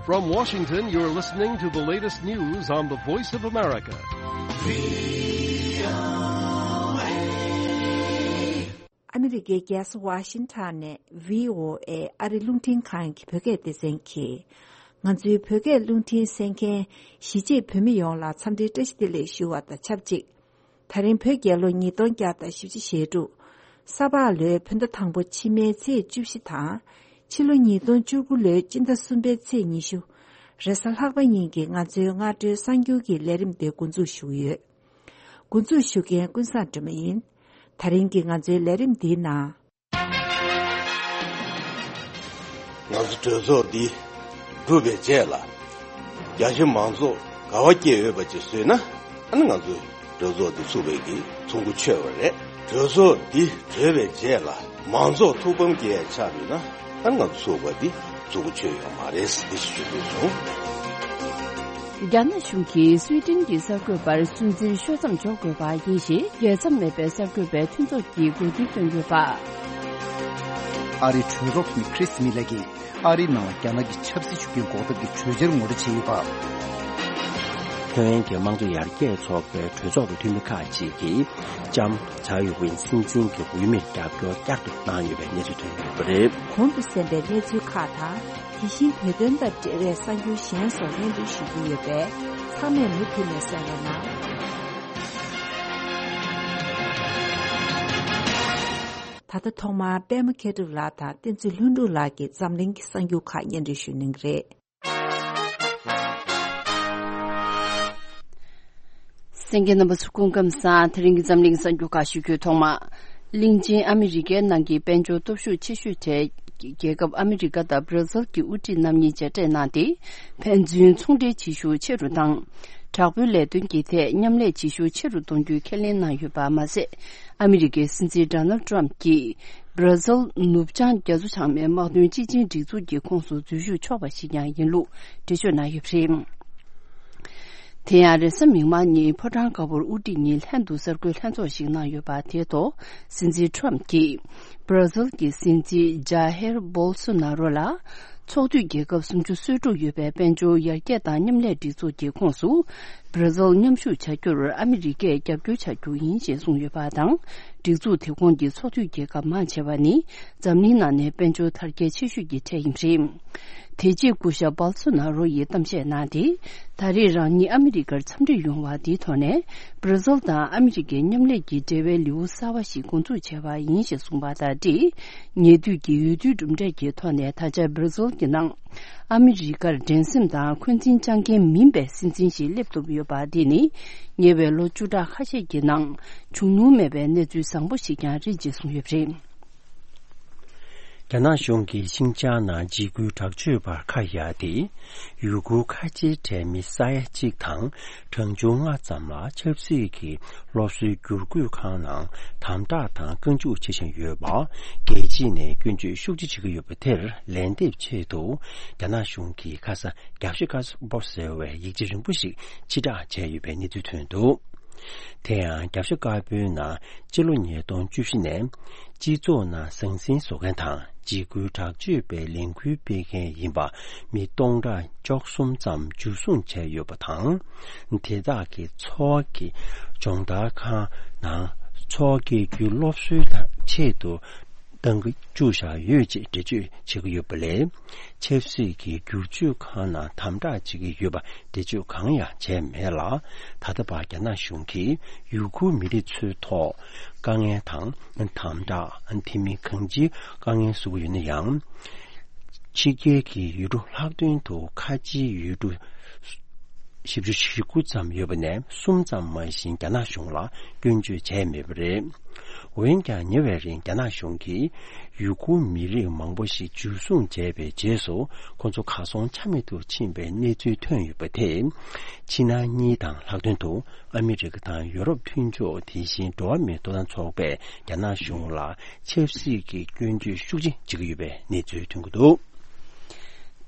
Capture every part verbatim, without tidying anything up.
From Washington, you're listening to the latest news on the Voice of America. ཨ་མི་རི་ཀའི་རྒྱལ་ས་ཝ་ཤིང་ཊོན་ནས་བྷི་ཨོ་ཨེ་ཨ་རི་རླུང་འཕྲིན་ཁང་གི་བོད་སྐད་སྡེ་ཚན་གྱིས། ང་ཚོའི་བོད་སྐད་རླུང་འཕྲིན་གསན་མཁན་གཞིས་བྱེས་བོད་མི་ཡོངས་ལ་འཚམས་འདྲིའི་བཀྲ་ཤིས་བདེ་ལེགས་ཞུ་བ་དང་ཆབས་ཅིག། ད་རིང་བོད་རྒྱལ་ལོ་ཉིས་སྟོང་བརྒྱ་དང་བཞི་བཅུ་ཞེ་དྲུག། ས་ཕག་ལོའི་བོད་ཟླ་དང་པོ་ཕྱི་མའི་ཚེས་བཅུ་བཞི་དང་། ཕྱི་ལོ་ཉིས་སྟོང་བཅུ་དགུ་ལོའི་སྤྱི་ཟླ་གསུམ་པའི་ཚེས་ཉི་ཤུ། རེས་གཟའ་ལྷག་པ་ཉིན་གྱི་ང་ཚོའི་སྔ་དྲོའི་གསར་འགྱུར་གྱི་ལས་རིམ་དེ་འགོ་འཛུགས་ཞུ་གི་ཡོད། འགོ་འཛུགས་ཞུ་མཁན་ཀུན་བཟང་སྒྲོལ་མ་ཡིན། ད་རིང་གི་ང་ཚོའི་ལས་རིམ་འདིའི་ནང་། ང་ཚོ་གྲོས་ཚོགས་འདི་གྲུབ་པའི་རྗེས་ལ། རྒྱ་ཆེ་མང་ཚོགས་དགའ་བ་སྐྱེ་འོས་པ་ཅིག་བཟོས་ན། ཨ་ནི་ང་ཚོས་གྲོས་ཚོགས་འདི་ཚུགས་པའི་གི་ཚོགས་འགོ་ཆོད་པ་རེད། གྲོས་ཚོགས་འདི་གྲོལ་བའི་རྗེས་ལ་མང་ཚོགས་ཐུགས་ཕམ་སྐྱེ་ཡ་ཆགས་ཡོད་ན། ཨ་ནི་ང་ཚོ་ཚོགས་པ་འདི་ཚོགས་འགོ་ཆོད་ཡོད་མ་རེད་ཟེར་འདི་ཞུ་འདོད་བྱུང་། རྒྱ་ནག་གཞུང་གིས་སུའེ་ཏེན་གྱི་གསར་འགོད་པར་སུན་གཙེར་ཤོག་མཚམས་འཇོག་དགོས་པ་ཡིན་ཞེས་རྒྱལ་མཚམས་མེད་པའི་གསར་འགོད་པའི་མཐུན་ཚོགས་ཀྱིས་གོ་བསྡུར་བཏོན་ཡོད་པ། ཨ་རིའི་གྲོས་ཚོགས་འཐུས་མི་ཁྲིས་མི་ལེ་གིས་ཨ་རིའི་ནང་ལ་རྒྱ་ནག་གི་ཆབ་སྲིད་ཤུགས་རྐྱེན་འགོག་ཐབས་ཀྱི་གྲོས་འཆར་ངོ་སྤྲོད་བྱས་ཡོད་པ། ཐའེ་ཝན་གྱི་དམངས་གཙོ་ཡར་རྒྱས་ཚོགས་པའི་གྲོས་ཚོགས་ཀྱི་འཐུས་མི་ཁག་ཅིག་གིས་ལྕམ་ཛའོ་ཝེན་སྲིད་འཛིན་གྱི་འོས་མིར་རྒྱབ་སྐྱོར་བསྐྱར་དུ་གནང་ཡོད་པའི་གནས་ཚུལ་ཐོན་ཡོད་པ་རེད། གོང་དུ་གསན་པའི་གནས་ཚུལ་ཁག་དང་། དེ་བཞིན་བོད་དོན་དང་འབྲེལ་བའི་གསར་འགྱུར་གཞན་སོགས་སྙན་སྒྲོན་ཞུ་རྒྱུ་ཡོད་པས། ཚང་མས་མུ་མཐུད་ནས་གསན་རོགས་གནང་། ད་ལྟ་ཐོག་མར་པད་མ་མཁས་གྲུབ་ལགས་དང་བསྟན་འཛིན་ལྷུན་གྲུབ་ལགས་ཀྱིས་འཛམ་གླིང་གི་གསར་འགྱུར་ཁག་སྙན་སྒྲོན་ཞུ་གནང་གི་རེད། གསན་མཁན་རྣམ་པ་ཚོ་སྐུ་ཁམས་བཟང་། དེ་རིང་གི་འཛམ་གླིང་གསར་འགྱུར་ཁག་ཞུ་རྒྱུའི་ཐོག་མ། གླིང་ཆེན་ཨ་མི་རི་ཀའི་ནང་གི་དཔལ་འབྱོར་སྟོབས་ཤུགས་ཆེ་ཤོས་གྲས་རྒྱལ་ཁབ་ཨ་མི་རི་ཀ་དང་བྷར་ཛིལ་གྱི་དབུ་ཁྲིད་རྣམ་གཉིས་མཇལ་འཕྲད་གནང་སྟེ། ཕན་ཚུན་ཚོང་འབྲེལ་བྱེད་ཤུགས་ཆེ་རུ་དང་། དྲག་པོའི་ལས་དོན་གྱི་ཐད་མཉམ་ལས་བྱེད་ཤུགས་ཆེ་རུ་གཏོང་རྒྱུའི་ཁས་ལེན་གནང་ཡོད་པ་མ་ཟད། ཨ་མི་རི་ཀའི་སྲིད་འཛིན་ཌོ་ནལ་ཏྲམ་གྱིས་བྷར་ཛིལ་ནུབ་བྱང་རྒྱ་མཚོ་བྱང་མའི་དམག་དོན་སྤྱི་ཆིངས་སྒྲིག་འཛུགས་ཀྱི་ཁོངས་སུ་འཛུལ་ཞུགས་ཆོག་པ་ཞིག་ཀྱང་ཡིན་ལུགས་འགྲེལ་བརྗོད་གནང་ཡོད་པ་རེད། དེ་ཡང་རེས་གཟའ་མིག་དམར་ཉིན་ཕོ་བྲང་དཀར་པོར་དབུ་ཁྲིད་གཉིས་ལྷན་དུ་གསར་འགོད་ལྷན་ཚོགས་ཤིག་གནང་ཡོད་པ་དེའི་ཐོག་སྲིད་འཛིན་ཁྲོམ་གྱིས་བྷར་ཛིལ་གྱི་སྲིད་འཛིན་ཇཱ་ཧེར་བོལ་སོ་ན་རོ་ལ་ཚོགས་འཐུས་རྒྱལ་ཁབ་སུམ་ཅུ་སོ་དྲུག་ཡོད་པའི་དཔལ་འབྱོར་ཡར་རྒྱས་དང་མཉམ་ལས་སྒྲིག་འཛུགས་ཀྱི་ཁོངས་སུ་བྷར་ཛིལ་མཉམ་ཞུགས་བྱ་རྒྱུར་ཨ་མི་རི་ཀས་རྒྱབ་སྐྱོར་བྱ་རྒྱུ་ཡིན་ཞེས་གསུངས་ཡོད་པ་དང་། སྒྲིག་འཛུགས་དེ་ཁོངས་ཀྱི་ཚོགས་འཐུས་རྒྱལ་ཁབ་མང་ཆེ་བ་ནི་འཛམ་གླིང་ནང་ནས་དཔལ་འབྱོར་དར་རྒྱས་ཆེ་ཤོས་ཀྱི་གྲས་ཡིན་པ་རེད། དེ་རྗེས་སྐུ་ཞབས་བལ་སོ་ན་རོ་ཡིས་གཏམ་བཤད་གནང་སྟེ། ད་རེས་རང་ཉིད་ཨ་མི་རི་ཀར་འཚམས་འདྲིར་ཡོང་བ་འདིའི་ཐོག་ནས་བྷར་ཛིལ་དང་ཨ་མི་རི་ཀའི་མཉམ་ལས་ཀྱི་འབྲེལ་བའི་ལེའུ་གསར་བ་ཞིག་འགོ་འཛུགས་བྱས་པ་ཡིན་ཞེས་གསུངས་པ་དང་འབྲེལ། ཉེ་དུས་ཀྱི་འོས་བསྡུའི་གྲུབ་འབྲས་ཀྱི་ཐོག་ནས་ད་ཆ་བྷར་ཛིལ་གྱི་ནང་ཨ་མི་རི་ཀར་འགྲན་སེམས་དང་འཁོན་འཛིན་བཅངས་མཁན་མིན་པའི་སྲིད་འཛིན་ཞིག་སླེབས་ཐུབ་ཡོད་པ་འདི་ནི་ཉེ་བའི་ལོ་བཅུ་ཕྲག་ཁ་ཤས་ཀྱི་ནང་བྱུང་མྱོང་མེད་པའི་གནས་ཚུལ་བཟང་པོ་ཞིག་ཀྱང་རེད་ཅེས་གསུངས་ཡོད་པ་རེད། རྒྱ་ནག་གཞུང་གིས་ཤིན་ཅང་ནང་འཇིགས་སྐུལ་དྲག་སྤྱོད་པར་ཁ་གཡར་ཏེ། ཡུ་གུར་ཁ་ཆེའི་གྲས་མི་ས་ཡ་གཅིག་དང་གྲངས་ཆུང་ལྔ་ཙམ་ལ་ཆབ་སྲིད་ཀྱི་སློབ་གསོའི་བསྒྱུར་བཀོད་ཁང་ནང་དམ་དྲག་དང་བཀའ་འཇུག་བྱེད་བཞིན་ཡོད་པ། རྒྱལ་སྤྱི་ནས་སྐྱོན་བརྗོད་ཤུགས་ཆེ་བྱེད་ཀྱི་ཡོད་པ་དེར་ལན་འདེབས་ཆེད་དུ། རྒྱ་ནག་གཞུང་གིས་ཁ་ས་རྒྱབ་ཤ་དཀར་པོ་ཟེར་བའི་ཡིག་ཆ་རིང་པོ་ཞིག་ཕྱིར་བསྒྲགས་བྱས་ཡོད་པའི་གནས་ཚུལ་ཐོན་འདུག་དེ་ཡང་རྒྱབ་ཤ་དཀར་པོའི་ནང་སྤྱི་ལོ་ཉིས་སྟོང་བཅུ་བཞི་ནས་སྤྱི་ཚོགས་ནང་ཟང་ཟིང་བཟོ་མཁན་དང་འཇིགས་སྐུལ་དྲག་སྤྱོད་པའི་ལས་འགུལ་སྤེལ་མཁན་ཡིན་པ་མི་སྟོང་ཕྲག་བཅུ་གསུམ་ཙམ་འཇུ་བཟུང་བྱས་ཡོད་པ་དང་། དེ་དག་གི་འཚོ་བ་གི་སྦྱོང་བརྡར་ཁང་ནང་འཚོ་བ་སྐྱེལ་རྒྱུའི་སློབ་གསོའི་ཆེད་དུ། གཏང་གི་བཅུག་བཞག་ཡོད་ཅེས་འགྲེལ་བརྗོད་བྱེད་ཀྱི་ཡོད་པ་ལས། ཆབ་སྲིད་ཀྱི་བསྒྱུར་བཅོས་ཁང་ནང་དམ་དྲག་བྱེད་ཀྱི་ཡོད་པ་འགྲེལ་བརྗོད་གང་ཡང་བྱས་མེད་ལ། ད་ལྟ་བར་རྒྱ་ནག་གཞུང་གིས་ཡུ་གུར་མི་རིགས་ཚོའི་ཐོག་དཀའ་ངལ་དང་དམ་དྲག་དེ་མིན་གང་ཅིའི་དཀའ་ངལ་བཟོ་གི་ཡོད་ན་ཡང་། ཕྱི་རྒྱལ་གྱི་ཡུལ་གྲུ་ལྷག་དོན་དུ་ཁ་ཆེའི་ཡུལ་གྲུ། བཞི་བཅུ་ཞེ་དགུ་ཙམ་ཡོད་པ་ནས་གསུམ་ཙམ་མ་ཞིག་རྒྱ་ནག་གཞུང་ལ་སྐྱོན་བརྗོད་བྱས་མེད་པ་རེད། འོན་ཀྱང་ཉེ་བའི་རིང་རྒྱ་ནག་གཞུང་གིས་ཡུ་གུར་མི་རིགས་མང་པོ་ཞིག་འཇུ་བཟུང་བྱས་པའི་རྗེས་སུ་ཁོ་ཚོ་གར་སོང་ཆ་མེད་དུ་ཕྱིན་པའི་གནས་ཚུལ་ཐོན་ཡོད་པ་དེས། ཕྱི་ནང་གཉིས་དང་ལྷག་དོན་དུ་ཨ་མི་རི་ཀ་དང་ཡོ་རོབ་མཐུན་ཕྱོགས་དེ་བཞིན་འགྲོ་བ་མིའི་ཐོབ་ཐང་ཚོགས་པས་རྒྱ་ནག་གཞུང་ལ་ཆབ་སྲིད་ཀྱི་སྐྱོན་བརྗོད་ཤུགས་ཆེ་བྱེད་ཀྱི་ཡོད་པའི་གནས་ཚུལ་ཐོན་གྱི་འདུག་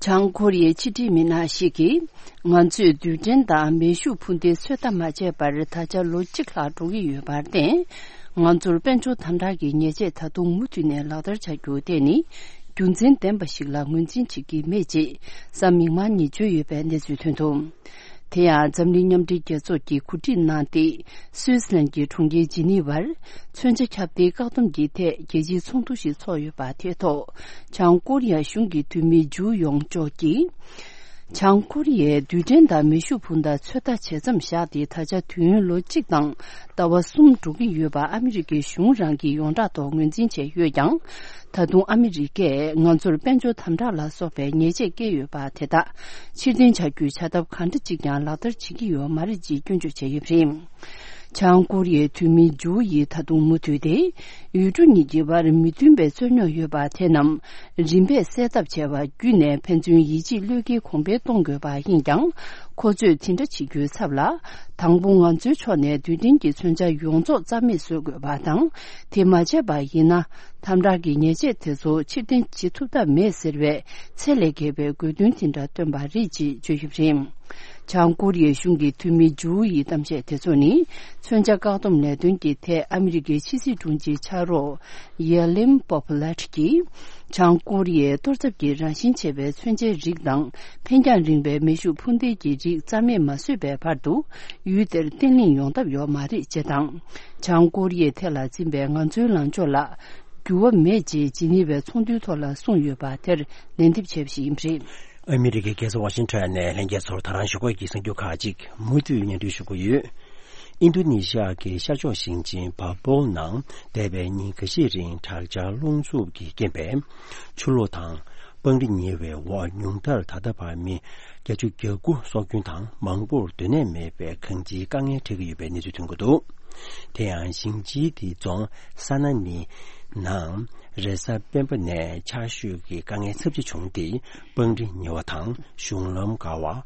བྱང་ཁོ་རི་ཡའི་ཕྱི་འབྲེལ་མི་སྣ་ཞིག་གིས། ང་ཚོས་རྡུལ་ཕྲན་དང་མེ་ཤུགས་འཕུར་མདེལ་ཚོད་ལྟ་མ་བྱས་པར་ད་ཆ་ལོ་གཅིག་ལྷག་འགྲོ་གི་ཡོད་པར་བརྟེན། ང་ཚོར་དཔལ་འབྱོར་དམ་དྲག་གི་ཉེས་ཆད་ད་དུང་མུ་མཐུད་ནས་ལག་བསྟར་བྱ་རྒྱུ་དེ་ནི། རྒྱུ་མཚན་ལྡན་པ་ཞིག་ལ་ངོས་འཛིན་བྱེད་ཀྱི་མེད་ཅེས་གཟའ་མིག་དམར་ཉིན་བརྗོད་ཡོད་པའི་གནས་ཚུལ་ཐོན་འདུག་དེ་ཡང་འཛམ་གླིང་མཉམ་འབྲེལ་རྒྱལ་ཚོགས་ཀྱིས་གོ་སྒྲིག་གནང་སྟེ། སུད་སི་ལན་གྱི་གྲོང་ཁྱེར་ཇི་ནི་ཝར་མཚོན་ཆ་ཁྱབ་གདལ་བཀག་སྡོམ་གྱི་ཐད་རྒྱལ་སྤྱིའི་ཚོགས་འདུ་ཞིག་ཚོགས་ཡོད་པ་དེའི་ཐོག་བྱང་ཀོ་རི་ཡ་གཞུང་གི་འཐུས་མི་ཇུ་ཡོང་ཅོག་གིས། བྱང་ཀོ་རི་ཡའི་རྡུལ་ཕྲན་དང་མེ་ཤུགས་འཕུར་མདའ་ཚོད་ལྟ་བྱེད་མཚམས་བཞག་སྟེ། ད་ཆ་དུས་ཡུན་ལོ་གཅིག་དང་ཟླ་བ་གསུམ་འགྲོ་གི་ཡོད་པ་ཨ་མི་རི་ཀའི་གཞུང་རང་གིས་ཡོངས་གྲགས་ཐོག་ངོས་འཛིན་བྱས་ཡོད་ཀྱང་། ད་དུང་ཨ་མི་རི་ཀས་ང་ཚོར་དཔལ་འབྱོར་དམ་དྲག་ལ་སོགས་པའི་ཉེས་ཆད་བཀལ་ཡོད་པ་དེ་དག་ཕྱིར་འཐེན་བྱ་རྒྱུའི་བྱ་ཐབས་གང་འདྲ་ཅིག་ཀྱང་ལག་བསྟར་བྱེད་ཀྱི་ཡོད་མ་རེད་ཅེས་སྐྱོན་བརྗོད་བྱས་ཡོད་པ་རེད། བྱང་ཀོ་རི་ཡའི་འཐུས་མི་ཇུ་ཡིས་ད་དུང་མུ་མཐུད་དེ། ཡུལ་གྲུ་གཉིས་ཀྱི་བར་མི་མཐུན་པའི་རྩོད་རྙོག་ཡོད་པ་དེ་རྣམས་རིམ་པས་སེལ་ཐབས་བྱས་པ་བརྒྱུད་ནས་ཕན་ཚུན་ཡིད་ཆེས་བློས་འགེལ་གོང་འཕེལ་གཏོང་དགོས་པ་ཡིན་ཀྱང་། ཁོ་ཚོས་དེ་འདྲ་བྱེད་རྒྱུའི་ཚབ་ལ། དང་པོ་ང་ཚོའི་ཕྱོགས་ནས་རྡུལ་ཕྲན་གྱི་མཚོན་ཆ་ཡོངས་རྫོགས་རྩ་མེད་བཟོ་དགོས་པ་དང་། དེ་མ་བྱས་པ་ཡིན་ན། དམ་དྲག་གི་ཉེས་ཆད་དེ་ཚོ་ཕྱིར་འཐེན་བྱེད་ཐུབ་ཐབས་མེད་ཟེར་བའི་ཚད་ལས་བརྒལ་བའི་དགོས་འདུན་དེ་འདྲ་བཏོན་པ་རེད་ཅེས་བརྗོད་ཡོད་པ་རེད། བྱང་ཀོ་རི་ཡའི་གཞུང་གི་འཐུས་མི་ཇུའུ་ཡི་གཏམ་བཤད་དེ་ཚོ་ནི། མཚོན་ཆ་བཀག་སྡོམ་ལས་དོན་གྱི་ཐད་ཨ་མི་རི་ཀའི་ཕྱི་སྲིད་དྲུང་ཆེའི་ཕྱག་རོགས་ཡེ་ལིམ་པོ་པོ་ལེ་ཊི་གིས། བྱང་ཀོ་རི་ཡའི་གཏོར་ཚབ་ཀྱི་རང་བཞིན་ཆེ་བའི་མཚོན་ཆའི་རིགས་དང་འཕེན་རྒྱང་རིང་བའི་མེ་ཤུགས་འཕུར་མདེལ་གྱི་རིགས་རྩ་མེད་མ་བཟོས་པའི་བར་དུ། ཡུལ་དེར་བརྟན་ལྷིང་ཡོང་ཐབས་ཡོད་མ་རེད་ཅེས་དང་། བྱང་ཀོ་རི་ཡའི་ཐད་ལ་འཛིན་པའི་ང་ཚོའི་ལངས་ཕྱོགས་ལ། འགྱུར་བ་མེད་ཅེས་ཇི་ནི་ཝའི་ཚོགས་འདུའི་ཐོག་ལ་གསུངས་ཡོད་པ་དེར་ལན་འདེབས་བྱས་པ་ཞིག་ཡིན་པ་རེད། ཨ་མི་རི་ཀའི་རྒྱལ་ས་ཝ་ཤིང་ཊོན་ནས་ལྷན་རྒྱས་ཚོར་ད་རང་ཞུ་སྒོ་ཡི་གསར་འགྱུར་ཁག་ཅིག་མུ་མཐུད་སྙན་སྒྲོན་ཞུ་གི་ཡོད། ཨིན་རྡུ་ནི་ཤི་ཡ་གི་ཤར་ཕྱོགས་ཞིང་ཆེན་བ་པོལ་ནང་འདས་པའི་ཉིན་འགའ་ཤས་རིང་དྲག་ཆར་རླུང་འཚུབ་ཀྱི་རྐྱེན་པས་ཆུ་ལོག་དང་། སྤང་རི་ཉིལ་བའི་འོག་ཉུང་མཐར་ད་ལྟ་བར་མི་བརྒྱད་ཅུ་གྱ་དགུ་སྲོག་སྐྱོན་དང་མང་པོར་སྡོད་གནས་མེད་པའི་གང་ཅིའི་དཀའ་ངལ་འཕྲད་ཀྱི་ཡོད་པའི་གནས་ཚུལ་ཐོན་གྱི་འདུག་དེ་ཡང་ཞིང་ཆེན་དེའི་རྫོང་ས་ན་ནི་ནང་རེས་གཟའ་སྤེན་པ་ནས་ཆར་ཞོད་ཀྱི་དཀའ་ངལ་ཚབས་ཆེ་བྱུང་སྟེ་སྤང་རི་ཉིལ་བ་དང་གཞུང་ལམ་འགག་པ།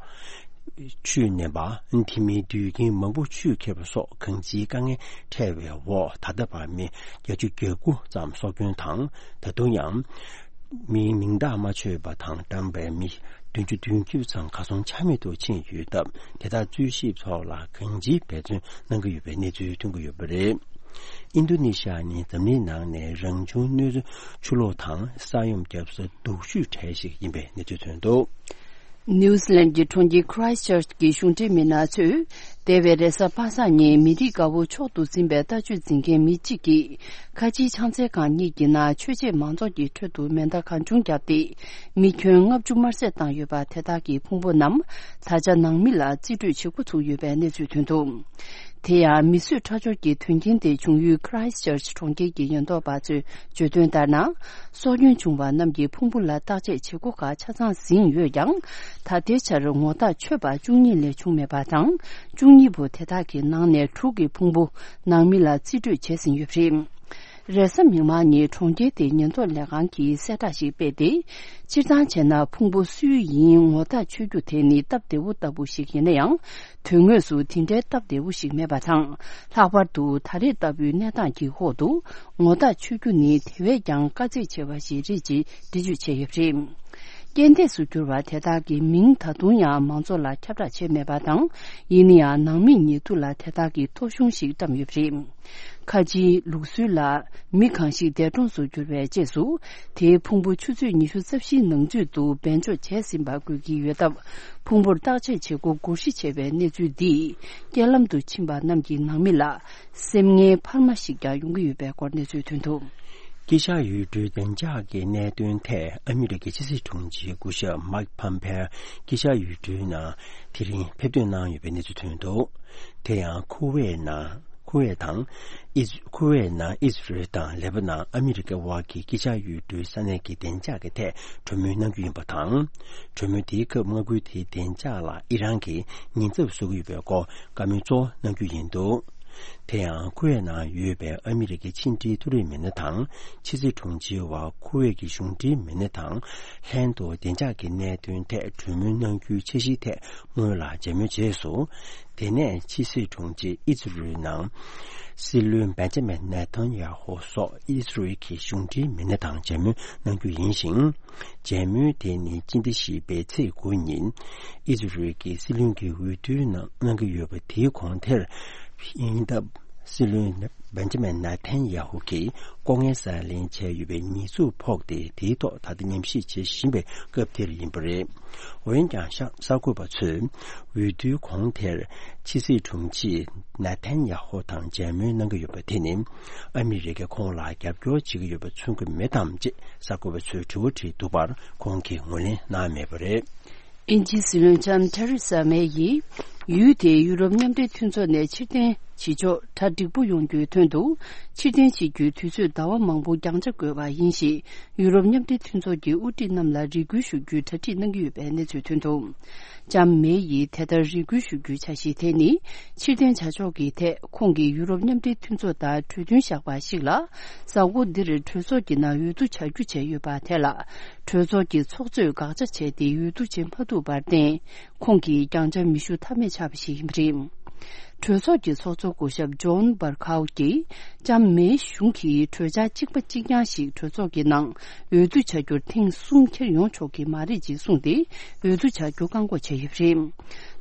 ཆུས་མནན་པ། དེ་མིན་དུད་ཁྱིམ་མང་པོ་ཆུས་ཁྱེར་བ་སོགས་གང་ཅིའི་དཀའ་ངལ་འཕྲད་པའི་འོག་ད་ལྟ་བར་མི་བརྒྱད་ཅུ་གྱ་དགུ་ཙམ་སྲོག་སྐྱོན་དང་ད་དུང་ཡང་། མིའི་མིང་བཏགས་མ་ཆོད་པ་དང་བཀྲམ་པའི་མི་བདུན་ཅུ་དོན་བརྒྱད་ཙམ་གར་སོང་ཆ་མེད་དུ་ཕྱིན་ཡོད་སྟབས། དེ་དག་འཚོལ་ཞིབ་ཐོག་ལ་གང་ཅིའི་འབད་བརྩོན་གནང་གི་ཡོད་པའི་གནས་ཚུལ་ཐོན་གྱི་ཡོད་པ་རེད། ཨིན་རྡུ་ནི་ཤ་ནི་འཛམ་གླིང་ནང་ནས་རང་བྱུང་གནོད་འཚེ་ཆུ་ལོག་དང་ས་ཡོམ་བརྒྱབ་ས་སྡུག་ཤོས་གྲས་ཤིག་ཡིན་པའི་གནས་ཚུལ་ཐོན་འདུག་ནིའུ་ཛི་ལན་གྱི་གྲོང་ཁྱེར་ཁི་རའེ་སི་ཅར་ཅི་གི་གཞུང་འབྲེལ་མི་སྣ་ཚོས། འདས་པའི་རེས་གཟའ་པ་སངས་ཉིན་མི་རིགས་དགའ་བོ་མཆོག་ཏུ་འཛིན་པའི་ལྟ་སྤྱོད་འཛིན་མཁན་མི་གཅིག་གིས། ཁ་ཆེའི་ཕྱག་འཚལ་ཁང་གཉིས་ཀྱི་ནང་ཆོས་བྱེད་མང་ཚོགས་ཀྱི་ཁྲོད་དུ་མེ་མདའ་གང་བྱུང་བརྒྱབ་སྟེ། མི་ཁྱོན་ལྔ་བཅུ་དམར་བསད་བཏང་ཡོད་པ་དེ་དག་གི་ཕུང་པོ་རྣམས། ད་ཆ་ནང་མི་ལ་རྩིས་སྤྲོད་བྱེད་འགོ་ཚུགས་ཡོད་པའི་གནས་ཚུལ་ཐོན་འདུག་དེ་ཡང་མི་གསོད་ཁྲག་སྦྱོར་གྱི་དོན་རྐྱེན་དེ་བྱུང་ཡུལ་ཁི་རའེ་སི་ཅར་ཅི་གྲོང་ཁྱེར་གྱི་ཉེན་རྟོག་པ་ཚོས་བརྗོད་དོན་ལྟར་ན། སྲོག་སྐྱོན་བྱུང་བ་རྣམས་ཀྱི་ཕུང་པོ་ལ་བརྟག་དཔྱད་བྱེད་སྒོ་ཁག་ཆ་ཚང་ཟིན་ཡོད་ཀྱང་། ད་ལྟའི་ཆར་ངོ་རྟགས་ཆོད་པ་བཅུ་གཉིས་ལས་བྱུང་མེད་པ་དང་། བཅུ་གཉིས་པོ་དེ་དག་གི་ནང་ནས་དྲུག་གི་ཕུང་པོ་ནང་མི་ལ་རྩིས་སྤྲོད་བྱས་ཟིན་ཡོད་པ་རེད། རེས་གཟའ་མིག་དམར་ཉིན་གྲོང་ཁྱེར་དེའི་ཉེན་རྟོག་ལས་ཁང་གིས་གསལ་བསྒྲགས་ཤིག་སྤེལ་ཏེ། སྤྱིར་བཏང་བྱས་ན་ཕུང་པོ་སུའི་ཡིན་ངོ་རྟགས་ཆོད་རྒྱུ་དེ་ནི་སྟབས་བདེ་བོ་ལྟ་བུ་ཞིག་ཡིན་ན་ཡང་། དོན་དངོས་སུ་དེ་འདྲའི་སྟབས་བདེ་བོ་ཞིག་མེད་པ་དང་། ལྷག་པར་དུ་ད་རེས་ལྟ་བུའི་གནས་སྟངས་ཀྱི་འོག་ཏུ་ངོ་རྟགས་ཆོད་རྒྱུ་ནི་དེ་བས་ཀྱང་དཀའ་ཚེགས་ཆེ་བ་ཞིག་རེད་ཅེས་འགྲེལ་བརྗོད་བྱས་ཡོད་པ་རེད། རྐྱེན་འདས་སུ་གྱུར་བ་དེ་དག་གི་མིང་ད་དུང་ཡང་མང་ཚོགས་ལ་ཁྱབ་བསྒྲགས་བྱས་མེད་པ་དང་། ཡིན་ན་ཡང་ནང་མིའི་ཉེ་དུ་ལ་དེ་དག་གི་ཐོ་གཞུང་ཞིག་བཀྲམ་ཡོད་པ་རེད། ཁ་ཆེའི་ལུགས་སྲོལ་ལ་མི་གང་ཞིག་འདས་གྲོངས་སུ་གྱུར་བའི་རྗེས་སུ། དེའི་ཕུང་པོ་ཆུ་ཚོད་ཉི་ཤུ་རྩ་བཞིའི་ནང་ཚུད་དུ་སྦས་འཇོག་བྱས་ཟིན་པ་དགོས་ཀྱི་ཡོད་སྟབས། ཕུང་པོར་བརྟག་དཔྱད་བྱེད་སྒོ་བསྒྱུར་བཞེས་བྱས་པའི་གནས་ཚུལ་འདིས། རྐྱེན་ལམ་དུ་ཕྱིན་པ་རྣམས་ཀྱི་ནང་མི་ལ་སེམས་ངལ་འཕར་མ་ཞིག་ཀྱང་ཡོང་གི་ཡོད་པའི་སྐོར་གནས་ཚུལ་ཐོན་འདུག་དཀྱིལ་ཤར་ཡུལ་གྲུའི་བདེ་འཇགས་ཀྱི་གནད་དོན་ཐད་ཨ་མི་རི་ཀའི་ཕྱི་སྲིད་དྲུང་ཆེ་སྐུ་ཞབས་མཱིག་ཕམ་ཕེ་དཀྱིལ་ཤར་ཡུལ་གྲུའི་ནང་དེ་རིང་ཕེབས་ཐོན་གནང་ཡོད་པའི་གནས་ཚུལ་ཐོན་འདུག་དེ་ཡང་ཁུ་ཝེ་ནང་། ཁུ་ཝེ་དང་། ཨིས། ཁུ་ཝེ་ནང་ཨི་ཟི་རེལ་དང་ལེ་པ་ནན། ཨ་མི་རི་ཀའི་དབར་གྱི་དཀྱིལ་ཤར་ཡུལ་གྲུའི་ས་གནས་ཀྱི་བདེ་འཇགས་ཀྱི་ཐད་གྲོས་མོལ་གནང་རྒྱུ་ཡིན་པ་དང་། གྲོས་མོལ་དེའི་སྐབས་མངའ་ཁུལ་དེའི་བདེ་འཇགས་ལ་ཨི་རན་གྱིས་ཉེན་ཚབས་བཟོ་གི་ཡོད་པའི་སྐོར་བཀའ་མོལ་གཙོ་བོ་གནང་རྒྱུ་ཡིན་འདུག་དེ་ཡང་ཁུ་ཝེ་ནང་ཡོད་པའི་ཨ་མི་རི་ཀའི་ཕྱི་འབྲེལ་མཐོ་རིམ་མི་སྣ་དང་། ཕྱི་སྲིད་དྲུང་ཆེའི་དབར་ཁུ་ཝེ་གི་གཞུང་འབྲེལ་མི་སྣ་དང་ལྷན་དུ་བདེ་འཇགས་ཀྱི་གནད་དོན་ཐད་གྲོས་མོལ་གནང་རྒྱུའི་འཆར་གཞིའི་ཐད་སྔོན་ལ་མཇལ་མོལ་རྗེས་སུ། དེ་ནས་ཕྱི་སྲིད་དྲུང་ཆེ་ཨི་ཛི་རུལ་ནང་སྲིད་བློན་བེན་ཇ་མིན་ནེ་ཐན་ཡ་ཧོ་སོགས་ཨི་ཛི་རུལ་གྱི་གཞུང་འབྲེལ་མི་སྣ་དང་མཇལ་མོལ་གནང་རྒྱུ་ཡིན་ཞིང་། མཇལ་མོལ་དེ་ནི་སྤྱི་ཟླ་བཞི་པའི་ཚེས་དགུ་ཉིན་ཨི་ཛི་རུལ་གྱི་སྲིད་བློན་གྱི་འོས་བསྡུའི་ནང་གནང་གི་ཡོད་པ་དེའི་གོང་དེར་ཡིན་སྟབས། སྲིད་བློན་ བན་ཇ་མན་ནཱ་ཐན་ཡ་ཧུ་གིས་ལྐོག་རྔན་གསར་ལེན་བྱས་ཡོད་པའི་ཉེས་འཛུགས་ཕོག་སྟེ། དེའི་ཐོག་ད་ལྟ་ཉམས་ཞིབ་བྱེད་བཞིན་པའི་སྐབས་དེར་ཡིན་པ་རེད། འོན་ཀྱང་། ཤ་གསར་འགོད་པ་ཚོས་འོས་བསྡུའི་གོང་དེར་ཕྱི་སྲིད་དྲུང་ཆེ་ནཱ་ཐན་ཡ་ཧུ་དང་མཇལ་མོལ་གནང་གི་ཡོད་པ་དེ་ནི། ཨ་མི་རི་ཀས་ཁོང་ལ་རྒྱབ་སྐྱོར་བྱེད་ཀྱི་ཡོད་པ་མཚོན་གྱི་མེད་དམ་ཅེས་གསར་འགོད་པ་ཚོས་དྲི་བ་དྲིས་འདུག་པར། ཁོང་གིས་ངོས་ལེན་གནང་མེད་པ་རེད། དབྱིན་ཇིའི་སྲིད་བློན་ལྕམ་ཐེ་རེ་ས་མེ་ཡིས། ཡུལ་དེའི་ཡུ་རོབ་མཉམ་འབྲེལ་མཐུན་ཚོགས་ནས་ཕྱིར་འཐེན་བྱེད་ཕྱོགས་གྲ་འགྲིག་པོ་ཡོང་རྒྱུའི་དོན་དུ། ཕྱིར་འཐེན་བྱེད་རྒྱུའི་དུས་ཚོད་ཟླ་བ་མང་པོ་འགྱངས་ཆ་དགོས་པ་ཡིན་ཞེས། ཡུ་རོབ་མཉམ་འབྲེལ་མཐུན་ཚོགས་ཀྱི་དབུ་ཁྲིད་རྣམས་ལ་རེ་སྐུལ་ཞུ་རྒྱུའི་གྲ་སྒྲིག་གནང་གི་ཡོད་པའི་གནས་ཚུལ་ཐོན་འདུག་ལྕམ་མེ་ཡིས་དེ་ལྟར་རེ་སྐུལ་ཞུ་རྒྱུའི་འཆར་གཞི་དེ་ནི། ཕྱིར་འཐེན་བྱ་ཕྱོགས་ཀྱི་ཐད་ཁོང་གིས་ཡུ་རོབ་མཉམ་འབྲེལ་མཐུན་ཚོགས་དང་གྲོས་མཐུན་བཞག་པ་ཞིག་ལ། གཟའ་འཁོར་འདིར་གྲོས་ཚོགས་ཀྱི་ནང་འོས་བསྡུ་བྱ་རྒྱུ་བྱས་ཡོད་པ་དེ་ལ། གྲོས་ཚོགས་ཀྱི་ཚོགས་གཙོས་དགག་བྱ་བྱས་ཏེ་འོས་བསྡུ་བྱེད་མ་ཐུབ་པར་བརྟེན། ཁོང་གིས་འགྱངས་ཆ་མི་ཞུ་ཐབས་མེད་ཆགས་པ་ཞིག་ཡིན་པ་རེད། གྲོས་ཚོགས་ཀྱི་ཚོགས་གཙོ་སྐུ་ཞབས་ཇོན་བར་ཁའོ་གིས། ལྕམ་མེའི་གཞུང་གིས་གྲོས་འཆར་གཅིག་པ་གཅིག་རྐྱང་ཞིག་གྲོས་ཚོགས་ཀྱི་ནང་འོས་བསྡུ་བྱ་རྒྱུར་ཐེངས་གསུམ་འཁྱེར་ཡོང་ཆོག་གི་མ་རེད་ཅེས་གསུངས་ཏེ། འོས་བསྡུ་བྱ་རྒྱུ་བཀག་འགོག་བྱས་ཡོད་པ་རེད།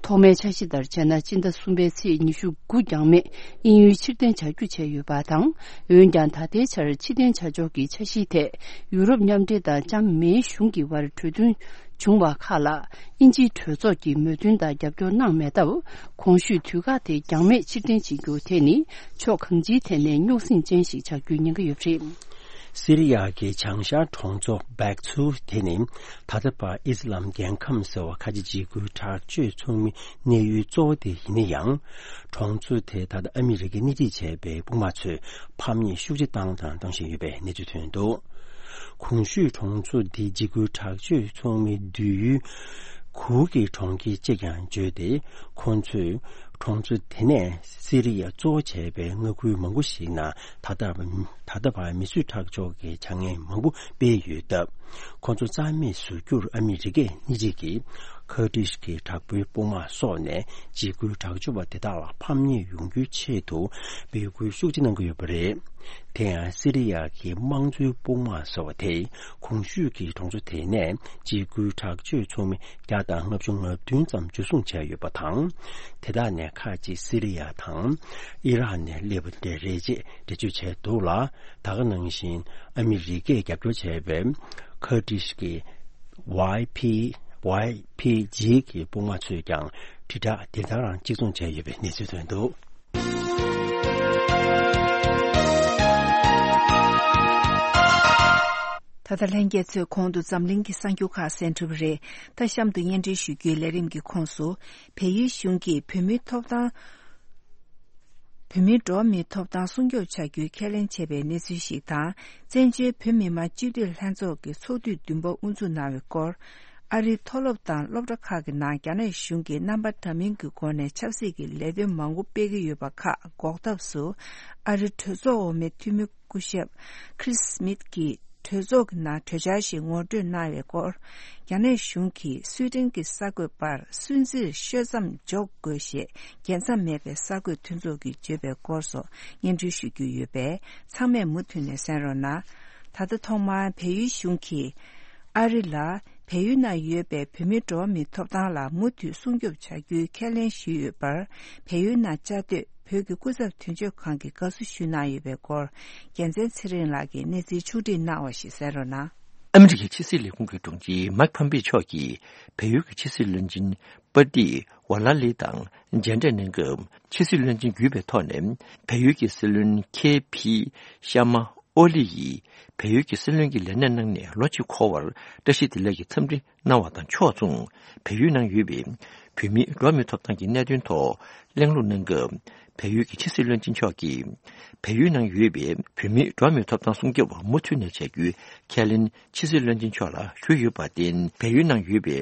ཐོག་མའི་འཆར་གཞི་ལྟར་བྱས་ན། སྤྱི་ཟླ་གསུམ་པའི་ཚེས་ཉི་ཤུ་དགུ་འགྱངས་མེད་དབྱིན་ཡུལ་ཕྱིར་འཐེན་བྱ་རྒྱུ་བྱས་ཡོད་པ་དང་། འོན་ཀྱང་། ད་ལྟའི་ཆར་ཕྱིར་འཐེན་བྱ་ཕྱོགས་ཀྱི་འཆར་གཞིའི་ཐད། ཡུ་རོབ་མཉམ་འབྲེལ་དང་ལྕམ་མེའི་གཞུང་གི་བར་གྲོས་མཐུན་བྱུང་བ་ཁག་ལ། དབྱིན་ཇིའི་གྲོས་ཚོགས་ཀྱིས་མོས་མཐུན་དང་རྒྱབ་སྐྱོར་གནང་མེད་སྟབས། གོང་ཞུས་དུས་བཀག་དེ་འགྱངས་མེད་ཕྱིར་འཐེན་བྱེད་རྒྱུ་དེ་ནི། ཕྱོགས་གང་ཅིའི་ཐད་ནས་རྙོག་ཟིང་ཅན་ཞིག་ཆགས་རྒྱུའི་ཉེན་ཁ་ཡོད་པ་རེད། སི་རི་ཡ་གི་བྱང་ཤར་གྲོང་ཚོ་སྦེག་ཚུ་དེ་ནི། ད་ལྟ་བར་ཨི་སི་ལམ་རྒྱལ་ཁམས་ཟེར་བ་ཁ་ཆེ་འཇིགས་སྐུལ་དྲག་སྤྱོད་ཚོགས་མིའི་གནས་ཡུལ་གཙོ་བོ་དེ་ཡིན་ན་ཡང་། གྲོང་ཚོ་དེ་ད་ལྟ་ཨ་མི་རི་ཀས་སྣེ་ཁྲིད་བྱས་པའི་དཔུང་དམག་ཚོས་ཕམ་ཉེས་ཤུགས་ཆེ་བཏང་དང་བཏང་བཞིན་ཡོད་པའི་གནས་ཚུལ་ཐོན་འདུག་གོང་ཞུས་གྲོང་ཚོ་འདི་འཇིགས་སྐུལ་དྲག་སྤྱོད་ཚོགས་མིའི་སྡོད་ཡུལ་གུར་གྱི་གྲོང་ཁྱེར་ཅེས་ཀྱང་བརྗོད་དེ། ཁོང་ཚོས་གྲོང་ཚོ་དེ་ནས་སི་རི་ཡ་གཙོ་བོ་བྱས་པའི་མངའ་ཁུལ་མང་པོ་ཞིག་ནང་ད་ལྟ་ད་ལྟ་བར་མི་གསོད་ཁྲག་སྦྱོར་གྱི་བྱ་ངན་མང་པོ་སྤེལ་ཡོད་སྟབས། ཁོང་ཚོ་རྩ་མེད་བཟོ་རྒྱུར་ཨ་མི་རི་ཀས་སྣེ་ཁྲིད་ཀྱིས་ཁར་ཏིཤ་གི་དྲག་པོའི་དཔུང་དམག་སོགས་ནས་འཇིགས་སྐུལ་དྲག་སྤྱོད་པ་དེ་དག་ལ་ཕམ་ཉེས་ཡོང་རྒྱུའི་ཆེད་དུ་འབོད་སྐུལ་ཤུགས་ཆེ་གནང་གི་ཡོད་པ་རེད། དེ་ཡང་སི་རི་ཡ་གི་དམངས་གཙོའི་དཔུང་དམག་ཟེར་བ་དེས་གོང་ཞུས་ཀྱི་གྲོང་ཚོ་དེ་ནས་འཇིགས་སྐུལ་དྲག་སྤྱོད་ཚོགས་མི་བརྒྱ་དང་ལྔ་བཅུ་ང་བདུན་ཙམ་འཇུ་བཟུང་བྱས་ཡོད་པ་དང་། དེ་དག་ནས་ཁག་ཅིག་སི་རི་ཡ་དང་ཨི་རག་ནས་སླེབས་པ་དེ་རེད་ཅེས་འགྲེལ་བརྗོད་བྱས་འདུག་ལ། ད་ག་ནང་བཞིན་ཨ་མི་རི་ཀས་རྒྱབ་སྐྱོར་བྱས་པའི་ཁར་ཏིཤ་གི་ཝའི་ཕི་ཝའི་ཕི་ཇི་གི་དཔུང་དམག་ཚོས་ཀྱང་དྲིལ་བསྒྲགས་དེ་ལྟར་གཅིག་མཚུངས་བྱས་ཡོད་པའི་གནས་ཚུལ་ཐོན་འདུག་ད་ལྟ་ལྷན་རྒྱས་ཚོས་གོང་དུ་འཛམ་གླིང་གི་གསར་འགྱུར་ཁག་གསན་གྲུབ་རེད། ད་གཤམ་དུ་སྙན་སྒྲོན་ཞུ་རྒྱུའི་ལས་རིམ་གྱི་ཁོངས་སུ། བལ་ཡུལ་གཞུང་གིས་བོད་མིའི་ཐོབ་ཐང་། བོད་མིའི་འགྲོ་བ་མིའི་ཐོབ་ཐང་སྲུང་སྐྱོབ་བྱ་རྒྱུའི་ཁས་ལེན་བྱས་པའི་གནས་ཚུལ་ཞིག་དང་། བཙན་བྱོལ་བོད་མི་མང་སྤྱི་འཐུས་ལྷན་ཚོགས་ཀྱི་ཚོགས་དུས་བདུན་པ་དབུ་འཛུགས་གནང་བའི་སྐོར། ཨ་རིའི་མཐོ་སློབ་དང་སློབ་གྲྭ་ཁག་གི་ནང་རྒྱ་ནག་གཞུང་གིས་རྣམ་པ་འདྲ་མིན་གྱི་སྒོ་ནས་ཆབ་སྲིད་ཀྱི་ལས་དོན་མང་པོ་སྤེལ་གྱི་ཡོད་པ་ཁག་འགོག་ཐབས་སུ། ཨ་རིའི་གྲོས་ཚོགས་འོག་མའི་འཐུས་མི་སྐུ་ཞབས་Chris Smith་གྱིས་གྲོས་ཚོགས་ཀྱི་ནང་གྲོས་འཆར་ཞིག་ངོ་སྤྲོད་གནང་བའི་སྐོར། རྒྱ་ནག་གཞུང་གིས་སུའེ་ཏེན་གྱི་གསར་འགོད་པར་སུན་གཙེར་ཤོད་མཚམས་འཇོག་དགོས་ཞེས་རྒྱལ་མཚམས་མེད་པའི་གསར་འགོད་མཐུན་ཚོགས་ཀྱིས་བརྗོད་པའི་སྐོར་སོགས་སྙན་སྒྲོན་ཞུ་རྒྱུ་ཡོད་པས། ཚང་མས་མུ་མཐུད་ནས་གསན་རོགས་གནང་། ད་ལྟ་ཐོག་མར་བལ་ཡུལ་གཞུང་གིས་ཨ་རི་ལ་བལ་ཡུལ་ནང་ཡོད་པའི་བོད་མིའི་འགྲོ་བ་མིའི་ཐོབ་ཐང་ལ་མུ་མཐུད་སྲུང་སྐྱོབ་བྱ་རྒྱུའི་ཁས་ལེན་ཞུས་ཡོད་པར། བལ་ཡུལ་ནང་བཅའ་སྡོད་བོད་ཀྱི་སྐུ་ཚབ་དོན་གཅོད་ཁང་གིས་དགའ་བསུ་ཞུས་གནང་ཡོད་པའི་སྐོར། རྒྱལ་མཚན་ཚེ་རིང་ལགས་ཀྱིས་གནས་ཚུལ་ཕྱོགས་སྒྲིག་གནང་བ་ཞིག་གསན་རོགས་གནང་། ཨ་མི་རི་ཀའི་ཕྱི་སྲིད་ལས་ཁུངས་ཀྱི་དྲུང་ཆེ་མཱིག་ཕམ་པེ་མཆོག་གིས་བལ་ཡུལ་གྱི་ཕྱི་སྲིད་བློན་ཆེན་པ་ཏི་ཝ་ལ་ལི་དང་མཇལ་འཕྲད་གནང་སྐབས། ཕྱི་སྲིད་བློན་ཆེན་བརྒྱུད་པའི་ཐོག་ནས་བལ་ཡུལ་གྱི་སྲིད་བློན་ཁེ་ཕི་ཤ་མ་ཨོ་ལི་ཡིས་བལ་ཡུལ་གྱི་སྲིད་བློན་གྱི་ལས་གནས་གནང་ནས་ལོ་གཅིག་འཁོར་བར་བཀྲ་ཤིས་བདེ་ལེགས་ཀྱི་འཚམས་འདྲི་གནང་བ་དང་ཕྱོགས་མཚུངས། བལ་ཡུལ་ནང་ཡོད་པའི་བོད་མིའི་འགྲོ་བ་མིའི་ཐོབ་ཐང་གི་གནད་དོན་ཐོག་གླེང་སློང་གནང་སྐབས། བལ་ཡུལ་གྱི་ཕྱི་སྲིད་བློན་ཆེན་མཆོག་གིས། བལ་ཡུལ་ནང་ཡོད་པའི་བོད་མིའི་འགྲོ་བ་མིའི་ཐོབ་ཐང་སྲུང་སྐྱོབ་མུ་མཐུད་ནས་བྱ་རྒྱུའི་ཁས་ལེན་ཕྱི་སྲིད་བློན་ཆེན་མཆོག་ལ་ཞུས་ཡོད་པར་བརྟེན། བལ་ཡུལ་ནང་ཡོད་པའི་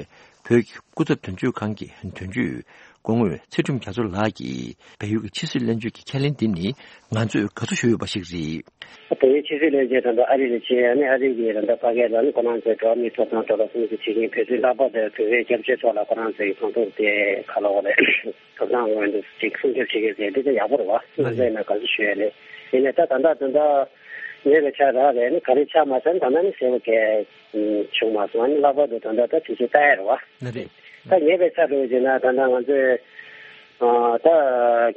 བོད་ཀྱི་སྐུ་ཚབ་དོན་གཅོད་ཁང་གི་དོན་གཅོད་སྐུ་ངོ་ཚེ་སྒྲོལ་རྒྱ་མཚོ་ལགས་ཀྱིས། བལ་ཡུལ་གྱི་ཕྱི་སྲིད་བློན་ཆེན་གྱི་ཁས་ལེན་འདི་ནི་ང་ཚོས་དགའ་བསུ་ཞུ་འོས་པ་ཞིག་རེད། བལ་ཡུལ་ཕྱི་སྲིད་བློན་ཆེན་དང་ཨ་རི་ལ་ཕྱིན། ཨ་ནི་ཨ་རི་གི་ད་ལྟ་ཕ་གི་ལ་ནི་ཁོ་རང་ཚོའི་འགྲོ་བ་མིའི་ཐོབ་ཐང་ཐོག་ལ་སྲུང་བརྩི་བྱེད་མཁན་བོད་དོན་ལྷག་པར་དུ་བོད་པའི་སྐྱབས་བཅོལ་ཐོག་ལ་ཁོ་རང་ཚོའི་གང་ཐུབ་དེ་ག་ལ་བ་རེད། ཐོབ་ཐང་དབང་དུ་ཅིག་སྲུང་སྐྱོབ་བྱེད་མཁན་ཟེར་འདི་ད་ཡག་པོ་རེད་བ། ང་ཚོ་ཡིན་ན་དགའ་བསུ་ཞུ་ཡ་རེད། ཡིན་ནའི་ད་ད་ལྟ་ད་ལྟ་ཉེ་བའི་ཆར་རག་རེད། ནི་ག་རེ་ཆགས་མ་ཟེར་ན། ད་ལྟ་ནི་ཟེར་བ་གས་བྱུང་མ་སོང་། ཨ་ནི་ལྷག་པར་དུ་ད་ལྟ་ད་དུས་ཚོད་ལྟ་ཡ་རེད་བ། ལགས་རེད། ད་ཉེ་བའི་ཆར་འགྲོ་བྱས་ན་ད་ལྟ་ང་ཚོས་ ཨ་ད་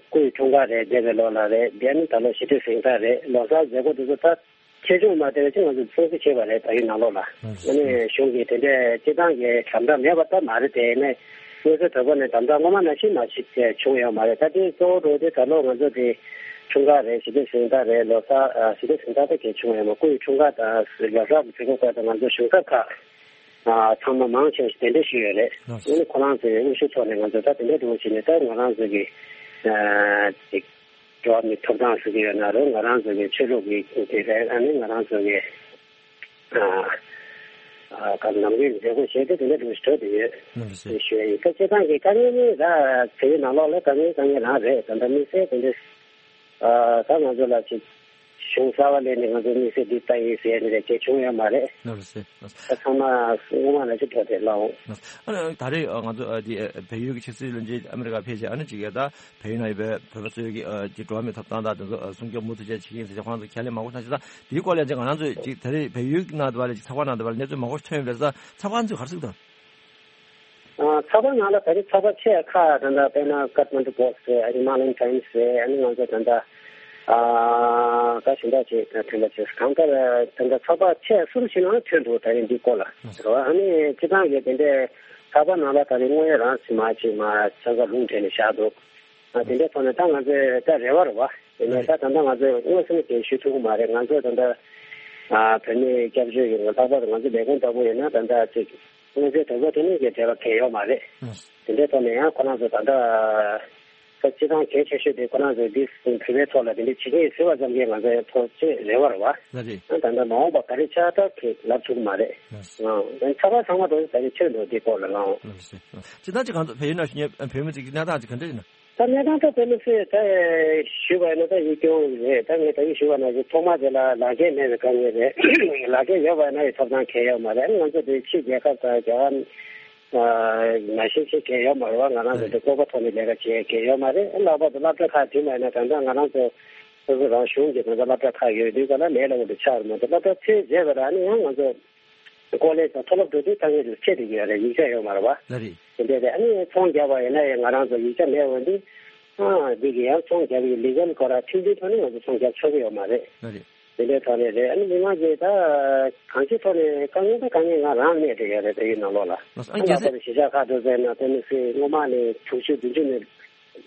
སྐུའི་འཁྲུངས་སྐར་རེད། འདས་པའི་ལོ་ལ་རེད། དེ་ནི་ད་ལོ་ཞི་བདེ་གཟེངས་རྟགས་རེད། ལོ་གསར་མཛད་སྒོ་དེ་ཚོ་ད་ཆེ་ཆུང་མ་བལྟས་པ་ཅིག་ང་ཚོས་སྲུང་བརྩི་བྱས་པ་རེད། བལ་ཡུལ་ནང་ལོགས་ལ། ཨ་ནི་གཞུང་གིས་དེ་འདྲའི་སྤྱི་བཏང་གི་དམ་དྲག་མེད་པ་ད་མ་རེད། དེ་ནས་མངོན་གསལ་དོད་པོ་ནས་དམ་དྲག་སྔོན་མ་ནང་བཞིན་མ་ཞིག་བྱུང་ཡོད་མ་རེད། ད་དེ་གཙོ་བོ་འགྲོ་དེ་ད་ལོ་ང་ཚོ་དེ་འཁྲུངས་སྐར་རེད། ཞི་བདེ་གཟེངས་རྟགས་རེད། ལོ་གསར་ཨ་ཞི་བདེ་གཟེངས་རྟགས་ད་གལ་བྱུང་ཡོད་མ། སྐུའི་འཁྲུངས་སྐར་དང་ལོ་གསར་གྱི་མཛད་སྒོ་སྐབས་དུ་ང་ཚོ་གཞུང་ཚབ་ཁག་ཨ་ཚང་མ་མང་ཆེ་བ་ཞིག་གདན་འདྲེན་ཞུས་ཡོད་རེད། ལགས་སོ། ཨ་ནི་ཁོ་རང་ཚོའི་དབུ་བཞུགས་ཐོག་ནས་ང་ཚོ་ད་དེ་འདྲ་འགྲོ་བཞིན་ནས་ད་ང་རང་ཚོ་གི་ཨ་ཅིག་འགྲོ་བ་མིའི་ཐོབ་ཐང་ཟེར་གྱི་ཡོད་ན་རུང་། ང་རང་ཚོ་གི་ཆོས་ལུགས་ཀྱི་དེ་རེད། ཨ་ནི་ང་རང་ཚོ་གི་ཨ་ཨ་ག་ནམ་རྒྱུན་མཛད་སྒོ་བྱས་ཏེ་དེ་འདྲ་འགྲོ་བཞིན་འགྲོ་བསྡད་ཡོད། ལགས་སོ། ཞུ་ཡ་ཡིན། ད་སྤྱིར་བཏང་གི་དཀའ་ངལ་ནི་ད་བལ་ཡུལ་ནང་ལོགས་ལ་དཀའ་ངལ་དཀའ་ངལ་རང་རེད། ད་ལྟ་དམིགས་བསལ་དེ་འདྲ་ཨ་ད་ང་ཚོ་ལ་ཅིག་གཞུང་གསར་པ་ལས་ནས་ང་ཚོ་དམིགས་བསལ་འདི་ལྟ་ཡིན་ཟེར་ནས་གལ་བྱུང་ཡོད་མ་རེད། ལགས་སོ། ད་ཚང་མ་སྔོན་མ་ནང་བཞིན་འགྲོ་བསྡད་ལགས། ཨ་ནི་ད་རེས་ང་ཚོ་ཨ་འདི་བལ་ཡུལ་གྱི་ཕྱི་སྲིད་བློན་ཆེན་ཨ་མི་རི་ཀ་ཕེབས་རྗེས། ཨ་ནི་ཅིག་ད་བལ་ཡུལ་ནང་ཡོད་པའི་བོད་པ་ཚོའི་གི་ཨ་ཅིག་འགྲོ་བ་མིའི་ཐོབ་ཐང་དང་དེ་ཚོ་ཨ་སྲུང་སྐྱོབ་མུ་མཐུད་བྱས་བྱེད་ཀྱི་ཡིན་ཟེར་ཁོང་ཚོ་ཁས་ལེན་མང་པོ་གནང་ཞིང་། ད་དེའི་སྐོར་ལ་ཅིག་ང་རང་ཚོས་ཅིག་ད་རེས་བལ་ཡུལ་ནང་དུ་བ་ལ་ཅིག་ཚགས་པར་ནང་དུ་བ་ལ་གནས་ཚུལ་མང་པོ་ཐོན་ཡོད་པས། ཚགས་པར་ཚོས་ག་རེ་གསུངས་དང་། ཨ་ཚགས་པར་ནང་ལ་ད་རེས་ཚགས་པར་ཆེ་ཁག་ད་ལྟ་དཔེར་ན་ཀཏ་མན་ཌུ་པོ་སི་ཊི་རེད། ཨ་ནི་མ་ལན་ཊའིམ་སི་རེད། ཨ་ནི་ང་ཚོ་ད་ལྟ་ཨ་ད་གཞན་དག་ཅིག་ད་ཐོན་པ་བྱས། གང་ལྟར་ད་ལྟ་ཚགས་པར་ཆེ་སུ་རུ་ཞིག་ནང་ཐོན་འདུག་ད་རེས་འདི་སྐོར་ལ་རེད་བ། ཨ་ནི་སྤྱིར་བཏང་གི་དེ་འདྲའི་ཚགས་པར་ནང་ལ་ད་རེས་དངོས་ཡོད་རང་ཚུལ་མ་ཅིག་མ་ཆ་ཚང་ལུང་འདྲེན་ནས་བཞག་འདུག་ཨ་དེ་འདྲའི་ཐོག་ནས་ད་ང་ཚོས་ད་རེ་བ་རེད་བ། དེ་ནས་ད་ད་ལྟ་ང་ཚོས་དངོས་སུ་ནས་གལ་ཞུ་ཐུབ་ཀྱི་མ་རེད། ང་ཚོས་ད་ལྟ་ཨ་བོད་མིའི་སྐྱབས་བཅོལ་གྱི་ལྷག་པར་དུ་ང་ཚོ་ལས་ཁུངས་ལྟ་བུ་ཡིན་ན་ད་ལྟ་ཅིག་དངོས་རྫས་དོ་ཕོག་དེ་ནས་ཀྱི་འབྲེལ་བ་གལ་ཡོད་མ་རེད། དེ་འདྲའི་ཐོག་ནས་ཡང་ཁོ་རང་ཚོ་ད་ལྟ་ད་སྤྱི་བཏང་གལ་ཆེ་ཤོས་དེ་ཁོ་རང་ཚོས་འདི་བོད་པའི་ཐོག་ལ་དེ་འདྲའི་བྱེད་ཀྱི་ཡིན་ཟེར་བ་ཙམ་གྱིས་ང་ཚོ་ཡང་ཐོག་ཆེས་རེ་བ་རེད་བ། ལགས་རེད། ད་ལྟ་མ་འོངས་པ་ག་རེ་ཆགས་ད་ཁེ་ལབ་ཐུབ་མ་རེད། ལགས། ཨང་། ཚགས་པར་ཚང་མ་དོ་ད་རེས་ཆོས་འདུག་འདི་སྐོར་ལ་ལའང་། ལགས་སོ། སྤྱིར་བཏང་ཅིག་གང་ཚོ་བལ་ཡུལ་ནང་བཞུགས་མཁན་བོད་མི་ཚོ་གི་གནས་སྟངས་ཅིག་ག་འདྲ་ཡིན་ན། ད་གནས་སྟངས་ད་དཔེ་མི་སྲིད་ད་ཞུས་པ་ཡིན་ན་ད་ཡིད་སྐྱོ་བོ་རེད། ད་ངས་ད་ཡིད་ཞུས་པ་ནང་བཞིན་ཐོག་མ་དེ་ལ་ལག་འཁྱེར་མེད་པའི་དཀའ་ངལ་རེད། ལག་འཁྱེར་ཡོད་པ་ཡིན་ན་ཡང་ཐོབ་ཐང་གང་ཡང་ཡོད་མ་རེད། ང་ཚོ་དེ་ཕྱི་རྒྱལ་ཁབ་དང་རྒྱལ་བ་ནང་བཞིན་ཞིག་གང་ཡང་ཡོད་མ་རེད་བ། ང་རང་ཚོ་དེ་ལྐོག་པ་ཐོག་ནས་ལས་ཀ་བྱེད་མཁན་གང་ཡང་ཡོད་མ་རེད། ལྷག་པར་དུ་སློབ་གྲྭ་ཁག་དེ་མ་ཡིན་ན་ད་ལྟ་ང་རང་ཚོ་སོ་སོ་རང་གཞུང་གི་ད་ལྟ་སློབ་གྲྭ་ཁག་ཡོད་དུས་ག་ལ་ལས་སླ་པོ་དེ་ཆགས་རེད་མ་གཏོགས། སློབ་གྲྭ་ཚར་རྗེས་ལ་ཨ་ནི་ཡང་ང་ཚོ་ཀོ་ལེཇ་དང་མཐོ་སློབ་འགྲོ་དུས་དཀའ་ངལ་དེ་ཆེ་བསྡད་ཀྱི་ཡོད་རེད། ཡིག་ཆ་ཡོད་མ་རེད་བ། ལགས་རེད། དེ་འདྲས་རེད། ཨ་ནི་ཚོང་རྒྱག་པ་ཡིན་ན་ཡང་ང་རང་ཚོ་ཡིག་ཆ་མེད་འོན་ཏེ། ཨ་འདི་གི་ཡང་ཚོང་རྒྱག་ཡི་ལི་གལ་སྐོར་ཁྲིམས་མཐུན་ཐོག་ནས་ང་ཚོ་ཚོང་རྒྱག་ཆོག་གི་ཡོད་མ་རེད། ལགས་རེད། དེ་འདྲའི་ཐོག་ནས་རེད། ཨ་ནི་མི་མང་གིས་ད་གང་ཅིའི་ཐོག་ནས་དཀའ་ངལ་ད་དཀའ་ངལ་ང་རང་གནས་བསྡད་ཡོད་རེད། བལ་ཡུལ་ནང་ལོགས་ལ། ལགས་སོ། ཨ་ཨ་རྒྱལ་ལགས་སྲས། པར་གཞིས་ཆགས་ཁག་དུ་ཟེར་ན་དཔེ་མི་སྲིད་སྔོན་མ་ནས་དྲུག་ཅུ་བདུན་ཅུ་ནས་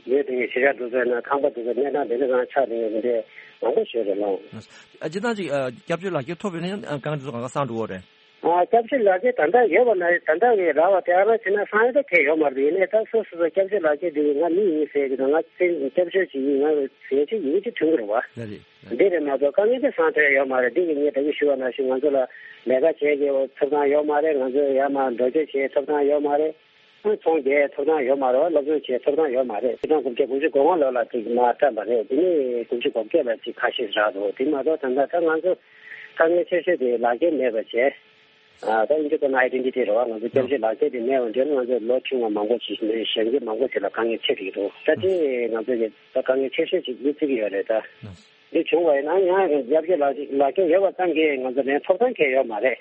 ཡོད་དེ་གཞིས་ཆགས་དུ་ཟེར་ན་ཁང་པ་དུ་ཟེར་གནས་སྟངས་དེ་འདྲ་རང་ཆགས་ནས་ཡོད་དེ་འདྲའི་མང་པོ་ཞིག་རེད་ལགས། ལགས་སོ། ཨ་སྤྱིར་བཏང་ཅིག་ཨ་སྐྱབས་བཅོལ་ལག་འཁྱེར་ཐོབ་ཡོད་ན་ཡང་ཨ་དཀའ་ངལ་དེ་ཚོ་གང་ག་སངས་འགྲོ་གི་རེད། ཨ་སྐྱབས་བཅོལ་ལག་འཁྱེར་ད་ལྟ་ཡོད་པ་ན་ད་ལྟ་གི་རག་པ་དེ་ཨ་རང་བྱས་ན་སངས་ཡོད་ད་གལ་ཡོད་མ་རེད། ཡིན་ནའི་ད་སོ་སོ་སོ་སྐྱབས་བཅོལ་ལག་འཁྱེར་དེ་ང་མི་ཡིན་ཟེར་གྱི་འདུག་ང་ཚེ་སྐྱབས་བཅོལ་ཅིག་ཡིན། ང་ཟས་བཅད་ཡིན་གྱི་ཐོན་གྱི་རེད་བ། ལགས་རེད། འདི་རེད་མ་གཏོགས་དཀའ་ངལ་དེ་སངས་ཐོན་ཡོད་མ་རེད། འདི་གི་ངས་ད་གིན་ཞུས་པ་ནང་བཞིན་ང་ཚོ་ལ་ལས་ཀ་བྱེད་ཀྱི་ཐོབ་ཐང་ཡོད་མ་རེད། ང་ཚོ་ཡར་མར་འགྲོ་སྐྱོད་བྱེད་ཐོབ་ཐང་ཡོད་མ་རེད། ཚོང་རྒྱག་ཐོབ་ཐང་ཡོད་མ་རེད་བ། སློབ་སྦྱོང་བྱེད་ཐོབ་ཐང་ཡོད་མ་རེད། ཆིག་སྟོང་དགུ་བརྒྱ་དགུ་བཅུ་གོ་ལྔ་ལོ་ལ་ཅིག་མར་བཀྲམ་པ་རེད། དེ་ནས་དགུ་བཅུ་གོ་བརྒྱད་ལ་ཅིག་ཁ་ཤས་རག་འདུག་དེ་མ་གཏོགས་ད་ལྟ་ད་ང་ཚོ་དཀའ་ངལ་ཆེ་ཤོས་དེ་ལག་འཁྱེར་མེད་པ་བྱས། ཨ་ད་ཨིན་ཇི་སྐད་ན་ཨའི་ཌེན་ཊི་ཊི་རེད་བ། ང་ཚོ་སྐྱབས་བཅོལ་ལག་འཁྱེར་དེ་མེད་པ་འདྲ་ན་ང་ཚོ་ལོ་ཆུང་བ་མང་པོ་ཞིག་ནས་གཞོན་སྐྱེས་མང་པོ་ཞིག་ལ་དཀའ་ངལ་འཕྲད་ཀྱི་འདུག་ད་དེ་ང་ཚོ་གི་ད་དཀའ་ངལ་ཆེ་ཤོས་ཅིག་མི་བརྩི་གི་ཡོད་རེད་ད། འདི་བྱུང་བ་ཡིན་ན་ཡང་སྐྱབས་བཅོལ་ལག་ལག་འཁྱེར་ཡོད་པ་ཙམ་གྱིས་ང་ཚོ་ལན་ཐོབ་ཐང་གང་ཡང་ཡོད་མ་རེད།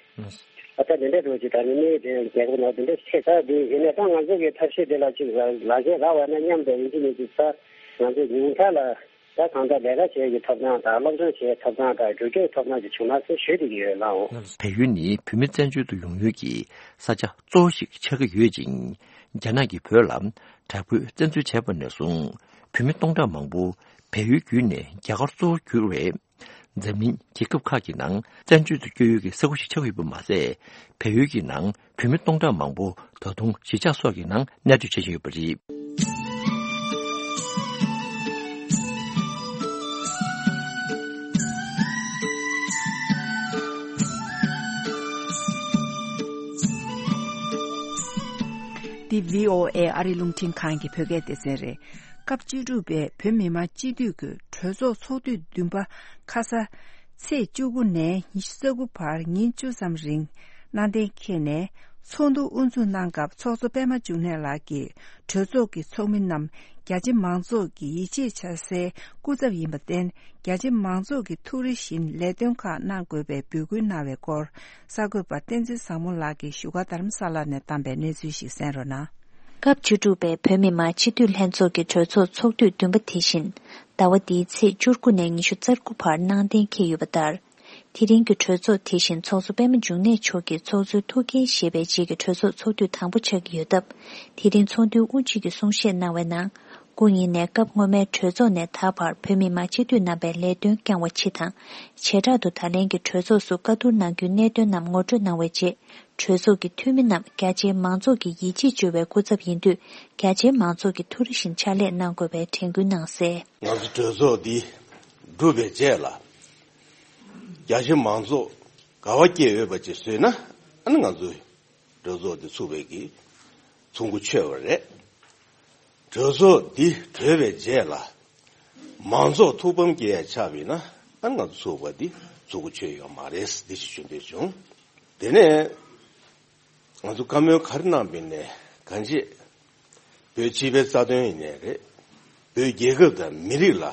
ཨ་ད་དེ་འདྲ་འགྲོ་ཅིག་ད་ནི་མི་དེ་རྒྱལ་ཁབ་ནང་དེ་འདྲ་ཆེ་ས་དེ་ཡིན་ནའི་ད་ང་ཚོ་གི་ཐབས་ཤེས་དེ་ལ་ཅིག་ལག་འཁྱེར་རག་པ་ན་མཉམ་དུ་ཡིན་གྱི་མིན་གྱི་ད་ང་ཚོ་ཉུང་མཐའ་ལ་ད་གང་ལྟར་ལས་ཀ་བྱེད་ཀྱི་ཐོབ་ཐང་དང་སློབ་སྦྱོང་བྱེད་ཐོབ་ཐང་དང་འགྲོ་སྐྱོད་ཐོབ་ཐང་ཅིག་བྱུང་ན་ཟེར་ཞུ་བསྡད་ཀྱི་ཡོད་ལགས། བལ་ཡུལ་ནི་བོད་མི་བཙན་བྱོལ་དུ་ཡོང་ཡུལ་གྱི་ས་ཆ་གཙོ་བོ་ཞིག་ཆགས་ཀྱི་ཡོད་ཅིང་། རྒྱ་ནག་གིས་བོད་ལ་དྲག་པོའི་བཙན་འཛུལ་བྱས་པ་ནས་བཟུང་བོད་མི་སྟོང་ཕྲག་མང་པོ་བལ་ཡུལ་བརྒྱུད་ནས་རྒྱ་གར་གཙོ་བོར་གྱུར་བའི་འཛམ་གླིང་རྒྱལ་ཁབ་ཁག་གི་ནང་བཙན་བྱོལ་དུ་བསྐྱོད་ཡུལ་གྱི་ས་ཁུལ་ཞིག་ཆགས་ཡོད་པ་མ་ཟད། བལ་ཡུལ་གྱི་ནང་བོད་མི་སྟོང་ཕྲག་མང་པོ་ད་དུང་གཞིས་ཆགས་སོགས་ཀྱི་ནང་གནས་སྡོད་བྱེད་བཞིན་ཡོད་པ་རེད། འདི་བྷི་ཨོ་ཨེ་ཨ་རིའི་རླུང་འཕྲིན་ཁང་གི་བོད་སྐད་སྡེ་ཚན་རེད། སྐབས་བཅུ་དྲུག་པའི་བོད་མི་མང་སྤྱི་འཐུས་ཀྱི་གྲོས་ཚོགས་ཚོགས་དུས་བདུན་པ་ཁ་ས་ཚེས་བཅུ་དགུ་ནས་ཉི་ཤུ་རྩ་དགུ་བར་ཉིན་བཅུ་ཙམ་རིང་གནང་གཏན་འཁེལ་ནས་ཚོགས་འདུ་དབུ་འཛུགས་གནང་སྐབས་ཚོགས་གཙོ་པད་མ་འབྱུང་གནས་ལགས་ཀྱིས་གྲོས་ཚོགས་ཀྱི་ཚོགས་མི་རྣམས་རྒྱ་ཆེ་མང་ཚོགས་ཀྱི་ཡིད་ཆེས་བྱ་སའི་སྐུ་ཚབ་ཡིན་པར་བརྟེན། རྒྱ་ཆེ་མང་ཚོགས་ཀྱི་ཐུགས་རེ་བཞིན་ལས་དོན་ཁག་གནང་དགོས་པའི་འབོད་སྐུལ་གནང་བའི་སྐོར། གསར་འགོད་པ་བསྟན་འཛིན་བཟང་མོ་ལགས་ཀྱིས་བཞུགས་སྒར་རྡ་རམ་ས་ལ་ནས་བཏང་པའི་གནས་ཚུལ་ཞིག་གསན་རོགས་གནང་། སྐབས་བཅུ་དྲུག་པའི་བོད་མི་མང་སྤྱི་འཐུས་ལྷན་ཚོགས་ཀྱི་གྲོས་ཚོགས་ཚོགས་དུས་བདུན་པ་དེ་བཞིན། ཟླ་བ་འདིའི་ཚེས་བཅུ་དགུ་ནས་ཉི་ཤུ་རྩ་དགུ་བར་གནང་གཏན་འཁེལ་ཡོད་པ་ལྟར། དེ་རིང་གི་གྲོས་ཚོགས་དེ་བཞིན་ཚོགས་གཙོ་པད་མ་འབྱུང་གནས་མཆོག་གིས་ཚོགས་གཙོའི་ཐུགས་འགན་བཞེས་པའི་རྗེས་ཀྱི་གྲོས་ཚོགས་ཚོགས་དུས་དང་པོ་ཆགས་ཀྱི་ཡོད་སྟབས། དེ་རིང་ཚོགས་འདུའི་དབུ་འབྱེད་ཀྱི་གསུང་བཤད་གནང་བའི་ནང་། སྐུ་ཉིད་ནས་སྐབས་སྔོན་མའི་གྲོས་ཚོགས་ནས་ད་བར་བོད་མི་མང་སྤྱི་འཐུས་རྣམ་པའི་ལས་དོན་བསྐྱངས་པ་སྤྱི་དང་། བྱེ་བྲག་ཏུ་ད་ལན་གྱི་གྲོས་ཚོགས་སུ་བཀའ་བསྡུར་གནང་རྒྱུའི་གནད་དོན་རྣམས་ངོ་སྤྲོད་གནང་བའི་རྗེས། གྲོས་ཚོགས་ཀྱི་འཐུས་མི་རྣམས་རྒྱ་ཆེའི་མང་ཚོགས་ཀྱི་ཡིད་ཆེས་བཅོལ་བའི་སྐུ་ཚབ་ཡིན་དུས། རྒྱ་ཆེའི་མང་ཚོགས་ཀྱིས་ཐུགས་རེ་བཞིན་ཕྱག་ལས་གནང་དགོས་པའི་དྲན་སྐུལ་གནང་གསལ། ང་ཚོ་གྲོས་ཚོགས་འདི་གྲུབ་པའི་རྗེས་ལ། རྒྱ་ཆེ་མང་ཚོགས་དགའ་བ་སྐྱེ་འོས་པ་ཅིག་བཟོས་ན། ཨ་ནི་ང་ཚོའི་གྲོས་ཚོགས་འདི་ཚུགས་པའི་གི་ཚོགས་འགོ་ཆོད་པ་རེད། གྲོས་ཚོགས་འདི་གྲོལ་བའི་རྗེས་ལ། མང་ཚོགས་ཐུགས་ཕམ་སྐྱེ་ཡ་ཆགས་པ་ཡིན་ན། ཨ་ནི་ང་ཚོ་ཚུགས་པ་འདི་ཚོགས་འགོ་ཆོད་ཡོད་མ་རེད། འདི་ཞིག་ཞུ་འདོད་བྱུང་། དེ་ནས་ང་ཚོ་བཀའ་མོལ་ག་རེ་གནང་པ་ཡིན་ནའི་གང་ཅི། བོད་སྤྱི་པའི་རྩ་དོན་ཡིན་ནའི་རེད། བོད་རྒྱལ་ཁབ་དང་མི་རིགས་ལ་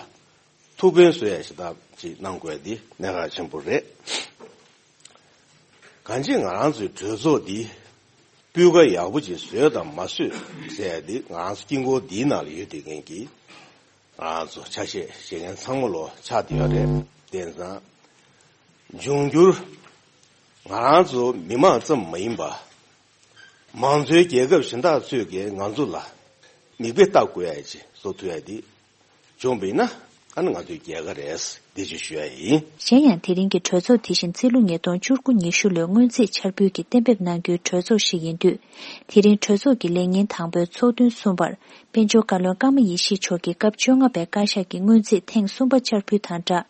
ཐུགས་ཕན་གསོས་ཡ་ཞིག་ད་ཅིག་གནང་དགོས་འདི་གནད་འགག་ཆེན་པོ་རེད། གང་ཅི་ང་རང་ཚོའི་གྲོས་ཚོགས་འདི་སྤུས་ཀ་ཡག་པོ་ཅིག་བཟོས་དང་མ་བཟོས་ཟེར་ཡ་འདི་ང་རང་ཚོ་དཀྱིལ་འཁོར་འདིའི་ནང་ལ་ཡོད་བསྡད་མཁན་གྱི་ང་རང་ཚོ་ཆ་ཤས་བཞེས་མཁན་ཚང་མ་ལོ་ཆགས་བསྡད་ཡོད་རེད། དེང་སང་འབྱུང་འགྱུར་ང་རང་ཚོ་མི་མང་ཙམ་མ་ཡིན་པ། མང་གཙོའི་རྒྱལ་ཁབ་གཞན་དག་ཚོས་ཀྱིས་ང་ཚོ་ལ་མིག་དཔེ་ལྟ་དགོས་ཡ་ཅིག་བཟོ་ཐུབ་ཡ་འདི་བྱུང་བ་ཡིན་ན། ཨ་ནི་ང་ཚོའི་རྒྱལ་ཁ་རེད། འདི་ཅིག་ཞུ་ཡ་ཡིན། གཞན་ཡང་དེ་རིང་གི་གྲོས་ཚོགས་དེ་བཞིན་རྩིས་ལོ་ཉིས་སྟོང་བཅུ་དགུ་ཉི་ཤུ་ལོའི་སྔོན་རྩིས་འཆར་འབུལ་གྱི་གཏན་འབེབས་གནང་རྒྱུའི་གྲོས་ཚོགས་ཤིག་ཡིན་དུས། དེ་རིང་གྲོས་ཚོགས་ཀྱི་ལས་ཉིན་དང་པོའི་ཚོགས་ཐུན་གསུམ་པར། དཔལ་འབྱོར་བཀའ་བློན་ཀརྨ་ཡེ་ཤེས་མཆོག་གིས་སྐབས་བཅོ་ལྔ་པའི་བཀའ་ཤག་གི་སྔོན་རྩིས་ཐེངས་གསུམ་པ་འཆར་འབུལ་དང་སྦྲགས།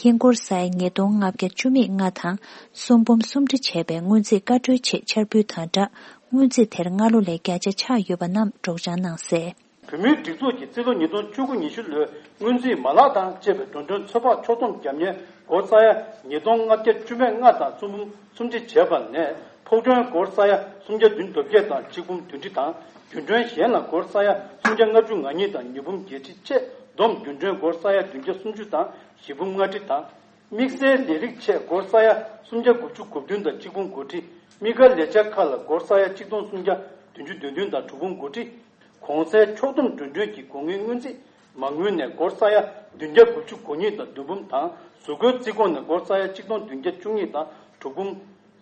ཧིན་སྒོར་ས་ཡ་ཉིས་སྟོང་ལྔ་བརྒྱ་བཅུ་མེད་ལྔ་དང་གསུམ་འབུམ་སུམ་ཁྲི་བྱས་པའི་སྔོན་རྩིས་བཀའ་འཁྲོལ་ཆེད་འཆར་འབུལ་དང་སྦྲགས། སྔོན་རྩིས་དེར་སྔ་ལོ་ལས་བརྒྱ་ཆ་ཆག་ཡོད་པ་རྣམས་སྒྲོག་སྦྱང་གནང་གསལ། བོད་མིའི་སྒྲིག་འཛུགས་ཀྱི་རྩིས་ལོ་ཉིས་སྟོང་བཅུ་དགུ་ཉི་ཤུ་ལོའི་སྔོན་རྩིས་མ་ལག་དང་བཅས་པའི་འགྲོ་གྲོན་ཚོད་དཔག་ཕྱོགས་བསྡོམས་རྒྱབ་གཉེར་སྒོར་ས་ཡ་ཉིས་སྟོང་ལྔ་བརྒྱ་བཅུ་མེད་ལྔ་དང་གསུམ་འབུམ་སུམ་ཁྲི་བྱས་པ་ནས། ཕོགས་གྲོན་སྒོར་ས་ཡ་སུམ་བརྒྱ་བདུན་དོན་བརྒྱད་དང་ཆིག་འབུམ་བདུན་ཁྲི་དང་། རྒྱུན་གྲོན་གཞན་ལ་སྒོར་ས་ཡ་སུམ་བརྒྱ་ལྔ་བཅུ་ང་གཉིས་དང་ཉིས་འབུམ་བརྒྱད་ཁྲི་བཅས་བསྡོམས་རྒྱུན་གྲོན་སྒོར་ས་ཡ་བདུན་བརྒྱ་སུམ་ཅུ་དང་བཞི་འབུམ་ལྔ་ཁྲི་དང་། དམིགས་བསལ་ལས་རིགས་ཆེད་སྒོར་ས་ཡ་སུམ་བརྒྱ་དགུ་བཅུ་གོ་བདུན་དང་གཅིག་འབུམ་དགུ་ཁྲི། དམིགས་བཀར་ལས་འཆར་ཁག་ལ་སྒོར་ས་ཡ་གཅིག་སྟོང་སུམ་བརྒྱ་བདུན་ཅུ་དོན་བདུན་དང་དྲུག་འབུམ་དགུ་ཁྲི། གོང་གསལ་ཕྱོགས་བསྡོམས་འགྲོ་གྲོན་གྱི་སྒོ་དངུལ་སྔོན་རྩིས་མ་དངུལ་ནས་སྒོར་ས་ཡ་བདུན་བརྒྱ་དགུ་བཅུ་གོ་གཉིས་དང་བདུན་འབུམ་དང་། གཟུགས་སྐུའི་རྩིས་ཁོངས་ནས་སྒོར་ས་ཡ་གཅིག་སྟོང་བདུན་བརྒྱ་བཅུ་གཉིས་དང་དྲུག་འབུམ་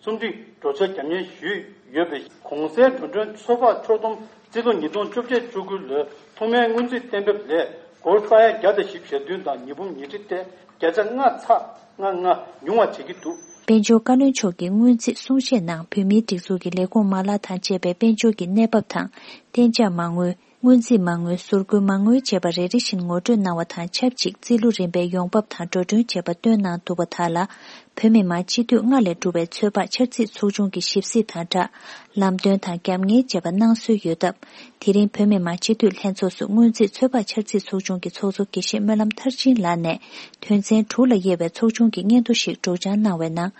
སུམ་ཁྲི་འགྲོ་འཆར་རྒྱབ་གཉེར་ཞུས་ཡོད་པས། གོང་གསལ་འགྲོ་གྲོན་ཚོད་དཔག་ཕྱོགས་བསྡོམས་རྩིས་ལོ་ཉིས་སྟོང་བཅོ་བརྒྱད་བཅུ་དགུ་ལོའི་ཐོག་མའི་སྔོན་རྩིས་གཏན་འབེབས་ལས་སྒོར་ས་ཡ་བརྒྱ་དང་བཞི་བཅུ་ཞེ་བདུན་དང་ཉིས་འབུམ་ཉི་ཁྲི་སྟེ། བརྒྱ་ཆ་ལྔ་ཚེག་ལྔ་ལྔ་ཉུང་བ་བྱེད་ཀྱི་འདུག། དཔལ་འབྱོར་བཀའ་བློན་མཆོག་གིས་སྔོན་རྩིས་གསུང་བཤད་ནང་བོད་མིའི་སྒྲིག་འཛུགས་ཀྱི་ལས་ཁུངས་མ་ལག་དང་བཅས་པའི་དཔལ་འབྱོར་གྱི་གནས་བབ་དང་། གཏན་འཇགས་མ་དངུལ། སྔོན་རྩིས་མ་དངུལ། ཟུར་བཀོལ་མ་དངུལ་བཅས་པ་རེ་རེ་བཞིན་ངོ་སྤྲོད་གནང་བ་དང་ཆབས་ཅིག་རྩིས་ལོ་རིམ་པའི་ཡོང་འབབ་དང་འགྲོ་གྲོན་བཅས་པ་བཏོན་གནང་འདུག་པ་དག་ལ། བོད་མི་མང་སྤྱི་འཐུས་ལྔ་ལས་གྲུབ་པའི་ཚོད་དཔག་འཆར་རྩིས་ཚོགས་ཆུང་གི་ཞིབ་གཟིགས་དང་སྦྲགས། ལམ་སྟོན་དང་རྒྱབ་གཉེར་བཅས་པ་གནང་སྲོལ་ཡོད་སྟབས། དེ་རིང་བོད་མི་མང་སྤྱི་འཐུས་ལྷན་ཚོགས་སུ་སྔོན་རྩིས་ཚོད་དཔག་འཆར་རྩིས་ཚོགས་ཆུང་གི་ཚོགས་གཙོ་དགེ་བཤེས་སྨོན་ལམ་མཐར་ཕྱིན་ལགས་ནས། དོན་ཚན་དྲུག་ལ་དབྱེ་བའི་ཚོགས་ཆུང་གི་སྙན་ཐོ་ཞིག་སྒྲོག་སྦྱང་གནང་བའི་ནང་།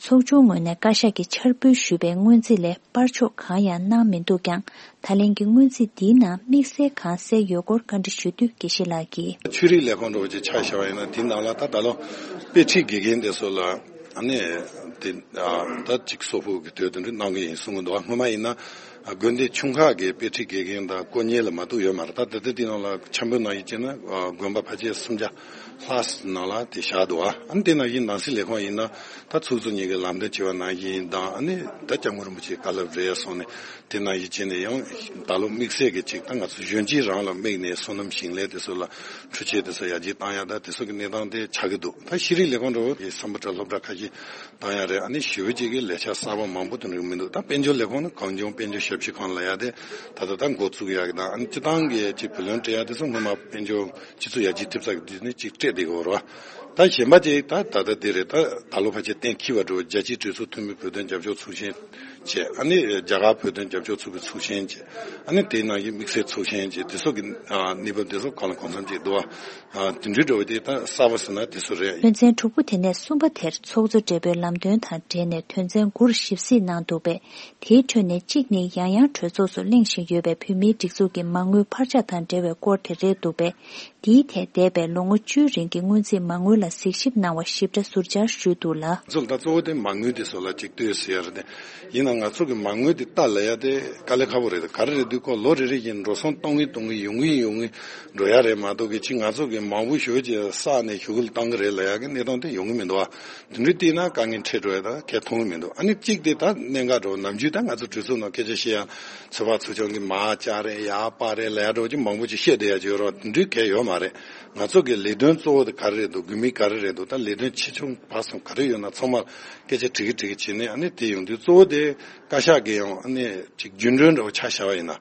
ཚོགས་ཆུང་ངོས་ནས་བཀའ་ཤག་གིས་འཆར་འབུལ་ཞུས་པའི་སྔོན་རྩིས་ལས་སྤར་ཕྱོགས་གང་ཡང་གནང་མི་འདུག་ཀྱང་། ད་ལན་གྱི་སྔོན་རྩིས་འདིའི་ནང་དམིགས་བསལ་གང་གསལ་ཡོད་སྐོར་བཀའ་འདྲི་ཞུ་དུས་དགེ་བཤེས་ལགས་ཀྱིས། ཆོས་རིག་ལས་ཁུངས་འདྲ་བོ་ཅིག་ཆ་བཞག་པ་ཡིན་ན། དེའི་ནང་ལ་ད་ད་ལོ་དཔེ་ཁྲིད་དགེ་རྒན་དེ་ཚོ་ལ་ཨ་ནི་དེ་ད་ཅིག་གསོག་ཕོགས་ཀྱི་དོད་དེ་འདྲ་གནང་གི་ཡིན་གསུང་གི་འདུག། སྔོན་མ་ཡིན་ན་དགོན་སྡེ་ཆུང་ཁག་གི་དཔེ་ཁྲིད་དགེ་རྒན་དང་དཀོན་གཉེར་ལ་མ་གཏོགས་ཡོད་མ་རེད། ད་ད་ལྟ་དེའི་ནང་ལ་འཆར་འབུལ་ནང་བཞིན་བྱས་ན་དགོན་པ་ཕལ་ཆེར་སུམ་བརྒྱ་ལྷག་ནང་ལ་དེ་བཞག་འདུག། ཨ་ནི་དེ་ནང་བཞིན་ནང་སྲིད་ལས་ཁུངས་ཡིན་ན། ད་ཚོགས་གཙོ་གཉིས་ཀྱིས་ལམ་སྟོན་བྱས་པ་ནང་བཞིན་དང་། ཨ་ནི་ད་སྐྱབས་མགོན་རིན་པོ་ཆེའི་བཀའ་སློབ་རེད་སོང་ནས། དེ་ནང་བཞིན་བྱས་ནས་ཡང་ད་ལོ་དམིགས་བསལ་གྱི་ཅིག་ད་ང་ཚོ་གཞོན་སྐྱེས་རང་ལ་དམིགས་ནས་སོ་ནམ་ཞིང་ལས་དེ་ཚོ་ལ་འཕྲུལ་ཆས་དེ་ཚོ་ཡར་རྒྱས་བཏང་ཡ་ད་དེ་ཚོ་གི་གནས་སྟངས་དེ་ཆགས་ཀྱི་འདུག། ད་ཤེས་རིག་ལས་ཁུངས་འདྲ་བོ་དེ་སམ་བྷོ་ཊ་སློབ་གྲྭ་ཁ་ཤས་བཏང་ཡ་རེད། ཨ་ནི་ཞེ་པོ་ཅིག་གི་ལས་འཆར་གསར་པ་མང་པོ་དེ་འདྲ་མི་འདུག། ད་དཔལ་འབྱོར་ལས་ཁུངས་ནི་གངས་ལྗོངས་དཔལ་འབྱོར་ཞབས་ཞུ་ཁང་ལབ་ཡ་དེ་ད་ལྟ་ད་འགོ་བཙུགས་ཡ་གི་དང་། ཨ་ནི་སྤྱི་བཏང་གི་ཅིག་བུ་ལོན་སྤྲད་ཡ་དེ་ཚོ་སྔོན་མ་དཔལ་འབྱོར་སྤྱི་ཚོགས་ཡར་རྒྱས་ཐེབས་ཚར་གི་དུས་ནས་ཅིག་སྤྲད་བསྡད་ཀྱི་ཡོད་རེད་བ། ད་གཞན་པ་ཅིག་ད་ད་ལྟ་འདི་རེད། ད་ད་ལོ་ཕལ་ཆེར་གཏན་འཁེལ་བ་འགྲོ། རྒྱལ་སྤྱིའི་གྲོས་ཚོགས་འཐུས་མི་བོད་དོན་རྒྱབ་སྐྱོར་ཚོགས་ཆེན་བྱས། ཨ་ནི་རྒྱ་གར་བོད་དོན་རྒྱབ་སྐྱོར་ཚོགས་པའི་ཚོགས་ཆེན་བྱས། ཨ་ནི་དེའི་ནང་བཞིན་དམིགས་བསལ་ཚོགས་ཆེན་བྱས། དེ་ཚོ་གི་ཨ་གནས་བབ་དེ་ཚོ་གང་ལ་གང་འཚམ་ཅིག་འདུག་བ། ཨ་དེ་འདྲའི་འགྲོ་བ་དེ་ད་གསར་པ་ཟེར་ན་དེ་ཚོ་རེད། དོན་ཚན་དྲུག་པོ་དེ་ནས་གསུམ་པ་དེར་ཚོགས་གཙོ་སྦྲེལ་པོའི་ལམ་སྟོན་དང་འབྲེལ་ནས་དོན་ཚན་དགུར་ཞིབ་གཟིགས་གནང་འདུག་པས། དེའི་ཁྲོད་ནས་གཅིག་ནི་ཡང་ཡང་གྲོས་ཚོགས་སུ་གླེང་བཞིན་ཡོད་པའི་བོད་མིའི་སྒྲིག་འཛུགས་ཀྱི་མ་དངུལ་འཕར་ཆག་དང་འབྲེལ་བའི་སྐོར་དེ་རེད་འདུག་པས། འདིའི་ཐད་འདས་པའི་ལོ་ངོ་བཅུའི་རིང་གི་སྔོན་རྩིས་མ་དངུལ་ལ་གཟིགས་ཞིབ་གནང་བར་ཞིབ་ཕྲ་ཟུར་བཅར་ཞུས་འདུག་ལ། ཚོ་ད་གཙོ་བོ་དེ་མ་དངུལ་དེ་ཚོ་ལ་གཅིག་ལྟོས་ཟེར་ཡ་རེད་དེ། ཡིན་ན་ང་ཚོ་གི་མ་དངུལ་དེ་ལྟ་ལ་ཡ་དེ་དཀའ་ལས་ཁག་པོ་རེད། ག་རེ་རེད་དུས་ཁོ་ལོ་རེ་རེ་བཞིན་འགྲོ་སོང་གཏོང་གིན་གཏོང་གིན་ཡོང་གིན་ཡོང་གིན་འགྲོ་ཡ་རེད་མ་གཏོགས་གི་ཅིག་ང་ཚོ་གི་མང་པོ་ཞེ་པོ་ཅིག་བསགས་ནས་ཞུ་གུ་ལ་བཏང་གི་རེད་ལབ་ཡ་གི་གནས་སྟངས་དེ་ཡོང་གི་མི་འདུག་ཨ། དེ་འདྲའི་བལྟས་ན་དཀའ་ངལ་འཕྲད་འགྲོ་ཡ་ད་གལ་མཐོང་གི་མི་འདུག་ཨ་ནི་གཅིག་དེ་ད་གནད་འགག་འགྲོ་ནམ་རྒྱུན་ད་ང་ཚོ་གྲོས་ཚོགས་ནང་སྐད་ཆ་བཤད་ཡ་ཚོད་དཔག་ཚོགས་ཆུང་གི་མར་བཅར་རེད་ཡར་སྤར་རེད་ལབ་ཡ་འགྲོ་ཅིག་མང་པོ་ཅིག་བཤད་བསྡད་ཡ་ཅིག་ཡོད་རེད། དེ་འདྲའི་གལ་ཡོད་མ་རེད། ང་ཚོ་གི་ལས་དོན་གཙོ་བོ་དེ་ག་རེ་རེད་འདུག་དགོས་དམིགས་ག་རེ་རེད་འདུག་ད་ལས་དོན་ཆེ་ཆུང་བར་གསུམ་ག་རེ་ཡོད་ན་ཚང་མར་སྐད་ཆ་དྲི་གི་དྲི་གི་བྱས་ནས་ཨ་ནི་དེ་ཡོང་དུས་གཙོ་བོ་དེ་བཀའ་ཤག་གི་ཡང་ཨ་ནི་ཅིག་རྒྱུན་གྲོན་འདྲ་བོ་ཆ་བཞག་པ་ཡིན་ན།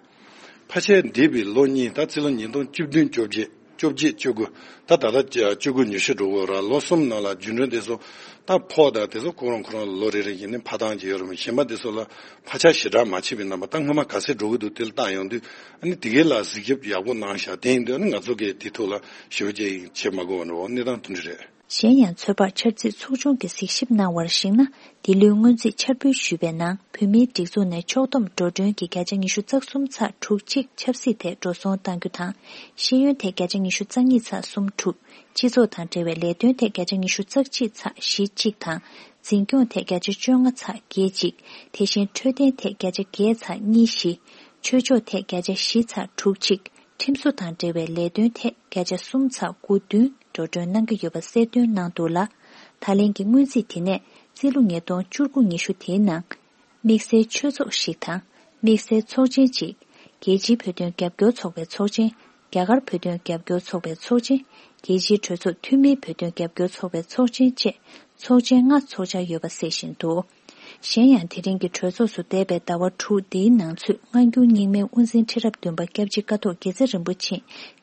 ཕལ་ཆེར་འདས་པའི་ལོ་གཉིས་ད་རྩིས་ལོ་ཉིས་སྟོང་བཅུ་བདུན་བཅོ་བརྒྱད་བཅོ་བརྒྱད་བཅུ་དགུ་ད་ད་ལྟ་བཅུ་དགུ་ཉི་ཤུ་འགྲོ་གི་ཡོད་རེད། ལོ་གསུམ་ནང་ལ་རྒྱུན་གྲོན་དེ་ཚོ་ད་ཕོགས་དང་དེ་ཚོ་ཁོ་རང་ཁོ་རང་ལོ་རེ་རེ་བཞིན་ནས་འཕར་སྟངས་ཀྱི་ཡོད་རེད། གཞན་པ་དེ་ཚོ་ལ་ཕར་ཆག་ཞེ་དྲག་མ་བྱས་པའི་རྣམ་པ་ད་སྔོན་མ་ག་ཚད་འགྲོ་གི་འདུག་དེ་ལ་བལྟ་ཡོང་དུས་ཨ་ནི་དེ་གའི་ལ་གཟིགས་ཞིབ་ཡག་པོ་གནང་ཤག་དེ་ཡིན་དུས་ཨ་ནི་ང་ཚོ་གིས་དེ་ཐོག་ལ་ཞེ་པོ་ཅིག་བྱེད་མ་དགོས་པ་འདྲ་བོ་གནས་སྟངས་དེ་འདྲ་རེད། གཞན་ཡང་ཚོད་དཔག་འཆར་རྩིས་ཚོགས་ཆུང་གིས་གཟིགས་ཞིབ་གནང་བར་གཞིགས་ན། འདི་ལོའི་སྔོན་རྩིས་འཆར་འབུལ་ཞུས་པའི་ནང་བོད་མིའི་སྒྲིག་འཛུགས་ནས་ཕྱོགས་བསྡོམས་འགྲོ་གྲོན་གྱི་བརྒྱ་ཆ་ཉི་ཤུ་རྩ་གསུམ་ཚེག་དྲུག་གཅིག་ཆབ་སྲིད་ཐད་འགྲོ་སོང་གཏང་རྒྱུ་དང་། ཤེས་ཡོན་ཐད་བརྒྱ་ཆ་ཉི་ཤུ་རྩ་གཉིས་ཚེག་གསུམ་དྲུག་སྤྱི་ཚོགས་དང་འབྲེལ་བའི་ལས་དོན་ཐད་བརྒྱ་ཆ་ཉི་ཤུ་རྩ་གཅིག་ཚེག་བཞི་གཅིག་དང་། འཛིན་སྐྱོང་ཐད་བརྒྱ་ཆ་བཅོ་ལྔ་ཚེག་བརྒྱད་གཅིག་དེ་བཞིན་འཕྲོད་བསྟེན་ཐད་བརྒྱ་ཆ་བརྒྱད་ཚེག་གཉིས་བཞི། ཆོས་ཕྱོགས་ཐད་བརྒྱ་ཆ་བཞི་ཚེག་དྲུག་གཅིག་ཁྲིམས་བཟོ་དང་འབྲེལ་བའི་ལས་དོན་ཐད་བརྒྱ་ཆ་གསུམ་ཚེག་དགུ་བདུན་འགྲོ་གྲོན་གནང་གི་ཡོད་པ་གསལ་སྟོན་གནང་འདུག་ལ། ད་ལན་གྱི་སྔོན་རྩིས་དེ་ནས་རྩིས་ལོ་ཉིས་སྟོང་བཅུ་དགུ་ཉི་ཤུ་དེའི་ནང་། དམིགས་བསལ་ཆོས་ཚོགས་ཤིག་དང་། དམིགས་བསལ་ཚོགས་ཆེན་གཅིག་རྒྱལ་སྤྱིའི་བོད་དོན་རྒྱབ་སྐྱོར་ཚོགས་པའི་ཚོགས་ཆེན། རྒྱ་གར་བོད་དོན་རྒྱབ་སྐྱོར་ཚོགས་པའི་ཚོགས་ཆེན། རྒྱལ་སྤྱིའི་གྲོས་ཚོགས་འཐུས་མིའི་བོད་དོན་རྒྱབ་སྐྱོར་ཚོགས་པའི་ཚོགས་ཆེན་བཅས་ཚོགས་ཆེན་ལྔ་འཚོགས་འཆར་ཡོད་པ་གསལ་བཞིན་འདུག་གཞན་ཡང་དེ་རིང་གི་གྲོས་ཚོགས་སུ་འདས་པའི་ཟླ་བ་དྲུག་འདིའི་ནང་ཚུད་སྔ་འགྱུར་རྙིང་མའི་དབུ་འཛིན་ཁྲི་རབས་བདུན་པ་སྐྱབས་རྗེ་ཀཿཐོག་དགེ་རྩེ་རིན་པོ་ཆེ་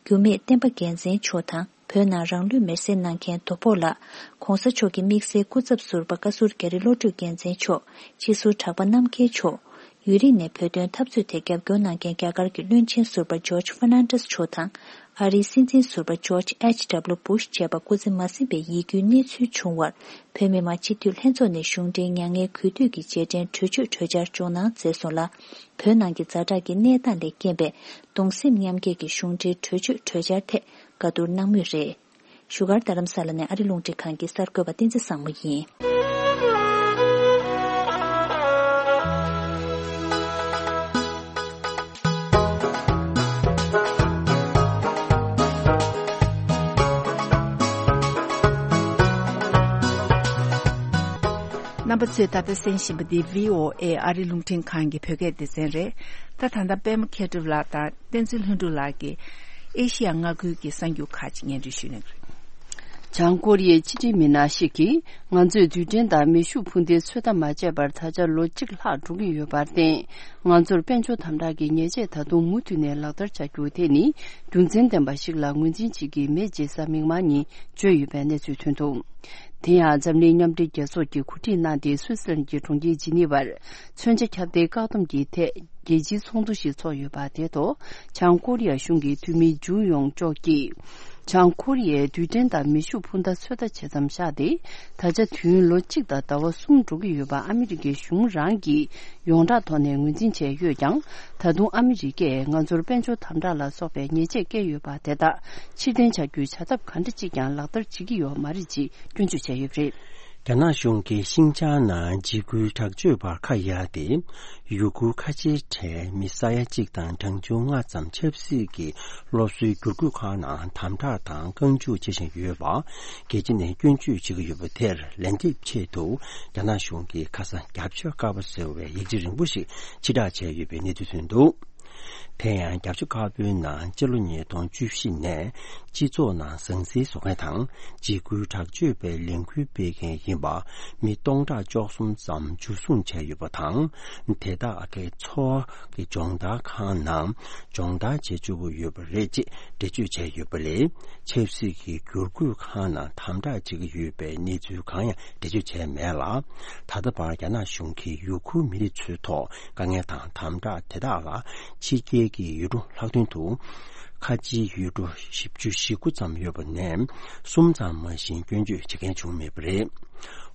འགྱུར་མེད་བསྟན་པ་རྒྱལ་མཚན་མཆོག་དང་། བོད་ནང་རང་ལུས་མེར་སྲེག་གནང་མཁན་དོ་ཕོག་ལགས། ༸གོང་ས་མཆོག་གི་དམིགས་བསལ་སྐུ་ཚབ་ཟུར་པ་བཀའ་ཟུར་རྒྱ་རི་བློ་གྲོས་རྒྱལ་མཚན་མཆོག་སྤྱི་ཟུར་གྲགས་པ་རྣམ་རྒྱལ་མཆོག་ཡུན་རིང་ནས་བོད་དོན་འཐབ་རྩོད་དེ་རྒྱབ་སྐྱོར་གནང་མཁན་རྒྱ་གར་གྱི་བློན་ཆེན་ཟུར་པ་ཇོརྗ་ཧྥར་ནན་ཌེས་མཆོག་དང་། ཨ་རིའི་སྲིད་འཛིན་ཟུར་པ་ཇོརྗ་ཨེཆ་ཌབ་ལུ་སྦུ་ཤ་བཅས་པ་སྐུ་ཚེ་མ་ཟིན་པའི་ཡིད་སྐྱོའི་གནས་ཚུལ་བྱུང་བར། བོད་མི་མང་སྤྱི་འཐུས་ལྷན་ཚོགས་ནས་གཞུང་འབྲེལ་མྱ་ངན་གུས་འདུད་ཀྱི་རྗེས་དྲན་གྲོས་ཆོད་གྲོས་འཆར་སྦྱོང་གནང་མཛད་སོང་ལ། བོད་ནང་གི་ཛ་དྲག་གི་གནས་སྟངས་ལས་རྐྱེན་པས། གདུང་སེམས་མཉམ་སྐྱེད་ཀྱི་གཞུང་འབྲེལ་གྲོས་ཆོད་གྲོས་འཆར་ཐད་བཀའ་བསྡུར་གནང་མུས་རེད། བཞུགས་སྒར་རྡ་རམ་ས་ལ་ནས་ཨ་རི་རླུང་འཕྲིན་ཁང་གི་གསར་འགོད་པ་བསྟན་འཛིན་བཟང་མོ་ཡིན། རྣམ་པ་ཚོས་ད་ལྟ་གསན་བཞིན་པ་འདི་བྷི་ཨོ་ཨེ་ཨ་རི་རླུང་འཕྲིན་ཁང་གི་བོད་སྐད་སྡེ་ཚན་རེད། ད་ད་ལྟ་པད་མ་མཁས་གྲུབ་ལགས་དང་བསྟན་འཛིན་ལྷུན་གྲུབ་ལགས་ཀྱིས་ཨེ་ཤི་ཡ་མངའ་ཁུལ་གྱི་གསར་འགྱུར་ཁག་ཅིག་སྙན་སྒྲོན་ཞུ་གནང་གི་རེད། བྱང་ཀོ་རི་ཡའི་ཕྱི་འབྲེལ་མི་སྣ་ཞིག་གིས་ང་ཚོས་རྡུལ་ཕྲན་དང་མེ་ཤུགས་འཕུར་མདེལ་ཚོད་ལྟ་མ་བྱས་པར་ད་ཆ་ལོ་གཅིག་ལྷག་འགྲོ་གི་ཡོད་པར་བརྟེན། ང་ཚོར་དཔལ་འབྱོར་དམ་དྲག་གི་ཉེས་ཆད་ད་དུང་མུ་མཐུད་ནས་ལག་བསྟར་བྱ་རྒྱུ་དེ་ནི་རྒྱུ་མཚན་ལྡན་པ་ཞིག་ལ་ངོས་འཛིན་བྱེད་ཀྱི་མེད་ཅེས་གཟའ་མིག་དམར་ཉིན་བརྗོད་ཡོད་པའི་གནས་ཚུལ་ཐོན་འདུག་དེ་ཡང་འཛམ་གླིང་མཉམ་འབྲེལ་རྒྱལ་ཚོགས་ཀྱིས་གོ་སྒྲིག་གནང་སྟེ་སུད་སི་ལན་གྱི་གྲོང་ཁྱེར་ཇི་ནི་ཝར་མཚོན་ཆ་ཁྱབ་གདལ་བཀག་སྡོམ་གྱི་ཐད་རྒྱལ་སྤྱིའི་ཚོགས་འདུ་ཞིག་ཚོགས་ཡོད་པ་དེ་ཐོག་བྱང་ཀོ་རི་ཡ་གཞུང་གི་འཐུས་མི་ཇུ་ཡོང་ཅོག་གིས། བྱང་ཀོ་རི་ཡས་རྡུལ་ཕྲན་དང་མེ་ཤུགས་འཕུར་མདའ་ཚོད་ལྟ་བྱེད་མཚམས་བཞག་སྟེ། ད་ཆ་དུས་ཡུན་ལོ་གཅིག་དང་ཟླ་བ་གསུམ་འགྲོ་གི་ཡོད་པ་ཨ་མི་རི་ཀའི་གཞུང་རང་གིས་ཡོངས་གྲགས་ཐོག་ནས་ངོས་འཛིན་བྱས་ཡོད་ཀྱང་། ད་དུང་ཨ་མི་རི་ཀས་ང་ཚོར་དཔལ་འབྱོར་དམ་དྲག་ལ་སོགས་པའི་ཉེས་ཆད་བཀལ་ཡོད་པ་དེ་དག་ཕྱིར་འཐེན་བྱ་རྒྱུའི་བྱ་ཐབས་ག་འདྲ་ཅིག་ཀྱང་ལག་བསྟར་བྱེད་ཀྱི་ཡོད་མ་རེད་ཅེས་སྐྱོན་བརྗོད་བྱས་ཡོད་པ་རེད། རྒྱ་ནག་གཞུང་གིས་ཤིན་ཅང་ནང་འཇིགས་སྐུལ་དྲག་སྤྱོད་པར་ཁ་གཡར་ཏེ། ཡུ་གུར་ཁ་ཆེའི་གྲས་མི་ས་ཡ་གཅིག་དང་གྲངས་ཆུང་ལྔ་ཙམ་ཆབ་སྲིད་ཀྱི་སློབ་གསོའི་བསྒྱུར་བཀོད་ཁང་ནང་དམ་དྲག་དང་རྐང་འཇུག་བྱེད་བཞིན་ཡོད་པ། རྒྱལ་སྤྱི་ནས་སྐྱོན་བརྗོད་བྱེད་ཀྱི་ཡོད་པ་དེར་ལན་འདེབས་ཆེད་དུ། རྒྱ་ནག་གཞུང་གིས་ཁ་སང་རྒྱབ་ཆོས་དཀར་པོ་ཟེར་བའི་ཡིག་ཆ་རིང་པོ་ཞིག་ཕྱིར་བསྒྲགས་བྱས་ཡོད་པའི་གནས་ཚུལ་ཐོན་འདུག་དེ་ཡང་རྒྱབ་ཆོས་དཀར་པོའི་ནང་སྤྱི་ལོ་ཉིས་སྟོང་བཅུ་བཞི་ནས་སྤྱི་ཚོགས་ནང་ཟང་ཟིང་བཟོ་མཁན་དང་འཇིགས་སྐུལ་དྲག་སྤྱོད་པའི་ལས་འགུལ་སྤེལ་མཁན་ཡིན་པ་མི་སྟོང་ཕྲག་བཅུ་གསུམ་ཙམ་འཇུ་བཟུང་བྱས་ཡོད་པ་དང་། དེ་དག་གི་འཚོ་བ་གི་སྦྱོང་བརྡར་ཁང་ནང་སྦྱོང་བརྡར་བྱེད་བཅུག་གི་ཡོད་པ་རེད་ཅེས་འགྲེལ་བརྗོད་བྱས་ཡོད་པ་ལས། ཆབ་སྲིད་ཀྱི་བསྒྱུར་བཀོད་ཁང་ནང་དམ་དྲག་བྱེད་ཀྱི་ཡོད་པའི་གནས་ཚུལ་གང་ཡང་འགྲེལ་བརྗོད་བྱས་མེད་ལ། ད་ལྟ་བར་རྒྱ་ནག་གཞུང་གིས་ཡུ་གུར་མི་རིགས་ཚོའི་ཐོག་དཀའ་ངལ་དང་དམ་དྲག་དེ་དག་ལ་ཕྱི་རྒྱལ་གྱི་ཡུལ་གྲུ་ལྷག་དོན་དུ། ཁ་ཆེའི་ཡུལ་གྲུ་བཞི་བཅུ་ཞེ་དགུ་ཙམ་ཡོད་པ་ནས་གསུམ་ཙམ་མ་ཞིག་སྐྱོན་བརྗོད་བྱེད་མཁན་བྱུང་མེད་པ་རེད།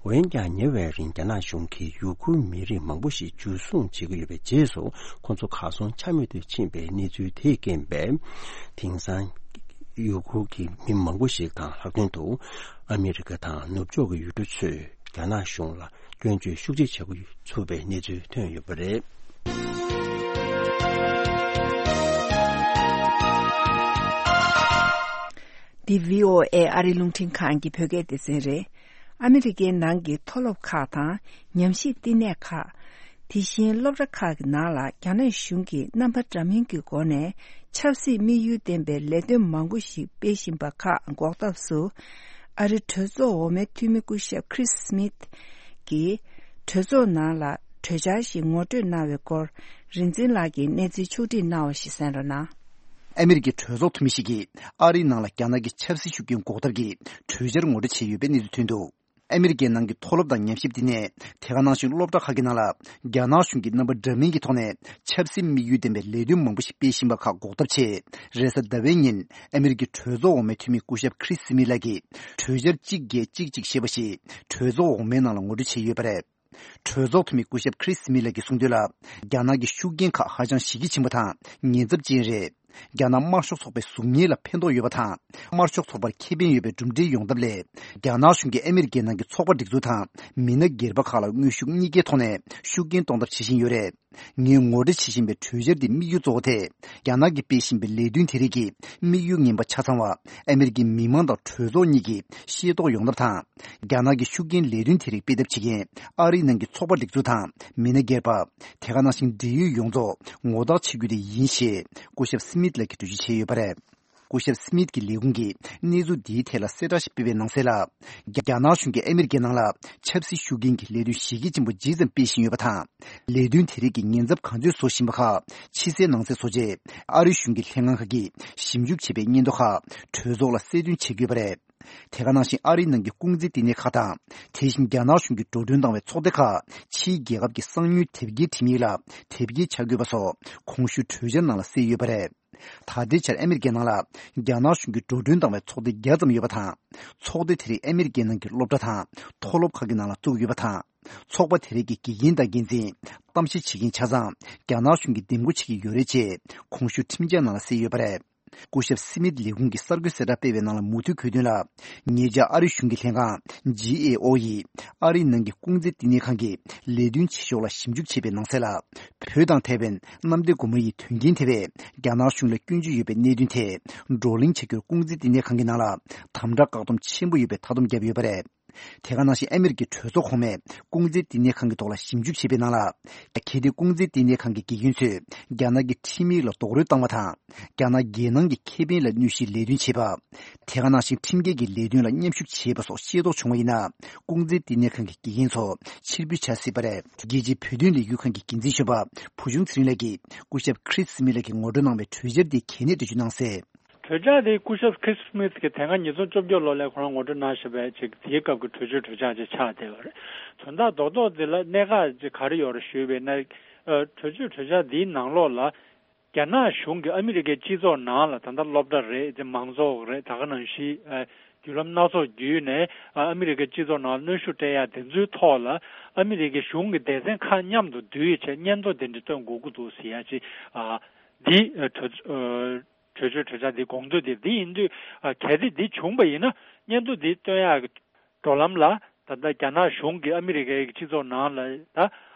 འོན་ཀྱང་ཉེ་བའི་རིང་རྒྱ་ནག་གཞུང་གིས་ཡུ་གུར་མི་རིགས་མང་པོ་ཞིག་འཇུ་བཟུང་བྱེད་ཀྱི་ཡོད་པའི་རྗེས་སུ་ཁོང་ཚོ་གར་སོང་ཆ་མེད་དུ་ཕྱིན་པའི་གནས་ཚུལ་དེས་རྐྱེན་པས། དེང་སང་ ཡུ་གུར་གྱི་མི་མང་པོ་ཞིག་དང་ལྷག་དོན་དུ་ཨ་མི་རི་ཀ་དང་ནུབ་ཕྱོགས་ཀྱི་ཡུལ་གྲུ་ཚོས་རྒྱ་ནག་གཞུང་ལ་སྐྱོན་བརྗོད་ཤུགས་ཆེ་བྱེད་འགོ་ཚུགས་པའི་གནས་ཚུལ་ཐོན་ཡོད་པ་རེད། འདི་བྷི་ཨོ་ཨེ་ཨ་རི་རླུང་འཕྲིན་ཁང་གི་བོད་སྐད་སྡེ་ཚན་རེད། ཨ་མི་རི་ཀའི་ནང་གི་མཐོ་སློབ་ཁག་དང་ཉམས་ཞིབ་བསྟི་གནས་ཁག་དེ་བཞིན་སློབ་གྲྭ་ཁག་གི་ནང་ལ་རྒྱ་ནག་གཞུང་གིས་རྣམ་པ་འདྲ་མིན་གྱི་སྒོ་ནས་ཆབ་སྲིད་དམིགས་ཡུལ་ལྡན་པའི་ལས་དོན་མང་པོ་ཞིག་སྤེལ་བཞིན་པ་ཁག་འགོག་ཐབས་སུ། ཨ་རི་གྲོས་ཚོགས་འོག་མའི་འཐུས་མི་སྐུ་ཞབས་Chris Smith་གྱིས་གྲོས་ཚོགས་ནང་ལ་གྲོས་འཆར་ཞིག་ངོ་སྤྲོད་གནང་བའི་སྐོར། རིག་འཛིན་ལགས་ཀྱིས་གནས་ཚུལ་ཕྱོགས་བསྒྲིགས་གནང་བ་ཞིག་གསན་རོགས་གནང་། ཨ་མི་རི་ཀའི་གྲོས་ཚོགས་འཐུས་མི་ཞིག་གིས་ཨ་རིའི་ནང་ལ་རྒྱ་ནག་གི་ཆབ་སྲིད་ཤུགས་རྐྱེན་འགོག་ཐབས་ཀྱི་གྲོས་འཆར་ངོ་སྤྲོད་བྱས་ཡོད་པའི་གནས་ཚུལ་ཐོན་འདུག་ཨ་མི་རི་ཀའི་ནང་གི་མཐོ་སློབ་དང་ཉམས་ཞིབ་བསྟི་གནས། དེ་ག་ནང་བཞིན་སློབ་གྲྭ་ཁག་གི་ནང་ལ་རྒྱ་ནག་གཞུང་གིས་རྣམ་པ་འདྲ་མིན་གྱི་ཐོག་ནས་ཆབ་སྲིད་དམིགས་ཡུལ་ལྡན་པའི་ལས་དོན་མང་པོ་ཞིག་སྤེལ་བཞིན་པ་ཁག་འགོག་ཐབས་ཆེད། རེས་གཟའ་ཟླ་བའི་ཉིན་ཨ་མི་རི་ཀའི་གྲོས་ཚོགས་འོག་མའི་འཐུས་མི་སྐུ་ཞབས་Chris Smith་ལགས་ཀྱིས་གྲོས་འཆར་གཅིག་བརྒྱད་གཅིག་གཅིག་ཞེས་པ་ཞིག་གྲོས་ཚོགས་འོག་མའི་ནང་ལ་ངོ་སྤྲོད་བྱས་ཡོད་པ་རེད། གྲོས་ཚོགས་འཐུས་མི་སྐུ་ཞབས་Chris Smith་ལགས་ཀྱིས་གསུངས་དོན་ལ། རྒྱ་ནག་གི་ཤུགས་རྐྱེན་ཁག་ཧ་ཅང་གཞི་རྒྱ་ཆེན་པོ་དང་ཉེན་ཚབས་ཅན་རེད། རྒྱ་ནག་དམར་ཤོག་ཚོགས་པའི་གཟུགས་བརྙན་ལ་ཕན་ཐོགས་ཡོད་པ་དང་། དམར་ཤོག་ཚོགས་པར་ཁེ་ཕན་ཡོད་པའི་གྲུབ་འབྲས་ཡོང་ཐབས་སླད། རྒྱ་ནག་གཞུང་གིས་ཨ་མི་རི་ཀའི་ནང་གི་ཚོགས་པ་སྒྲིག་འཛུགས་དང་མི་སྣ་སྒེར་པ་ཁག་ལ་དངོས་ཤུགས་གཉིས་ཀའི་ཐོག་ནས་ཤུགས་རྐྱེན་གཏོང་ཐབས་བྱེད་བཞིན་ཡོད་རེད། ངས་ངོ་སྤྲོད་བྱེད་བཞིན་པའི་གྲོས་འཆར་འདིའི་དམིགས་ཡུལ་གཙོ་བོ་དེ། རྒྱ་ནག་གིས་སྤེལ་བཞིན་པའི་ལས་དོན་དེ་རིགས་ཀྱི་དམིགས་ཡུལ་ངན་པ་ཆ་ཚང་བ། ཨ་མི་རི་ཀའི་མི་མང་དང་གྲོས་ཚོགས་གཉིས་ཀྱིས་ཤེས་རྟོགས་ཡོང་ཐབས་དང་། རྒྱ་ནག་གི་ཤུགས་རྐྱེན་ལས་དོན་དེ་རིགས་སྤེལ་ཐབས་བྱེད་མཁན་ཨ་རིའི་ནང་གི་ཚོགས་པ་སྒྲིག་འཛུགས་དང་མི་སྣ་སྒེར་པ། དེ་ག་ནང་བཞིན་འབྲེལ་ཡོད་ཡོངས་རྫོགས་ངོ་རྟགས་བྱེད་རྒྱུ་དེ་ཡིན་ཞེས་སྐུ་ཞབས་སི་མིད་ལགས་ཀྱིས་འགྲེལ་བརྗོད་བྱས་ཡོད་པ་རེད། སྐུ་ཞབས་སི་མིད་ཀྱི་ལས་ཁུངས་ཀྱིས་གནས་ཚུལ་འདིའི་ཐད་ལ་གསལ་བསྒྲགས་ཤིག་སྤེལ་བའི་ནང་གསལ་ལ། རྒྱ་རྒྱ་ནག་གཞུང་གིས་ཨ་མི་རི་ཀའི་ནང་ལ་ཆབ་སྲིད་ཤུགས་རྐྱེན་གྱི་ལས་དོན་གཞི་རྒྱ་ཆེན་པོ་ཇི་ཙམ་སྤེལ་བཞིན་ཡོད་པ་དང་། ལས་དོན་དེ་རིགས་ཀྱི་ཉེན་ཚབས་ག་ཚོད་བཟོ་བཞིན་པ་ཁག་ཕྱི་གསལ་ནང་གསལ་བཟོ་ཆེད། ཨ་རི་གཞུང་གི་ལྷན་ཁང་ཁག་གིས་ཞིབ་འཇུག་བྱས་པའི་སྙན་ཐོ་ཁག་གྲོས་ཚོགས་ལ་གསལ་སྟོན་བྱེད་དགོས་པ་རེད། དེ་ག་ནང་བཞིན་ཨ་རིའི་ནང་གི་ལྐོག་འཛིན་བསྟི་གནས་ཁག་དང་། དེ་བཞིན་རྒྱ་ནག་གཞུང་གིས་འགྲོ་གྲོན་བཏང་བའི་ཚོགས་སྡེ་ཁག་ཕྱིའི་རྒྱལ་ཁབ་ཀྱི་གསང་མྱུལ་དེབ་སྐྱེལ་ཁྲིམས་ཡིག་ལ་དེབ་སྐྱེལ་བྱ་དགོས་པ་སོགས་གོང་ཞུས་གྲོས་འཆར་ནང་ལ་གསལ་ཡོད་པ་རེད། ད་ལྟའི་ཆར་ཨ་མི་རི་ཀའི་ནང་ལ་རྒྱ་ནག་གཞུང་གིས་འགྲོ་གྲོན་བཏང་བའི་ཚོགས་སྡེ་བརྒྱ་ཙམ་ཡོད་པ་དང་། ཚོགས་སྡེ་དེ་རིགས་ཨ་མི་རི་ཀའི་ནང་གི་སློབ་གྲྭ་དང་མཐོ་སློབ་ཁག་གི་ནང་ལ་བཙུགས་ཡོད་པ་དང་། ཚོགས་པ་དེ་རིགས་ཀྱི་དགེ་རྒན་དང་འགན་འཛིན། གཏམ་བཤད་བྱེད་མཁན་ཆ་ཚང་རྒྱ་ནག་གཞུང་གིས་འདེམས་བསྐོ་བྱེད་ཀྱི་ཡོད་རེད་ཅེས་གོང་ཞུས་ཁྲིམས་འཆར་ནང་ལ་གསལ་ཡོད་པ་རེད། སྐུ་ཞབས་སི་མིད་ལས་ཁུངས་ཀྱིས་གསར་འགོད་གསལ་བསྒྲགས་སྤེལ་བའི་ནང་ལ་མུ་མཐུད་འཁོད་དོན་ལ། ཉེ་ཆར་ཨ་རི་གཞུང་གི་ལྷན་ཁང་ཇི་ཨེ་ཨོ་ཡིས་ཨ་རིའི་ནང་གི་ལྐོག་འཛིན་བསྟི་གནས་ཁང་གི་ལས་དོན་བྱེད་ཕྱོགས་ལ་ཞིབ་འཇུག་བྱས་པའི་ནང་གསལ་ལ། བོད་དང་ཐའེ་ཝན་གནམ་བདེ་སྒོ་མོ་ཡི་དོན་རྐྱེན་དེ་བས་རྒྱ་ནག་གཞུང་ལ་སྐྱོན་བརྗོད་ཡོད་པའི་གནད་དོན་དེ་བགྲོ་གླེང་བྱ་རྒྱུར་ལྐོག་འཛིན་བསྟི་གནས་ཁང་གི་ནང་ལ་དམ་དྲག་བཀག་སྡོམ་ཆེན་པོ་ཡོད་པའི་མཐའ་སྡོམ་བརྒྱབ་ཡོད་པ་རེད། དེ་ག་ནང་བཞིན་ཨ་མི་རི་ཀའི་གྲོས་ཚོགས་གོང་མས་ལྐོག་འཛིན་བསྟི་གནས་ཁང་གི་ཐོག་ལ་ཞིབ་འཇུག་བྱས་པའི་ནང་ལ། གལ་ཏེ་ལྐོག་འཛིན་བསྟི་གནས་ཁང་གི་དགེ་རྒན་ཚོས་རྒྱ་ནག་གི་ཁྲིམས་ཡིག་ལ་རྡོག་རོལ་བཏང་བ་དང་། རྒྱ་ནག་རྒྱལ་ནང་གི་ཁེ་ཕན་ལ་གནོད་གཞིའི་ལས་དོན་བྱེད་པ། དེ་ག་ནང་བཞིན་ཁྲིམས་འགལ་གྱི་ལས་དོན་ལ་མཉམ་ཞུགས་བྱས་པ་སོགས་ཤེས་རྟོགས་བྱུང་བ་ཡིན་ན། ལྐོག་འཛིན་བསྟི་གནས་ཁང་གི་དགེ་རྒན་ཚོ་ཕྱིར་འབུད་བྱ་སྲིད་པ་རེད། རྒྱལ་སྤྱིའི་བོད་དོན་ལས་འགུལ་ཁང་གི་འགན་འཛིན་གཞོན་པ་བུ་ཆུང་ཚེ་རིང་ལགས་ཀྱིས་སྐུ་ཞབས་Chris Smith་ལགས་ཀྱིས་ངོ་སྤྲོད་གནང་བའི་གྲོས་འཆར་དེའི་གལ་གནད་འགྲེལ་བརྗོད་གནང་གསལ། གྲོས་འཆར་དེ་སྐུ་ཞབས་Chris Smith་གིས་དེ་སྔ་ཉིས་སྟོང་བཅོ་བརྒྱད་ལོ་ལ་ཁོ་རང་ངོ་སྤྲོད་གནང་བཞིན་པའི་ཅིག་དེའི་སྐབས་ཀྱི་གྲོས་ཆོད་གྲོས་འཆར་ཅིག་ཆགས་བསྡད་པ་རེད། དོན་དག་རྡོག་རྡོག་འདི་ལ་གནད་འགག་ཅིག་ག་རེ་ཡོད་རེད་ཞུས་པ་ཡིན་ན། ཨ། གྲོས་ཆོད་གྲོས་འཆར་འདིའི་ནང་ལོགས་ལ་རྒྱ་ནག་གཞུང་གིས་ཨ་མི་རི་ཀའི་སྤྱི་ཚོགས་ནང་ལ་ད་ལྟ་སློབ་གྲྭ་རེད། དེ་མང་ཚོགས་རེད། ད་ག་ནང་བཞིན་ཨ་བརྒྱུད་ལམ་སྣ་ཚོགས་བརྒྱུད་ནས་ཨ་ཨ་མི་རི་ཀའི་སྤྱི་ཚོགས་ནང་གནོན་ཤུགས་སྤྲད་ཡ་དེ་ཚོའི་ཐོག་ལ་ཨ་མི་རི་ཀའི་གཞུང་གི་སྡེ་ཚན་ཁག་མཉམ་དུ་བསྡུས་བྱས་སྙན་ཐོ་དེ་འདྲ་བཏོན་དགོས་ཀྱི་འདུག་ཟེར་ཡ་ཅིག་ཨ་འདི་གྲོས་ཨ། གྲོས་ཆོད་གྲོས་འཆར་འདི་དགོངས་དོན་དེ་འདི་ཡིན་དུས། ཨ། གལ་ཏེ་འདི་བྱུང་བ་ཡིན་ན་སྙན་ཐོ་འདི་བཏོན་ཡག་གི་འགྲོ་ལམ་ལ་ད་ལྟ་རྒྱ་ནག་གཞུང་གིས་ཨ་མི་རི་ཀའི་སྤྱི་ཚོགས་ནང་ལ་ད་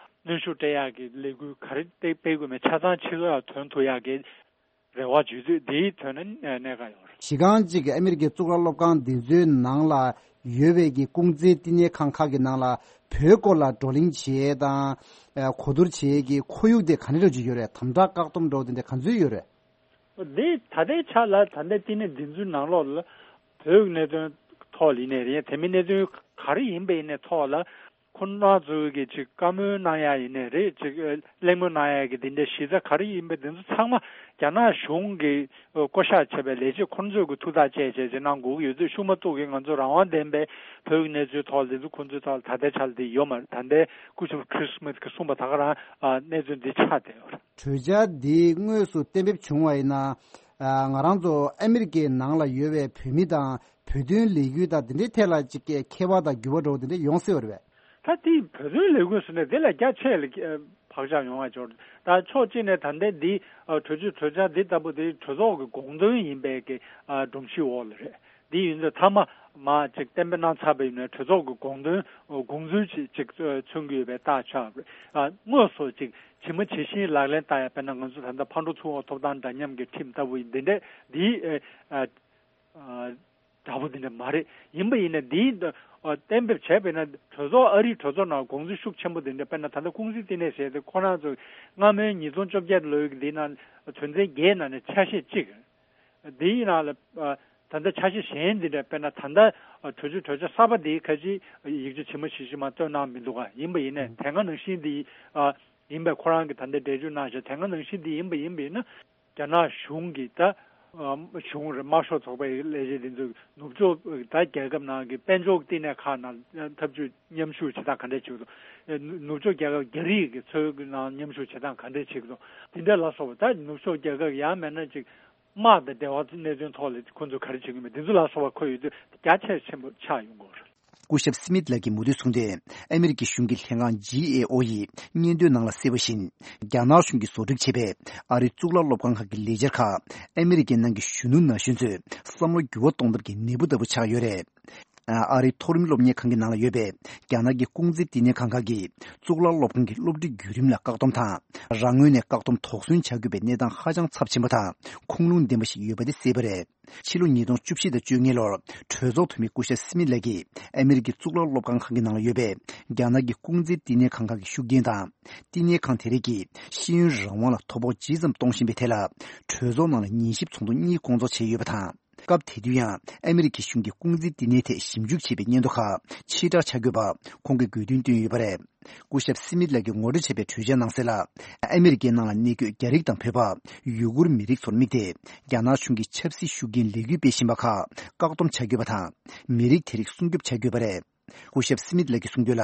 གནོན་ཤུགས་སྤྲད་ཡག་གི་ལས་འགུལ་ག་རེ་སྤེལ་དགོས་མེད་ཆ་ཚང་ཕྱི་ལོགས་ལ་ཐོན་ཐུབ་ཡག་གི་རེ་བ་བརྗོད་དུས་འདིའི་དོན་ནི་གནད་འགག་ཡོད་རེད། གཞི་རྐང་གཅིག་གི་ཨ་མི་རི་ཀའི་གཙུག་ལག་སློབ་ཁང་འདི་ཚོའི་ནང་ལ་ཡོད་པའི་གི་ལྐོག་འཛིན་བསྟི་གནས་ཁང་ཁག་གི་ནང་ལ་བོད་སྐོར་ལ་བགྲོ་གླེང་བྱེད་ཡས་དང་། ཨ། གོ་བསྡུར་བྱེད་ཡས་ཀྱི་ཁོར་ཡུག་དེ་ག་འདྲ་འདྲ་ཅིག་ཡོད་རེད། དམ་དྲག་བཀག་སྡོམ་འདྲ་བོ་དེ་འདྲ་ག་ཚོད་ཡོད་རེད། འདི་ད་ལྟའི་ཆ་ལ་ད་ལྟའི་བསྟི་གནས་འདི་ཚོའི་ནང་ལོགས་ལ་བོད་ཀྱི་གནད་དོན་ཐོག་ལ་ཡིན་ནའི་རེད། དེ་མིན་གནད་དོན་ག་རེ་ཡིན་པ་ཡིན་ནའི་ཐོག་ལ་ཁོང་རྣམ་ཚོ་གིས་ཅིག་བཀའ་མོལ་གནང་ཡ་ཡིན་ནའི་རེད། ཅིག་གླེང་མོལ་གནང་ཡ་གི་འདི་འདྲའི་གཞི་རྩ་ག་རེ་ཡིན་པ་འདི་ཚོ་ཚང་མ་རྒྱ་ནག་གཞུང་གིས་བསྐོ་བཞག་བྱས་པའི་ལས་བྱེད་ཁོང་ཚོས་ཀྱི་ཐུགས་ཐག་བཅད་བྱས་ཅིག་གནང་དགོས་ཀྱི་ཡོད་དུས་ཤུགས་མ་གཏོགས་ཀྱི་ང་ཚོ་རང་དབང་ལྡན་པའི་བོད་ཀྱི་གནས་ཚུལ་ཐོག་ལ་འདི་ཚོ་ཁོང་ཚོའི་ཐོག་ལ་ད་ལྟའི་ཆ་ལ་འདི་ཡོད་མ་རེད། ད་ལྟའི་སྐུ་ཞབས་Chris Smith་གིས་གསུངས་པ་ད་ག་རང་གནས་ཚུལ་འདི་ཆགས་བསྡད་ཡོད་རེད། གྲོས་འཆར་འདི་དངོས་སུ་གཏན་འབེབས་བྱུང་བ་ཡིན་ན། ཨ། ང་རང་ཚོ་ཨ་མི་རི་ཀའི་ནང་ལ་ཡོད་པའི་བོད་མི་དང་བོད་དོན་ལས་འགུལ་དང་དེ་འདྲའི་ཐད་ལ་ཅིག་ཁྱད་པར་དང་འགྱུར་བ་འགྲོ་བ་དེ་འདྲ་ཡོང་སྲིད་པ་རེད་པས། ད་དེ་བོད་དོན་ལས་འགུལ་ཟེར་ནས་དེ་ལས་རྒྱ་ཆེ་ལ། ཨ། བག་ཆགས་ཡོང་བ་འབྱོར། ད་ཕྱོགས་གཅིག་ནས་ད་ལྟའི་འདི་ཨ་གྲོས་ཆོད་གྲོས་འཆར་འདི་ལྟ་བུ་དེ་གྲོས་ཚོགས་ཀྱི་དགོངས་དོན་ཡིན་པའི་གི་ཨ་སྒྲོམ་གཞི་འོག་ལ་རེད། འདི་ཡིན་ཚེ་མཐའ་མ་མ་ཅིག་གཏན་འབེབས་གནང་ཚར་བ་ཡིན་ན་གྲོས་ཚོགས་ཀྱི་དགོངས་དོན་དགོངས་ཚུལ་ཅིག་ཅིག་མཚོན་གྱི་ཡོད་པའི་རྟགས་ཆགས་རེད། ཨ་དངོས་སུ་ཅིག་ཇི་མ་ཇི་བཞིན་ལག་ལེན་བསྟར་ཡ། དཔེར་ན་ང་ཚོ་ད་ལྟ་ཕར་འགྲོ་ཚུར་འོང་ཐོབ་ཐང་འདྲ་མཉམ་གྱི་ཁྲིམས་ལྟ་བུ་ཡིན། འདི་འདྲའི་འདི་ཨ་ཨ་འདྲ་པོ་འདི་འདྲ་མ་རེད། ཡིན་པ་ཡིན་ན་འདིའི་ཨ་གཏན་འབེབས་བྱས་པས་ན་གྲོས་ཚོགས་ཨ་རིའི་གྲོས་ཚོགས་ནང་དགོངས་ཚུལ་ཤུགས་ཆེན་པོ་འདི་འདྲ། དཔེར་ན་ད་ལྟ་ཀུང་སི་བསྟི་གནས་ཟེར་ཏེ་ཁོ་རང་ཚོ་སྔ་མོའི་ཉིས་སྟོང་བཅོ་བརྒྱད་ལོའི་འདི་ནང་དོན་ཚན་བརྒྱད་ནང་ནས་ཆ་ཤས་གཅིག་འདིའི་ནང་ལ་ཨ་ད་ལྟ་ཆ་ཤས་གཞན་འདི་འདྲ། དཔེར་ན་ད་ལྟ་ཨ་གྲོས་ཆོད་གྲོས་འཆར་གསར་པ་འདིའི་ཁ་ཅིག་ཡིག་ཆ་ཇི་མ་ཇི་བཞིན་མ་བཏོན་གནང་མི་འདུག་ག་ཡིན་པ་ཡིན་ནའི་དེ་སྔ་ནང་བཞིན་འདི་ཨ་ཡིན་པའི་ཁོ་རང་གི་ད་ལྟ་འགྲེལ་བརྗོད་གནང་བཞག་དེ་སྔ་ནང་བཞིན་འདི་ཡིན་པ་ཡིན་པ་ཡིན་ན། རྒྱ་ནག་གཞུང་གིས་ད་ཨ་གཞུང་རེད། དམར་ཤོག་ཚོགས་པའི་ལས་བྱེད་འདི་ཚོས་ནུབ་ཕྱོགས་ད་རྒྱལ་ཁབ་ནང་གི་དཔལ་འབྱོར་བསྟི་གནས་ཁག་ནང་འཐབ་ཇུས་མཉམ་ཞུགས་བྱེད་སྟངས་ག་འདྲ་བྱེད་ཀྱི་འདུག་ནུབ་ཕྱོགས་རྒྱལ་ཁབ་རྒྱ་རིགས་ཀྱི་ཚོའི་ནང་མཉམ་ཞུགས་བྱེད་སྟངས་ག་འདྲ་བྱེད་ཀྱི་འདུག་དེ་འདྲ་ལ་སོགས་པ། ད་ནུབ་ཕྱོགས་རྒྱལ་ཁབ་ཡང་མིན་ན་ཅིག་དམག་དང་འབྲེལ་བ་གནད་དོན་ཐོག་ལ་ཁོང་ཚོས་ག་རེ་བྱེད་ཀྱི་མེད། འདི་ཚོ་ལ་སོགས་པ་ཁོ་ཡོད་དུས་རྒྱ་ཆེ་ཆེན་པོ་ཆགས་ཡོང་གི་ཡོད་རེད། སྐུ་ཞབས་སི་མིད་ལགས་ཀྱིས་མུ་མཐུད་གསུངས་ཏེ། ཨ་མི་རི་ཀའི་གཞུང་གི་ལྷན་ཁང་ཇི་ཨེ་ཨོ་ཡིས་སྙན་ཐོའི་ནང་ལ་གསལ་བ་བཞིན། རྒྱ་ནག་གཞུང་གིས་བཟོ་སྒྲིག་བྱས་པའི་ཨ་རིའི་གཙུག་ལག་སློབ་ཁང་ཁག་གི་ལས་འཆར་ཁག་ཨ་མི་རི་ཀའི་ནང་གི་གཞོན་ནུ་ན་གཞོན་ཚོས་བསམ་བློ་འགྱུར་བ་གཏོང་ཐབས་ཀྱི་ནད་འབུ་ལྟ་བུ་ཆགས་ཡོད་རེད། ཨ་རིའི་མཐོ་རིམ་སློབ་གཉེར་ཁང་གི་ནང་ལ་ཡོད་པའི་རྒྱ་ནག་གི་ཀུང་ཙི་བསྟི་གནས་ཁང་ཁག་གིས་གཙུག་ལག་སློབ་ཁང་གི་སློབ་ཁྲིད་བརྒྱུད་རིམ་ལ་བཀག་སྡོམ་དང་། རང་ངོས་ནས་བཀག་སྡོམ་དོགས་ཟོན་བྱ་དགོས་པའི་གནས་སྟངས་ཧ་ཅང་ཚབས་ཆེན་པོ་དང་ཁུངས་ལུང་ལྡན་པ་ཞིག་ཡོད་པ་དེ་གསལ་པོ་རེད། ཕྱི་ལོ་ཉིས་སྟོང་བཅུ་བཞི་དང་བཅོ་ལྔ་ལོར་གྲོས་ཚོགས་འཐུས་མི་སྐུ་ཞབས་སི་མིད་ལགས་ཀྱིས་ཨ་མི་རི་ཀའི་གཙུག་ལག་སློབ་ཁང་ཁག་གི་ནང་ལ་ཡོད་པའི་རྒྱ་ནག་གི་ཀུང་ཙི་བསྟི་གནས་ཁང་ཁག་གི་ཤུགས་རྐྱེན་དང་། བསྟི་གནས་ཁང་དེ་རིགས་ཀྱིས་ཤེས་ཡོན་རང་དབང་ལ་དོ་ཕོག་ཇི་ཙམ་གཏོང་བཞིན་པའི་ཐད་ལ། གྲོས་ཚོགས་ནང་ལ་ཉན་ཞིབ་ཚོགས་འདུ་གཉིས་བསྐོང་ཚོགས་བྱས་ཡོད་པ་དང་། སྐབས་དེ་དུས་ཡང་ཨ་མི་རི་ཀའི་གཞུང་གིས་ཀུང་ཙི་བསྟི་གནས་ཐད་ཞིབ་འཇུག་བྱས་པའི་སྙན་ཐོ་ཁག་ཕྱིར་བསྒྲགས་བྱ་དགོས་པ་ཁོང་གིས་དགོས་འདུན་བཏོན་ཡོད་པ་རེད། སྐུ་ཞབས་སི་མིད་ལགས་ཀྱིས་ངོ་སྤྲོད་བྱས་པའི་གྲོས་འཆར་ནང་གསལ་ལ། ཨ་མི་རི་ཀའི་ནང་ལ་གནས་འཁོད་རྒྱ་རིགས་དང་བོད་པ། ཡུ་གུར་མི་རིགས་ཚོར་དམིགས་ཏེ། རྒྱ་ནག་གཞུང་གིས་ཆབ་སྲིད་ཤུགས་རྐྱེན་ལས་འགུལ་སྤེལ་བཞིན་པ་ཁག་བཀག་སྡོམ་བྱ་དགོས་པ་དང་། མི་རིགས་དེ་རིགས་སྲུང་སྐྱོབ་བྱ་དགོས་པ་རེད། སྐུ་ཞབས་སི་མིད་ལགས་ཀྱིས་གསུངས་དོན་ལ།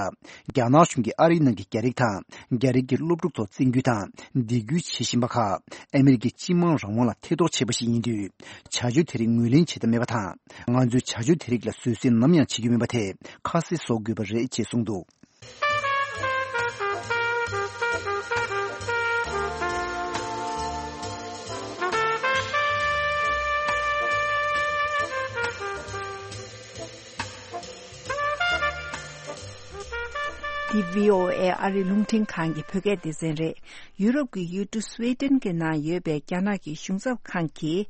རྒྱ་ནག་གཞུང་གིས་ཨ་རིའི་ནང་གི་རྒྱ་རིགས་དང་། རྒྱ་རིགས་ཀྱི་སློབ་ཕྲུག་ཚོར་བཙན་སྐུལ་དང་། སྡིགས་སྐུལ་བྱེད་བཞིན་པ་ཁག་ཨ་མི་རི་ཀའི་སྤྱི་དམངས་རང་དབང་ལ་ཐེ་གཏོགས་བྱས་པ་ཞིག་ཡིན་དུས། བྱ་སྤྱོད་དེ་རིགས་ངོས་ལེན་བྱེད་ཐབས་མེད་པ་དང་། ང་ཚོས་བྱ་སྤྱོད་དེ་རིགས་ལ་བཟོད་བསྲན་ནམ་ཡང་བྱེད་རྒྱུ་མིན་པ་དེ་ཁ་གསལ་བཟོ་དགོས་པ་རེད་ཅེས་གསུངས་འདུག་འདི་བྷི་ཨོ་ཨེ་ཨ་རི་རླུང་འཕྲིན་ཁང་གི་བོད་སྐད་སྡེ་ཚན་རེད། ཡུ་རོབ་ཀྱི་ཡུལ་གྲུ་སུའེ་ཏེན་གྱི་ནང་ཡོད་པའི་རྒྱ་ནག་གི་གཞུང་ཚབ་ཁང་གིས།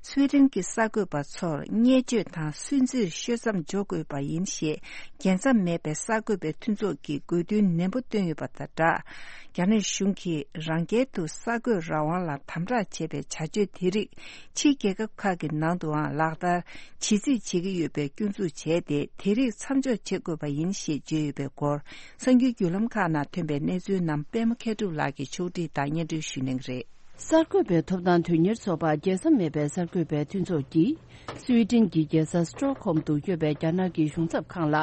སུའེ་ཏེན་གྱི་གསར་འགོད་པ་ཚོར་བརྙས་བཅོས་དང་སུན་གཙེར་ཤོད་མཚམས་འཇོག་དགོས་པ་ཡིན་ཞེས། རྒྱལ་མཚམས་མེད་པའི་གསར་འགོད་པའི་མཐུན་ཚོགས་ཀྱིས་དགོས་འདུན་ནན་པོ་བཏོན་ཡོད་པ་དང་སྦྲགས། རྒྱ་ནག་གཞུང་གིས་རང་རྒྱལ་དུ་གསར་འགོད་རང་དབང་ལ་དམ་དྲག་བྱེད་པའི་བྱ་སྤྱོད་དེ་རིགས་ཕྱིའི་རྒྱལ་ཁབ་ཁག་གི་ནང་དུའང་ལག་བསྟར་བྱེད་རྩིས་བྱེད་ཀྱི་ཡོད་པའི་སྐྱོན་འཛུགས་བྱས་ཏེ། དེ་རིགས་མཚམས་འཇོག་བྱེད་དགོས་པ་ཡིན་ཞེས་བརྗོད་ཡོད་པའི་སྐོར། གསར་འགྱུར་བརྒྱུད་ལམ་ཁག་ནང་ཐོན་པའི་གནས་ཚུལ་རྣམས་པད་མ་མཁས་གྲུབ་ལགས་ཀྱིས་ཕྱོགས་སྒྲིག་དང་སྙན་སྒྲོན་ཞུ་གནང་གི་རེད། གསར་འགོད་པའི་ཐོབ་ཐང་དོན་གཉེར་ཚོགས་པ་རྒྱལ་མཚམས་མེད་པའི་གསར་འགོད་པའི་མཐུན་ཚོགས་ཀྱིས། སུའེ་ཏེན་གྱི་རྒྱལ་ས་སི་ཀྲོག་ཧོམ་དུ་ཡོད་པའི་རྒྱ་ནག་གི་གཞུང་ཚབ་ཁང་ལ།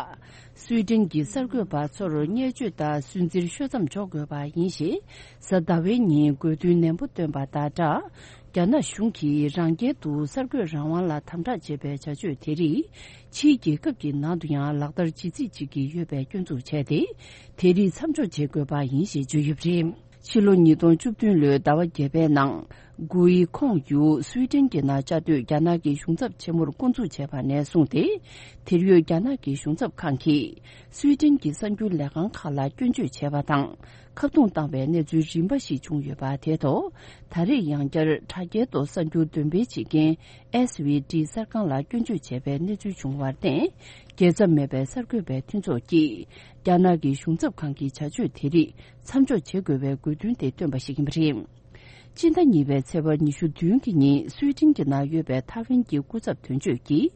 སུའེ་ཏེན་གྱི་གསར་འགོད་པ་ཚོར་བརྙས་བཅོས་དང་སུན་གཙེར་ཤོད་མཚམས་འཇོག་དགོས་པ་ཡིན་ཞེས། གཟའ་ཟླ་བའི་ཉིན་དགོས་འདུན་ནན་པོ་བཏོན་པ་དང་སྦྲགས། རྒྱ་ནག་གཞུང་གིས་རང་རྒྱལ་དུ་གསར་འགོད་རང་དབང་ལ་དམ་དྲག་བྱེད་པའི་བྱ་སྤྱོད་དེ་རིགས། ཕྱིའི་རྒྱལ་ཁབ་ཀྱི་ནང་དུ་ཡང་ལག་བསྟར་བྱེད་རྩིས་བྱེད་ཀྱི་ཡོད་པའི་སྐྱོན་འཛུགས་བྱས་ཏེ། དེ་རིགས་མཚམས་འཇོག་བྱེད་དགོས་པ་ཡིན་ཞེས་བརྗོད་ཡོད་པ་རེད། ཕྱི་ལོ་ཉིས་སྟོང་བཅུ་བདུན་ལོའི་ཟླ་བ་བརྒྱད་པའི་ནང་། གུའི་ཁོང་ཡུ་སུའི་ཏན་གྱི་ནང་བཅའ་སྡོད་རྒྱ་ནག་གི་གཞུང་ཚབ་ཆེན་མོར་བསྐོ་འཛུགས་བྱས་པ་ནས་བཟུང་སྟེ། དེར་ཡོད་རྒྱ་ནག་གི་གཞུང་ཚབ་ཁང་གིས་སུའི་ཏན་གྱི་གསར་འགྱུར་ལས་ཁང་ཁག་ལ་སྐྱོན་བརྗོད་བྱས་པ་དང་། ཁ་རྡུང་བཏང་བའི་གནས་ཚུལ་རིམ་པ་ཞིག་བྱུང་ཡོད་པ་དེ་ཐོག་ད་རེས་ཡང་བསྐྱར་དྲ་རྒྱའི་ཐོག་གསར་འགྱུར་འདོན་སྤེལ་བྱེད་མཁན་ཨེས་བྷི་ཌི་གསར་ཁང་ལ་སྐྱོན་བརྗོད་བྱས་པའི་གནས་ཚུལ་བྱུང་བར་བརྟེན། རྒྱལ་མཚམས་མེད་པའི་གསར་འགོད་པའི་མཐུན་ཚོགས་ཀྱིས། རྒྱ་ནག་གི་གཞུང་ཚབ་ཁང་གི་བྱ་སྤྱོད་དེ་རིགས་མཚམས་འཇོག་བྱེད་དགོས་པའི་དགོས་འདུན་དེ་བཏོན་པ་ཞིག་ཡིན་པ་རེད། སྤྱི་ཟླ་གཉིས་པའི་ཚེས་པ་ཉི་ཤུ་བདུན་གྱི་ཉིན་སུའི་ཏན་གྱི་ནང་ཡོད་པའི་ཐའེ་ཝན་གྱི་སྐུ་ཚབ་དོན་གཅོད་ཀྱིས།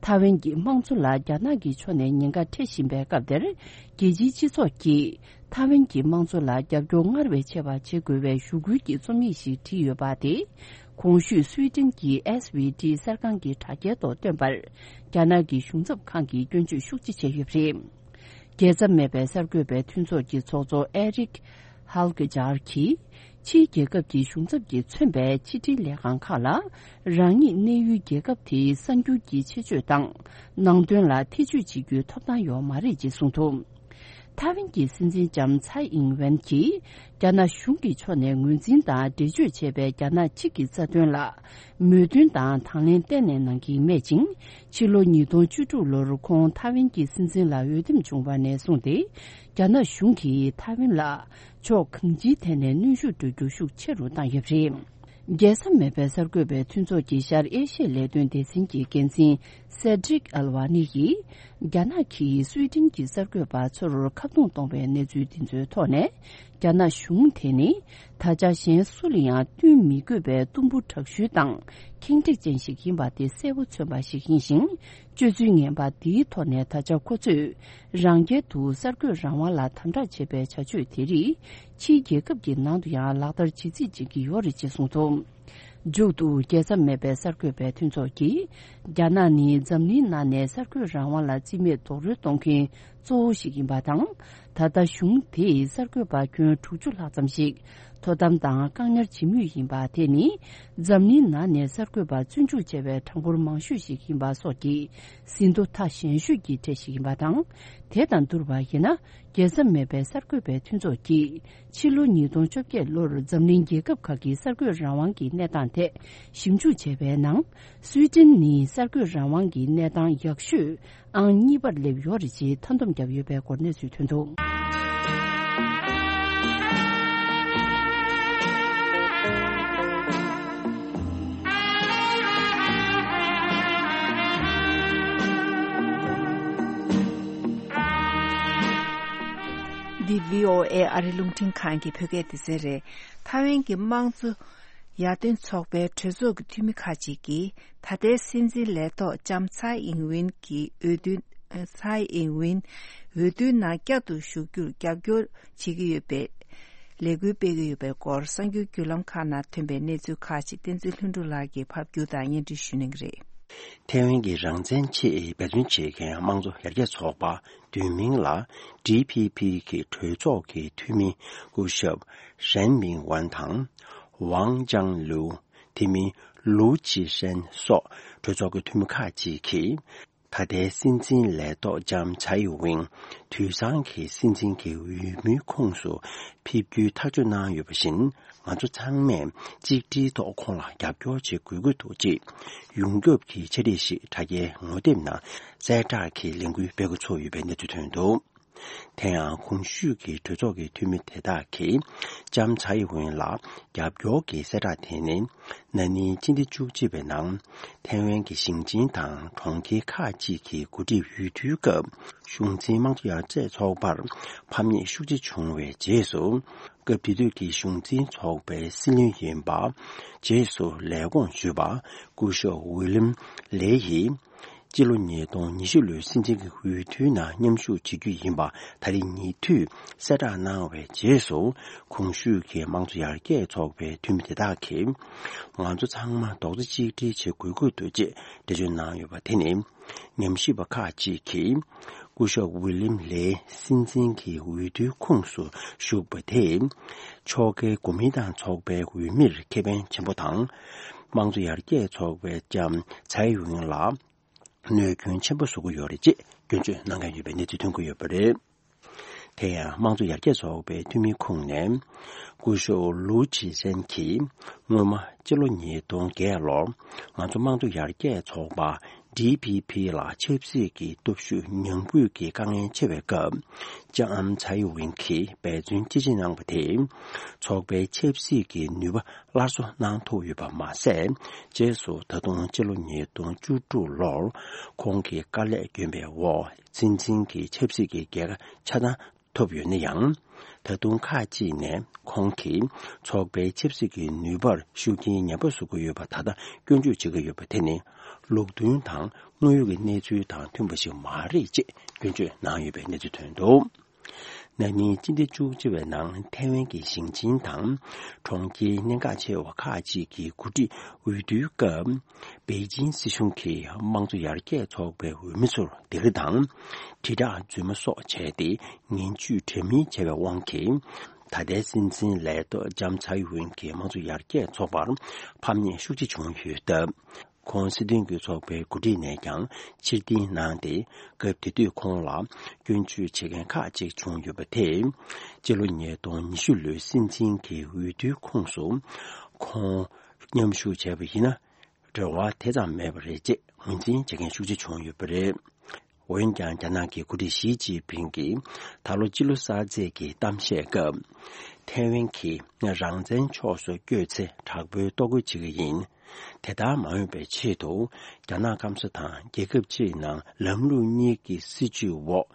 ཐའེ་ཝན་གྱི་དམངས་གཙོ་ལ་རྒྱ་ནག་གི་ཕྱོགས་ནས་ཉེན་ཁ་འཕྲད་བཞིན་པའི་སྐབས་དེར། རྒྱལ་སྤྱིའི་སྤྱི་ཚོགས་ཀྱིས་ཐའེ་ཝན་གྱི་དམངས་གཙོ་ལ་རྒྱབ་སྐྱོར་སྔར་བས་ཆེ་བ་བྱེད་དགོས་པའི་ཞུ་སྐུལ་གྱི་རྩོམ་ཡིག་ཞིག་བྲིས་ཡོད་པ་དེ། གོང་ཞུས་སུའི་ཏན་གྱི་ཨེས་བྷི་ཌི་གསར་ཁང་གི་དྲ་རྒྱའི་ཐོག་བཏོན་པར། རྒྱ་ནག་གི་གཞུང་ཚབ་ཁང་གིས་སྐྱོན་བརྗོད་ཤུགས་ཆེ་བྱས་ཡོད་པ་རེད། རྒྱལ་མཚམས་མེད་པའི་གསར་འགོད་པའི་མཐུན་ཚོགས་ཀྱི་ཚོགས་གཙོ་ཨེ་རིག་ཧལ་གི་ཇར་གྱིས། ཕྱིའི་རྒྱལ་ཁབ་ཀྱི་གཞུང་ཚབ་ཀྱིས་མཚོན་པའི་ཕྱི་དྲིལ་ལས་ཁང་ཁག་ལ། རང་ཉིད་གནས་ཡུལ་རྒྱལ་ཁབ་དེའི་གསར་འགྱུར་གྱི་ཆེད་བརྗོད་དང་། ནང་དོན་ལ་ཐེ་བྱུས་བྱེད་རྒྱུའི་ཐོབ་ཐང་ཡོད་མ་རེད་ཅེས་གསུངས་འདུག་ཐའེ་ཝན་གྱི་སྲིད་འཛིན་ལྕམ་ཚའེ་ཨིང་ཝེན་གྱིས་རྒྱ་ནག་གཞུང་གི་ཕྱོགས་ནས་ངོས་འཛིན་དང་འགྲེལ་བརྗོད་བྱས་པའི་རྒྱ་ནག་གཅིག་གི་རྩ་དོན་ལ་མོས་མཐུན་དང་དང་ལེན་གཏན་ནས་གནང་གི་མེད་ཅིང་། ཕྱི་ལོ་ཉིས་སྟོང་བཅུ་དྲུག་ལོར་ཁོང་ཐའེ་ཝན་གྱི་སྲིད་འཛིན་ལ་འོས་འདེམས་བྱུང་བ་ནས་བཟུང་སྟེ། རྒྱ་ནག་གཞུང་གིས་ཐའེ་ཝན་ལ་ཕྱོགས་གང་ཅིའི་ཐད་ནས་གནོན་ཤུགས་སྤྲོད་རྒྱུ་ཤུགས་ཆེ་རུ་བཏང་ཡོད་པ་རེད། རྒྱལ་ས་མེད་པའི་གསར་འགོད་པའི་མཐུན་ཚོགས་ཀྱི་ཤར་ཨེ་ཤི་ཡའི་ལས་དོན་སྡེ་ཚན་གྱི་འགན་འཛིན་སེ་ཌྲིག་ཨལ་ཝ་ནི་ཡིས། རྒྱ་ནག་གིས་སུའེ་ཏེན་གྱི་གསར་འགོད་པ་ཚོར་ཁ་རྡུང་གཏོང་བའི་གནས་ཚུལ་འདི་ཚོའི་ཐོག་ནས། རྒྱ་ནག་གཞུང་དེ་ནི་ད་ཆ་གཞན་སུ་ལ་ཡང་བསྟུན་མི་དགོས་པའི་གཏུམ་པོ་དྲག་ཤུལ་དང་ཁེངས་དྲེགས་ཅན་ཞིག་ཡིན་པ་དེ་གསལ་པོ་མཚོན་པ་ཞིག་ཡིན་ཞིང་། སྤྱོད་ཚུལ་ངན་པ་འདིའི་ཐོག་ནས་ད་ཆ་ཁོ་ཚོས་རང་རྒྱལ་དུ་གསར་འགོད་རང་དབང་ལ་དམ་དྲག་བྱེད་པའི་བྱ་སྤྱོད་དེ་རིགས་ཕྱིའི་རྒྱལ་ཁབ་ཀྱི་ནང་དུ་ཡང་ལག་བསྟར་ཇི་སྲིད་བྱེད་ཀྱི་ཡོད་རེད་ཅེས་གསུངས་འདུག། མཇུག་ཏུ་རྒྱལ་ས་མེད་པའི་གསར་འགོད་པའི་མཐུན་ཚོགས་ཀྱིས། རྒྱ་ནག་ནི་འཛམ་གླིང་ནང་ནས་གསར་འགོད་རང་དབང་ལ་རྩིས་མེད་རྡོག་རོལ་གཏོང་མཁན་གཙོ་བོ་ཞིག་ཡིན་པ་དང་། ད་ལྟ་གཞུང་དེས་གསར་འགོད་པ་ཁྱོན་དྲུག་ཅུ་ལྷག་ཙམ་ཞིག་དོ་དམ་དང་བཀག་ཉར་བྱེད་མུས་ཡིན་པ་དེ་ནི། འཛམ་གླིང་ནང་ནས་གསར་འགོད་པ་བཙོན་འཇུག་བྱས་པའི་གྲངས་འབོར་མང་ཤོས་ཤིག་ཡིན་པ་སོགས་ཀྱི་ཟིན་ཐོ་ཐག་ཞན་ཤོས་ཀྱི་གྲས་ཤིག་ཡིན་པ་དང་། དེ་དང་བསྡུར་བ་ཡིན་ན། རྒྱལ་ས་མེད་པའི་གསར་འགོད་པའི་མཐུན་ཚོགས་ཀྱིས། ཕྱི་ལོ་ཉིས་སྟོང་བཅོ་བརྒྱད་ལོར་འཛམ་གླིང་རྒྱལ་ཁབ་ཁག་གི་གསར་འགོད་རང་དབང་གི་གནས་སྟངས་ཐད་ཞིབ་འཇུག་བྱས་པའི་ནང་། སུའེ་ཏེན་ནི་གསར་འགོད་རང་དབང་གི་གནས་སྟངས་ཡག་ཤོས་ཨང་གཉིས་པར་སླེབས་ཡོད་རེད་ཅེས་མཐའ་སྡོམ་བརྒྱབ་ཡོད་པའི་སྐོར་གནས་ཚུལ་ཐོན་འདུག། འདི་བྷི་ཨོ་ཨེ་ཨ་རི་རླུང་འཕྲིན་ཁང་གི་བོད་སྐད་སྡེ་ཚན་རེད། ཐའེ་ཝན་གྱི་དམངས་གཙོ་ཡར་ཐོན་ཚོགས་པའི་གྲོས་ཚོགས་ཀྱི་འཐུས་མི་ཁག་ཅིག་གིས་ད་ལྟའི་སྲིད་འཛིན་ལས་ཐོག་ལྕམ་ཚའེ་ཨིང་ཝིན་གྱི་འོས་བསྡུ། ཚའེ་ཨིང་ཝིན་འོས་བསྡུའི་ནང་བསྐྱར་དུ་ཞུགས་རྒྱུར་རྒྱབ་སྐྱོར་བྱེད་ཀྱི་ཡོད་པའི་ལས་འགུལ་སྤེལ་གྱི་ཡོད་པའི་སྐོར་གསར་འགྱུར་བརྒྱུད་ལམ་ཁག་ནང་ཐོན་པའི་གནས་ཚུལ་ཁག་ཅིག་བསྟན་འཛིན་ལྷུན་གྲུབ་ལགས་ཀྱིས་ཕབ་སྒྱུར་དང་སྙན་སྒྲོན་ཞུ་གནང་གི་རེད། ཐའེ་ཝན་གྱི་རང་བཙན་ཆེད་འབད་བརྩོན་བྱེད་མཁན་དམངས་གཙོ་ཡར་རྒྱས་ཚོགས་པ་བསྡུས་མིང་ལ་ཌི་ཕི་ཕི་གི་གྲོས་ཚོགས་ཀྱི་འཐུས་མི་སྐུ་ཞབས་ཧྲན་མིང་ཝན་དང་ཝང་ཅང་ལུའུ། དེ་མིན་ལུའུ་ཅི་ཧྲན་སོགས་གྲོས་ཚོགས་ཀྱི་འཐུས་མི་ཁག་ཅིག་གིས། ད་ལྟའི་སྲིད་འཛིན་ལས་ཐོག་ལྕམ་ཚའེ་ཝིང་དུས་སང་གི་སྲིད་འཛིན་གྱི་འོས་མིའི་ཁོངས་སུ་ཕེབས་རྒྱུའི་ཐག་གཅོད་གནང་ཡོད་པ་བཞིན། ང་ཚོ་ཚང་མས་གཅིག་སྒྲིལ་ཐོག་ཁོང་ལ་རྒྱབ་སྐྱོར་བྱེད་དགོས་ཀྱི་འདུག་ཅེས་ཡོངས་ཁྱབ་ཀྱི་འཆར་གཞི་ཞིག་དྲ་རྒྱའི་ངོ་དེབ་ནང་གསལ་བསྒྲགས་ཀྱི་ལས་འགུལ་སྤེལ་འགོ་ཚུགས་ཡོད་པའི་གནས་ཚུལ་ཐོན་འདུག། དེ་ཡང་གོང་ཞུས་ཀྱི་གྲོས་ཚོགས་ཀྱི་འཐུས་མི་དེ་དག་གིས་ལྕམ་ཚའེ་ཝེན་ལ་རྒྱབ་སྐྱོར་གྱི་གསལ་བསྒྲགས་དེ་ནི། ན་ནིང་སྤྱི་ཟླ་བཅུ་གཅིག་པའི་ནང་ཐའེ་ཝན་གྱི་ཞིང་ཆེན་དང་གྲོང་ཁྱེར་ཁག་ཅིག་གི་འགོ་ཁྲིད་འོས་བསྡུའི་སྐབས། གཞུང་འཛིན་དམངས་གཙོ་ཡར་རྒྱས་ཚོགས་པར་ཕམ་ཉེས་ཤུགས་ཆེ་བྱུང་བའི་རྗེས་སུ། སྐབས་དེ་དུས་ཀྱི་གཞུང་འཛིན་ཚོགས་པའི་སྲིད་བློན་ཡིན་པ། རྗེས་སུ་ལས་ཁུངས་ཞུས་པ། སྐུ་ཞབས་ཝི་ལིམ་ལེ་ཡིས། སྤྱི་ལོ་ཉིས་སྟོང་ཉི་ཤུ་ལོའི་སྲིད་འཛིན་གྱི་འོས་བསྡུའི་ནང་མཉམ་ཞུགས་བྱེད་རྒྱུ་ཡིན་པ་ད་རེས་ཉེ་དུས་གསལ་བསྒྲགས་གནང་བའི་རྗེས་སུ། གོང་ཞུས་ཀྱི་དམངས་གཙོ་ཡར་རྒྱས་ཚོགས་པའི་འཐུས་མི་དེ་དག་གིས། ང་ཚོ་ཚང་མ་རྡོག་རྩ་གཅིག་སྒྲིལ་བྱེད་དགོས་ཀྱི་འདུག་ཅེས་འགྲེལ་བརྗོད་གནང་ཡོད་པ་དེ་ནི། ཉམས་ཞིབ་པ་ཁག་ཅིག་གིས། སྐུ་ཞབས་ཝི་ལིམ་ལེ་སྲིད་འཛིན་གྱི་འོས་བསྡུའི་ཁོངས་སུ་ཞུགས་པ་དེས། ཕྱོགས་འགལ་གོ་མིན་ཏང་ཚོགས་པའི་འོས་མིར་ཁེ་ཕན་ཆེན་པོ་དང་། དམངས་གཙོ་ཡར་རྒྱས་ཚོགས་པའི་ལྕམ་ཚའེ་ཝིང་ལ་གནོད་སྐྱོན་ཆེན་པོ་བཟོ་གི་ཡོད་རེད་ཅེས་སྐྱོན་བརྗོད་གནང་མཁན་ཡོད་པའི་གནས་ཚུལ་ཐོན་གྱི་ཡོད་པ་རེད། དེ་ཡང་དམངས་གཙོ་ཡར་རྒྱས་ཚོགས་པའི་འཐུས་མི་ཁོངས་ནས། སྐུ་ཞབས་ལུའུ་ཅི་ཧྲན་གྱིས། སྔོན་མ་སྤྱི་ལོ་ཉིས་སྟོང་བརྒྱད་ལོར། ང་ཚོ་དམངས་གཙོ་ཡར་རྒྱས་ཚོགས་པ། ཌི་ཕི་ཕི་ལ་ཆབ་སྲིད་ཀྱི་སྟོབས་ཤུགས་ཉམས་རྒུད་ཀྱི་དཀའ་ངལ་ཆེ་བའི་སྐབས། ལྕམ་ཚའེ་ཝིན་གྱིས་འབད་བརྩོན་ཅི་ཆེ་གནང་བ་དེས། ཚོགས་པའི་ཆབ་སྲིད་ཀྱི་ནུས་པ་སླར་གསོ་གནང་ཐུབ་ཡོད་པ་མ་ཟད། རྗེས་སུ་ད་དུང་སྤྱི་ལོ་ཉིས་སྟོང་བཅུ་དྲུག་ལོར། ཁོང་གི་དཀའ་ལས་བསྐྱོན་པའི་འོག་སྲིད་འཛིན་གྱི་ཆབ་སྲིད་ཀྱི་རྒྱལ་ཁ་ཆ་ཚང་ཐོབ་ཡོད་ན་ཡང་། ད་དུང་ཁག་ཅིག་ནས་ཁོང་གིས་ཚོགས་པའི་ཆབ་སྲིད་ཀྱི་ནུས་པར་ཤུགས་རྐྱེན་ངན་པ་བཟོ་གི་ཡོད་པ་ད་ལྟ་སྐྱོན་བརྗོད་བྱེད་ཀྱི་ཡོད་པ་དེ་ནི་ལུགས་མཐུན་དང་དངོས་ཡོད་ཀྱི་གནས་ཚུལ་དང་མཐུན་པ་ཞིག་མ་རེད་ཅེས་སྐྱོན་བརྗོད་གནང་ཡོད་པའི་གནས་ཚུལ་ཐོན་འདུག། ན་ནིང་སྤྱི་ཟླ་བཅུ་གཅིག་པའི་ནང་ཐའེ་ཝན་གྱི་ཞིང་ཆེན་དང་གྲོང་ཁྱེར་གནད་འགག་ཆེ་བ་ཁག་ཅིག་གི་འགོ་ཁྲིད་འོས་བསྡུའི་སྐབས། པེ་ཅིན་སྲིད་གཞུང་གིས་དམངས་གཙོ་ཡར་རྒྱས་ཚོགས་པའི་འོས་མི་ཚོར་སྡིགས་ར་དང་། དྲིལ་བསྒྲགས་རྫུན་མ་སོགས་བྱས་ཏེ་ངན་ཇུས་འདྲ་མིན་བྱས་པའི་དབང་གིས། ད་ལྟའི་སྲིད་འཛིན་ལས་ཐོག་ལྕམ་ཚའེ་ཝིན་གྱིས་དམངས་གཙོ་ཡར་རྒྱས་ཚོགས་པར་ཕམ་ཉེས་ཤུགས་ཆེ་བྱུང་ཡོད་སྟབས། ཁོང་སྲིད་དོན་གྱི་ཚོགས་པའི་འགོ་ཁྲིད་ནས་ཀྱང་ཕྱིར་འཐེན་གནང་སྟེ། སྐབས་དེ་དུས་ཁོང་ལ་སྐྱོན་བརྗོད་བྱེད་མཁན་ཁག་ཅིག་བྱུང་ཡོད་པ་དེས། སྤྱི་ལོ་ཉིས་སྟོང་ཉི་ཤུ་ལོའི་སྲིད་འཛིན་གྱི་འོས་བསྡུའི་ཁོངས་སུ་ཁོང་མཉམ་ཞུགས་བྱས་པ་ཡིན་ན། འབྲེལ་བ་དེ་ཙམ་མེད་པ་རེད་ཅེས་ངོས་འཛིན་བྱེད་མཁན་ཤུགས་ཆེ་བྱུང་ཡོད་པ་རེད། འོན་ཀྱང་། རྒྱ་ནག་གི་འགོ་ཁྲིད་ཞི་ཅིན་ཕིང་གིས་ད་ལོ་སྤྱི་ལོ་གསར་ཚེས་ཀྱི་གཏམ་བཤད་སྐབས། ཐའེ་ཝན་གྱིས་རང་བཙན་ཕྱོགས་སུ་བསྐྱོད་ཚེ་དྲག་པོའི་ལྟོ་གོས་བྱེད་ཀྱི་ཡིན། དེ་ལྟར་མ་འོས་པའི་ཆེད་དུ། རྒྱ་ནག་སྐམ་ས་དང་རྒྱལ་ཁབ་སྤྱིའི་ནང་ལམ་ལུགས་གཉིས་ཀྱི་སྲིད་བྱུས་འོག་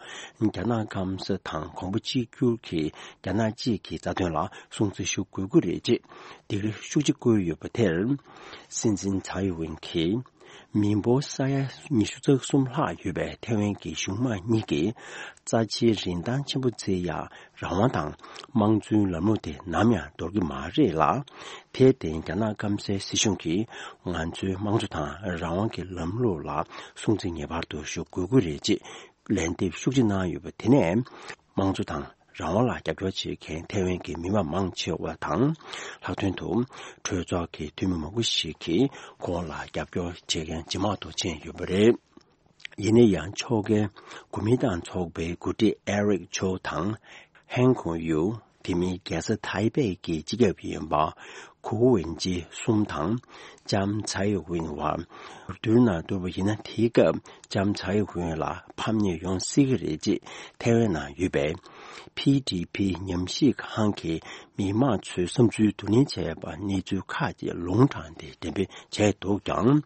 རྒྱ་ནག་སྐམ་ས་དང་གོང་བུ་གཅིག་གྱུར་གྱི་རྒྱ་ནག་གཅིག་གི་རྩ་དོན་ལ་སྲུང་བརྩི་ཞུ་དགོས་ཀྱི་རེད་ཅེས་འདིར་ཤུགས་ཆེ་བསྐུལ་ཡོད་པ་དེར། སྲིད་འཛིན་ཚའེ་ཝེན་གྱིས། མི་འབོར་ས་ཡ་ཉི་ཤུ་རྩ་གསུམ་ལྷག་ཡོད་པའི་ཐའེ་ཝན་གྱི་གཞུང་མང་གཉིས་ཀྱིས་རྩ་ཆེའི་རིན་ཐང་ཆེན་པོ་བརྩི་ཡག་རང་དབང་དང་དམངས་གཙོའི་ལམ་ལུགས་དེ་ནམ་ཡང་འདོར་གྱི་མ་རེད་ལ། དེར་བརྟེན། རྒྱ་ནག་སྐམ་སའི་སྲིད་གཞུང་གིས་ང་ཚོའི་དམངས་གཙོ་དང་རང་དབང་གི་ལམ་ལུགས་ལ་སྲུང་བརྩི་ངེས་པར་དུ་ཞུ་དགོས་ཀྱི་རེད་ཅེས་ལན་འདེབས་ཤུགས་ཆེ་གནང་ཡོད་པ་དེ་ནས། དམངས་གཙོ་དང་རང་དབང་ལ་རྒྱབ་སྐྱོར་བྱེད་མཁན་ཐའེ་ཝན་གྱི་མི་མང་མང་ཆེ་བ་དང་། ལྷག་དོན་དུ་གྲོས་ཚོགས་ཀྱི་འཐུས་མི་མང་པོ་ཞིག་གིས་ཁོང་ལ་རྒྱབ་སྐྱོར་བྱེད་མཁན་ཇེ་མང་དུ་ཕྱིན་ཡོད་པ་རེད། ཡིན་ན་ཡང་། ཕྱོགས་འགལ་གོ་མིན་ཏང་ཚོགས་པའི་འགོ་ཁྲིད་ཨེ་རིག་ཆོའུ་དང་། ཧན་ཁུང་ཡུའུ། དེ་མིན་རྒྱལ་ས་ཐའི་པེ་གི་སྤྱི་ཁྱབ་ཡིན་པ་གུའུ་ཝེན་ཅི་གསུམ་དང་། ལྕམ་ཚའེ་ཝེན་བར་བསྡུར་ན་བསྡུར་བ་ཡིན་ན། དེའི་སྐབས་ལྕམ་ཚའེ་ཝེན་ལ་ཕམ་ཉེས་ཡོང་སྲིད་ཀྱི་རེད་ཅེས་ཐའེ་ཝན་ནང་ཡོད་པའི་ཕི་ཌི་ཕི་ཉམས་ཞིབ་ཁང་གི་མི་མང་ཚོའི་བསམ་ཚུལ་བསྡུ་ལེན་བྱས་པ་གནས་ཚུལ་ཁག་ཅིག་ལུང་དྲངས་ཏེ་འགྲེམས་སྤེལ་བྱས་འདུག་ཀྱང་།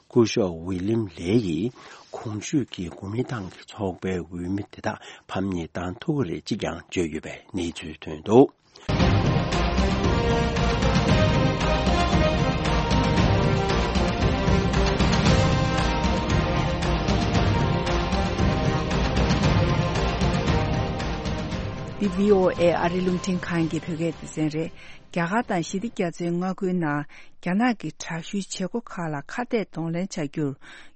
སྐུ་ཞབས་ཝི་ལིམ་ལེ་ཡིས་གོང་ཞུས་ཀྱི་གོ་མིན་ཏང་གི་ཚོགས་པའི་འོས་མི་དེ་དག་ཕམ་ཉེས་བཏང་ཐུབ་ཀྱི་རེད་ཅེས་ཀྱང་བརྗོད་ཡོད་པའི་གནས་ཚུལ་ཐོན་འདུག། འདི་བྷི་ཨོ་ཨེ་ཨ་རི་རླུང་འཕྲིན་ཁང་གི་བོད་སྐད་སྡེ་ཚན་རེད། རྒྱ་གར་དང་ཞི་བདེ་རྒྱ་མཚོའི་མངའ་ཁུལ་ནང་རྒྱ་ནག་གི་དྲག་ཤུལ་བྱེད་སྒོ་ཁག་ལ་ཁ་གཏད་གདོང་ལེན་བྱ་རྒྱུར་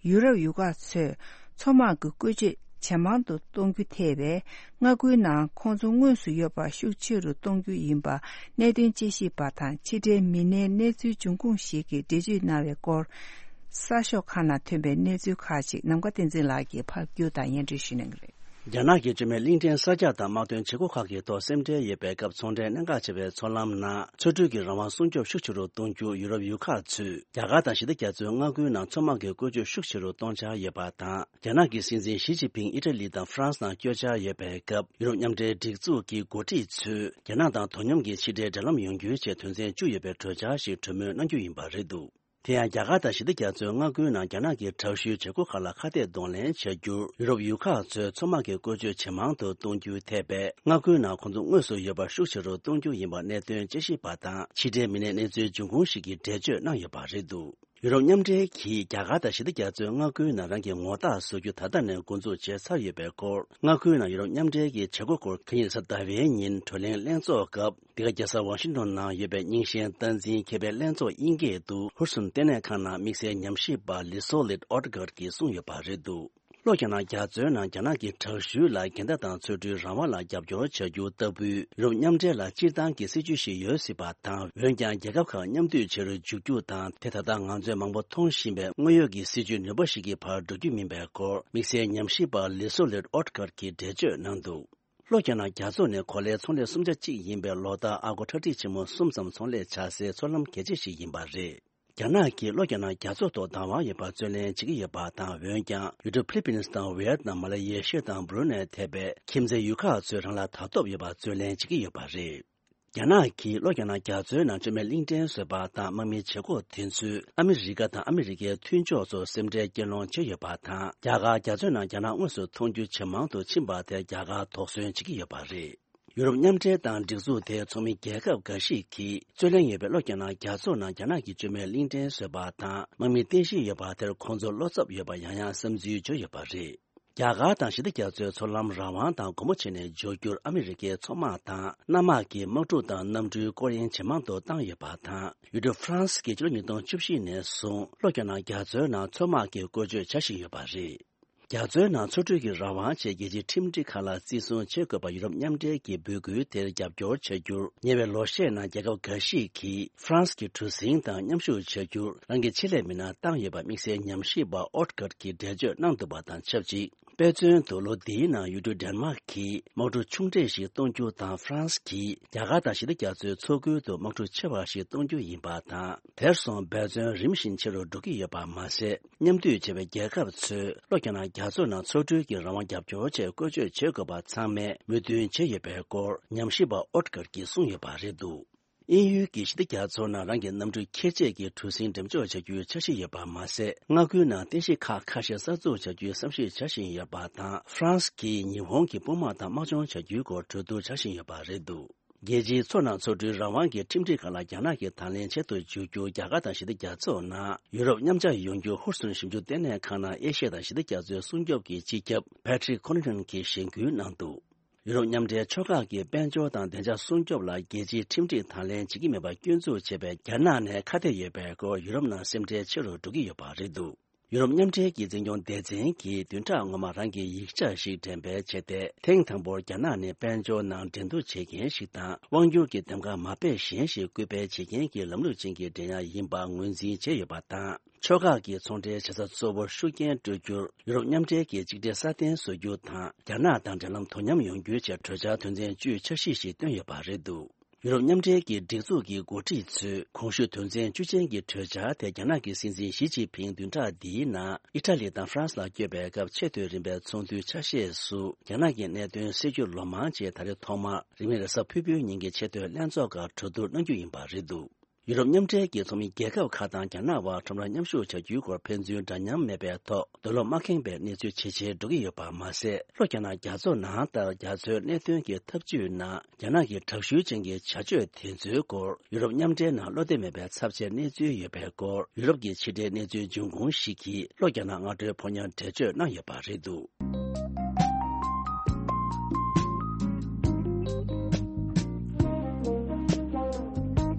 ཡུ་རོབ་ཡུལ་ཁག་ཚོས་མཚོ་དམག་གི་བཀོལ་སྤྱོད་ཇེ་མང་དུ་གཏོང་རྒྱུ་ཐེ་བའི་མངའ་ཁུལ་ནང་ཁོང་ཚོ་དངོས་སུ་ཡོད་པ་ཤུགས་ཆེ་རུ་གཏོང་རྒྱུ་ཡིན་པ་གནད་དོན་དཔྱད་ཞིབ་པ་དང་ཕྱི་འབྲེལ་མི་སྣའི་གནས་ཚུལ་འབྱུང་ཁུངས་ཤིག་གིས་འགྲེལ་བརྗོད་གནང་བའི་སྐོར། གསར་ཤོག་ཁག་ནང་ཐོན་པའི་གནས་ཚུལ་ཁག་ཅིག་ནམ་མཁའ་བསྟན་འཛིན་ལགས་ཀྱིས་ཕབ་སྒྱུར་དང་སྙན་སྒྲོན་ཞུ་གནང་གི་རེད། རྒྱ་ནག་གི་བཅོས་མའི་གླིང་ཕྲན་གསར་རྒྱག་དང་དམག་དོན་བྱེད་སྒོ་ཁག་གི་ཐོག་སེམས་ཁྲལ་ཡོད་པའི་སྐབས་ཚོང་འབྲེལ་གནད་འགག་ཆེ་བའི་མཚོ་ལམ་ནང་ཚོ་འགྲུལ་གྱི་རང་དབང་སྲུང་སྐྱོབ་ཤུགས་ཆེ་རུ་གཏོང་རྒྱུ་ཡུ་རོབ་ཡུལ་ཁག་ཚོས་རྒྱ་གར་དང་ཞི་བདེ་རྒྱ་མཚོའི་མངའ་ཁུལ་ནང་མཚོ་དམག་གི་བཀོལ་སྤྱོད་ཤུགས་ཆེ་རུ་གཏོང་འཆར་ཡོད་པ་དང་། རྒྱ་ནག་གི་སྲིད་འཛིན་ཞི་ཅིན་ཕིང་ཨི་ཊ་ལི་དང་ཧྥ་རན་སི་ནང་བསྐྱོད་འཆར་ཡོད་པའི་སྐབས། ཡུ་རོབ་མཉམ་འབྲེལ་སྒྲིག་འཛུགས་ཀྱི་འགོ་ཁྲིད་ཚོས་རྒྱ་ནག་དང་དོ་སྙོམས་ཀྱི་ཕྱི་འབྲེལ་འབྲེལ་ལམ་ཡོང་རྒྱུའི་ཆེད་དོན་ཚན་བཅུ་ཡོད་པའི་གྲོས་འཆར་ཞིག་གྲོས་མོལ་གནང་རྒྱུ་ཡིན་པ་རེད་འདུག། དེ་ཡང་རྒྱ་གར་དང་ཞི་བདེ་རྒྱ་མཚོའི་མངའ་ཁུལ་ནང་རྒྱ་ནག་གི་དྲག་ཤུལ་བྱེད་སྒོ་ཁག་ལ་ཁ་གཏད་གདོང་ལེན་བྱ་རྒྱུར་ཡུ་རོབ་ཡུལ་ཁག་ཚོས་མཚོ་དམག་གི་བཀོལ་སྤྱོད་ཇེ་མང་དུ་གཏོང་རྒྱུའི་ཐད་པའི་མངའ་ཁུལ་ནང་ཁོང་ཚོ་དངོས་སུ་ཡོད་པ་ཤུགས་ཆེ་རུ་གཏོང་རྒྱུ་ཡིན་པ་གནད་དོན་དཔྱད་ཞིབ་པ་དང་ཕྱི་འབྲེལ་མི་སྣའི་གནས་ཚུལ་འབྱུང་ཁུངས་ཤིག་གིས་འགྲེལ་བརྗོད་གནང་ཡོད་པ་རེད་འདུག། ཡུ་རོབ་མཉམ་འབྲེལ་གྱིས་རྒྱ་གར་དང་ཞི་བདེ་རྒྱ་མཚོའི་མངའ་ཁུལ་ནང་རང་གི་ངོ་རྟགས་བཟོ་རྒྱུ་ད་ལྟ་ནས་འགོ་འཛུགས་བྱས་ཚར་ཡོད་པའི་སྐོར། མངའ་ཁུལ་ནང་ཡུ་རོབ་མཉམ་འབྲེལ་གྱི་བྱེད་སྒོ་སྐོར་གན་ཡིག་གཟའ་ཟླ་བའི་ཉིན་གྲོས་གླེང་ལྷན་ཚོགས་སྐབས། འདི་ག་རྒྱལ་ས་ཝ་ཤིང་ཏོན་ནང་ཡོད་པའི་རྙིང་ཞེན་སྟངས་འཛིན་མཁས་པའི་ལྷན་ཚོགས་དབྱིན་སྐད་དུ་ཧུར་སུན་ལྟེ་གནས་ཁང་ནང་དམིགས་བསལ་ཉམས་ཞིབ་པ་ལི་སོ་ལིད་ཨོ་ཏི་གར་གྱིས་གསུངས་ཡོད་པ་རེད་འདུག། ལྷོ་རྒྱ་ནག་རྒྱ་མཚོའི་ནང་རྒྱ་ནག་གི་དྲག་ཤུལ་ལ་འགལ་ཟླ་དང་ཚོ་འགྲུལ་རང་དབང་ལ་རྒྱབ་སྐྱོར་བྱ་རྒྱུ་ལྟ་བུའི་ཡུ་རོབ་མཉམ་འབྲེལ་ལ་སྤྱིར་བཏང་གི་སྲིད་ཇུས་ཤིག་ཡོད་སྲིད་པ་དང་། འོན་ཀྱང་རྒྱལ་ཁབ་ཁག་མཉམ་འདུས་བྱེད་རུ་འཇུག་རྒྱུ་དང་། དེ་ད་ལྟ་ང་ཚོས་མང་པོ་མཐོང་བཞིན་པའི་དངོས་ཡོད་ཀྱི་སྲིད་ཇུས་ནུས་པ་ཞིག་གི་བར་འགྲོ་རྒྱུ་མིན་པའི་སྐོར། དམིགས་བསལ་ཉམས་ཞིབ་པ་ལི་སོ་ལིད་ཨོ་ཏི་གར་གྱིས་འགྲེལ་བརྗོད་གནང་འདུག། ལྷོ་རྒྱ་ནག་རྒྱ་མཚོ་ནི་གོ་ལའི་ཚོང་ལས་གསུམ་ཆ་གཅིག་ཡིན་པའི་ལོ་ལྟར་ཨ་སྒོར་ཁྲག་ཁྲིག་ཆེན་མོ་གསུམ་ཙམ་ཚོང་ལས་བྱ་སའི་མཚོ་ལམ་གལ་ཆེ་ཞིག་ཡིན་པ་རེད། རྒྱ་ནག་གིས་ལྷོ་རྒྱ་ནག་རྒྱ་མཚོ་ཐོག་བདག་དབང་ཡོད་པར་རྩོད་ལེན་བྱེད་ཀྱི་ཡོད་པ་དང་། འོན་ཀྱང་ཡུལ་གྲུ་ཕི་ལི་པིན་སི་དང་ཝི་ཡེ་ཏི་ནམ། མ་ལེ་ཤི་ཡ་དང་སྦུ་རུ་ནེ་ཐེ་བའི་ཁྱིམ་མཚེས་ཡུལ་ཁག་ཚོས་རང་ལ་དག་ཐོབ་ཡོད་པར་རྩོད་ལེན་བྱེད་ཀྱི་ཡོད་པ་རེད། རྒྱ་ནག་གིས་ལྷོ་རྒྱ་ནག་རྒྱ་མཚོའི་ནང་བཅོས་མའི་གླིང་ཕྲན་བཟོས་པ་དང་། དམག་མིའི་བྱེད་སྒོ་དེ་ཚོས་ཨ་མི་རི་ཀ་དང་ཨ་མི་རི་ཀའི་མཐུན་ཕྱོགས་ཚོར་སེམས་ཁྲལ་སྐྱེད་སློང་བྱས་ཡོད་པ་དང་། རྒྱ་གར་རྒྱ་མཚོའི་ནང་རྒྱ་ནག་དངོས་སུ་མཐོང་རྒྱུ་ཇེ་མང་དུ་ཕྱིན་པ་དེར་རྒྱ་གར་དོགས་ཟོན་བྱེད་ཀྱི་ཡོད་པ་རེད། ཡུ་རོབ་མཉམ་འབྲེལ་དང་སྒྲིག་འཛུགས་དེའི་ཚོགས་མི་རྒྱལ་ཁབ་འགའ་ཞིག་གིས་རྩོད་ལེན་ཡོད་པའི་ལྷོ་རྒྱ་ནག་རྒྱ་མཚོ་ནང་རྒྱ་ནག་གིས་བཅོས་མའི་གླིང་ཕྲན་བཟོས་པ་དང་། དམག་མི་རྟེན་གཞི་ཡོད་པ་དེར་ཁོང་ཚོར་བློ་འཚབ་ཡོད་པ་ཡང་ཡང་བསམ་ཚུལ་བརྗོད་ཡོད་པ་རེད། རྒྱ་གར་དང་ཞི་བདེ་རྒྱ་མཚོའི་མཚོ་ལམ་རང་དབང་དང་སྒོ་མོ་ཕྱེ་ནས་འཇོག་རྒྱུར་ཨ་མི་རི་ཀའི་མཚོ་དམག་དང་གནམ་དམག་གིས་དམག་འཁྲུག་དང་གནམ་གྲུའི་སྐོར་གཡེང་ཇེ་མང་དུ་བཏང་ཡོད་པ་དང་། ཡུལ་གྲུ་ཧྥ་རན་སི་གིས་ཕྱི་ལོ་ཉིས་སྟོང་བཅུ་བཞི་ནས་བཟུང་ལྷོ་རྒྱ་ནག་རྒྱ་མཚོའི་ནང་མཚོ་དམག་གི་བཀོལ་སྤྱོད་བྱ་བཞིན་ཡོད་པ་རེད། རྒྱ་མཚོའི་ནང་མཚོ་གྲུ་གི་རང་དབང་ཆེད་རྒྱལ་སྤྱིའི་ཁྲིམས་སྒྲིག་ཁག་ལ་བརྩི་སྲུང་བྱེད་དགོས་པ་ཡུ་རོབ་མཉམ་འབྲེལ་གྱི་འབོད་སྐུལ་དེར་རྒྱབ་སྐྱོར་བྱ་རྒྱུར། ཉེ་བའི་ལོ་ཤས་ནང་རྒྱལ་ཁབ་འགའ་ཞིག་གིས་ཧྥ་རན་སི་གི་གྲུ་གཟིངས་དང་མཉམ་ཞུགས་བྱ་རྒྱུར་རང་གི་ཆེད་ལས་མི་སྣ་བཏང་ཡོད་པ་དམིགས་བསལ་ཉམས་ཞིབ་པ་ཨོ་ཊི་ཀར་གྱིས་འགྲེལ་བརྗོད་གནང་འདུག་པ་དང་ཆབས་ཅིག་དཔེ་མཚོན་དུ། ལོ་འདིའི་ནང་ཡུལ་གྲུ་ཌེན་མཱག་གིས་དམག་གྲུ་ཆུང་གྲས་ཤིག་གཏོང་རྒྱུ་དང་། ཧྥ་རན་སི་གིས་རྒྱ་གར་དང་ཞི་བདེ་རྒྱ་མཚོའི་མཚོ་ཁུལ་དུ་དམག་གྲུ་ཆེ་བ་ཞིག་གཏོང་རྒྱུ་ཡིན་པ་དང་། དེར་སོང་འབད་བརྩོན་རིམ་བཞིན་ཆེ་རུ་འགྲོ་གི་ཡོད་པ་མ་ཟད། མཉམ་འདུས་བྱས་པའི་རྒྱལ་ཁབ་ཚོས་ལྷོ་རྒྱ་ནག་རྒྱ་མཚོ་ནང་མཚོ་གྲུའི་རང་དབང་རྒྱབ་སྐྱོར་ཆེད་བཀོལ་སྤྱོད་བྱེད་དགོས་པ་ཚང་མས་མོས་མཐུན་བྱས་ཡོད་པའི་སྐོར་ཉམས་ཞིབ་པ་ཨོ་ཊི་ཀར་གྱིས་གསུངས་ཡོད་པ་རེད་འདུག་དབྱིན་ཡུལ་གྱི་ཞི་བདེ་རྒྱ་མཚོ་ནང་རང་གི་གནམ་གྲུ་ཁྱེར་བཅས་ཀྱི་གྲུ་གཟིངས་འགྲེམས་འཇོག་བྱ་རྒྱུའི་འཆར་གཞི་ཡོད་པ་མ་ཟད། མངའ་ཁུལ་ནང་རྟེན་གཞི་ཁག་ཁ་ཤས་གསར་འཛུགས་བྱ་རྒྱུའི་བསམ་གཞིག་བྱ་བཞིན་ཡོད་པ་དང་། ཧྥ་རན་སི་གིས་ཉི་ཧོང་གི་དཔུང་དམག་དང་དམག་སྦྱོང་བྱ་རྒྱུའི་སྐོར་གྲོས་བསྡུར་བྱ་བཞིན་ཡོད་པ་རེད་འདུག་རྒྱལ་སྤྱིའི་མཚོ་ནང་མཚོ་གྲུའི་རང་དབང་གི་ཁྲིམས་སྒྲིག་ཁག་ལ་རྒྱ་ནག་གིས་དང་ལེན་བྱེད་དུ་འཇུག་རྒྱུར། རྒྱ་གར་དང་ཞི་བདེ་རྒྱ་མཚོ་ནང་ཡུ་རོབ་མཉམ་འབྲེལ་ཡོང་རྒྱུ་ཧུར་བརྩོན་ཞིབ་འཇུག་ལྟེ་གནས་ཁང་ནང་ཨེ་ཤི་ཡ་དང་ཞི་བདེ་རྒྱ་མཚོའི་སྲུང་སྐྱོབ་ཀྱི་སྤྱི་ཁྱབ་Patrick Connaughton གྱིས་གཞེན་སྐུལ་གནང་འདུག་ཡུ་རོབ་མཉམ་འབྲེལ་ཕྱོགས་ཁག་གི་དཔལ་འབྱོར་དང་བདེ་འཇགས་སྲུང་སྐྱོབ་ལ་རྒྱལ་སྤྱིའི་ཁྲིམས་སྒྲིག་དང་ལེན་བྱེད་ཀྱི་མེད་པར་སྐྱོན་འཛུགས་བྱས་པའི་རྒྱ་ནག་ནས་ཁ་གཏད་ཡོད་པའི་སྐོར་ཡུ་རོབ་ནང་སེམས་ཁྲལ་ཆེ་རུ་འགྲོ་གི་ཡོད་པ་རེད་འདུག་ཡུ་རོབ་མཉམ་འབྲེལ་གྱི་འཛིན་སྐྱོང་སྡེ་ཚན་གྱིས་བདུན་ཕྲག་སྔོན་མ་རང་གི་ཡིག་ཆ་ཞིག་འགྲེམས་སྤེལ་བྱས་ཏེ། ཐེངས་དང་པོར་རྒྱ་ནག་ནས་དཔལ་འབྱོར་ནང་འགྲན་བསྡུར་བྱེད་མཁན་ཞིག་དང་། དབང་སྒྱུར་གྱི་འདེམས་ཁ་མ་དཔེ་གཞན་ཞིག་སྐུལ་སྤེལ་བྱེད་མཁན་གྱི་ལམ་ལུགས་ཅན་གྱི་འགྲན་ཡ་ཡིན་པ་ངོས་འཛིན་བྱས་ཡོད་པ་དང་། ཕྱོགས་ཁག་གི་ཚོང་འབྲེལ་བྱེད་ས་གཙོ་བོར་ཤུགས་རྐྱེན་སྤྲོད་རྒྱུར་ཡུ་རོབ་མཉམ་འབྲེལ་གྱིས་གཅིག་སྒྲིལ་སྲ་བརྟན་བཟོ་རྒྱུ་དང་། རྒྱ་ནག་དང་འབྲེལ་ལམ་དོ་མཉམ་ཡོང་རྒྱུའི་ཆེད་གྲོས་འཆར་དོན་ཚན་བཅུའི་འཆར་གཞི་ཞིག་བཏོན་ཡོད་པ་རེད་འདུག་ཡུ་རོབ་མཉམ་འབྲེལ་གྱི་སྒྲིག་འཛུགས་ཀྱི་འགོ་ཁྲིད་ཚོས་གོང་ཞུས་དོན་ཚན་བཅུ་ཅན་གྱི་གྲོས་འཆར་དེ་རྒྱ་ནག་གི་སྲིད་འཛིན་ཞི་ཅིན་ཕིང་བདུན་ཕྲག་འདིའི་ནང་ཨི་ཊ་ལི་དང་ཧྥ་རན་སི་ལ་བསྐྱོད་པའི་སྐབས་ཆེས་མཐོའི་རིམ་པའི་ཚོགས་འདུའི་ཆ་ཤས་སུ། རྒྱ་ནག་གི་གནད་དོན་སེལ་རྒྱུར་ལོ་མང་རྗེས་ད་རེས་ཐོག་མར་རིང་མིན་རེས་གཟའ་ཕུར་བུའི་ཉིན་གྱི་ཆེས་མཐོའི་ལྷན་ཚོགས་སྐབས་གྲོས་བསྡུར་གནང་རྒྱུ་ཡིན་པ་རེད་འདུག་ཡུ་རོབ་མཉམ་འབྲེལ་གྱི་ཚོགས་མི་རྒྱལ་ཁབ་ཁག་དང་རྒྱ་ནག་དབར་ཁྲོམ་ར་མཉམ་ཞུགས་བྱ་རྒྱུའི་སྐོར་ཕན་ཚུན་འདྲ་མཉམ་མེད་པའི་ཐོག་འདོད་བློ་མ་ཁེངས་པའི་གནས་ཚུལ་ཇེ་ཆེར་འགྲོ་གི་ཡོད་པ་མ་ཟད། ལྷོ་རྒྱ་ནག་རྒྱ་མཚོ་ནང་ལྟར་རྒྱ་མཚོའི་གནད་དོན་གྱི་འཐབ་ཇུས་ནང་རྒྱ་ནག་གི་དྲག་ཤུལ་ཅན་གྱི་བྱ་སྤྱོད་དེ་ཚོའི་སྐོར་ཡུ་རོབ་མཉམ་འབྲེལ་ནང་བློ་བདེ་མེད་པའི་ཚབས་ཆེའི་གནས་ཚུལ་ཡོད་པའི་སྐོར་ཡུ་རོབ་ཀྱི་ཕྱི་འབྲེལ་གནས་ཚུལ་འབྱུང་ཁུངས་ཤིག་གིས་ལྷོ་རྒྱ་ནག་སྔ་དྲོའི་ཕོ་ཉར་འགྲེལ་བརྗོད་གནང་ཡོད་པ་རེད་འདུག་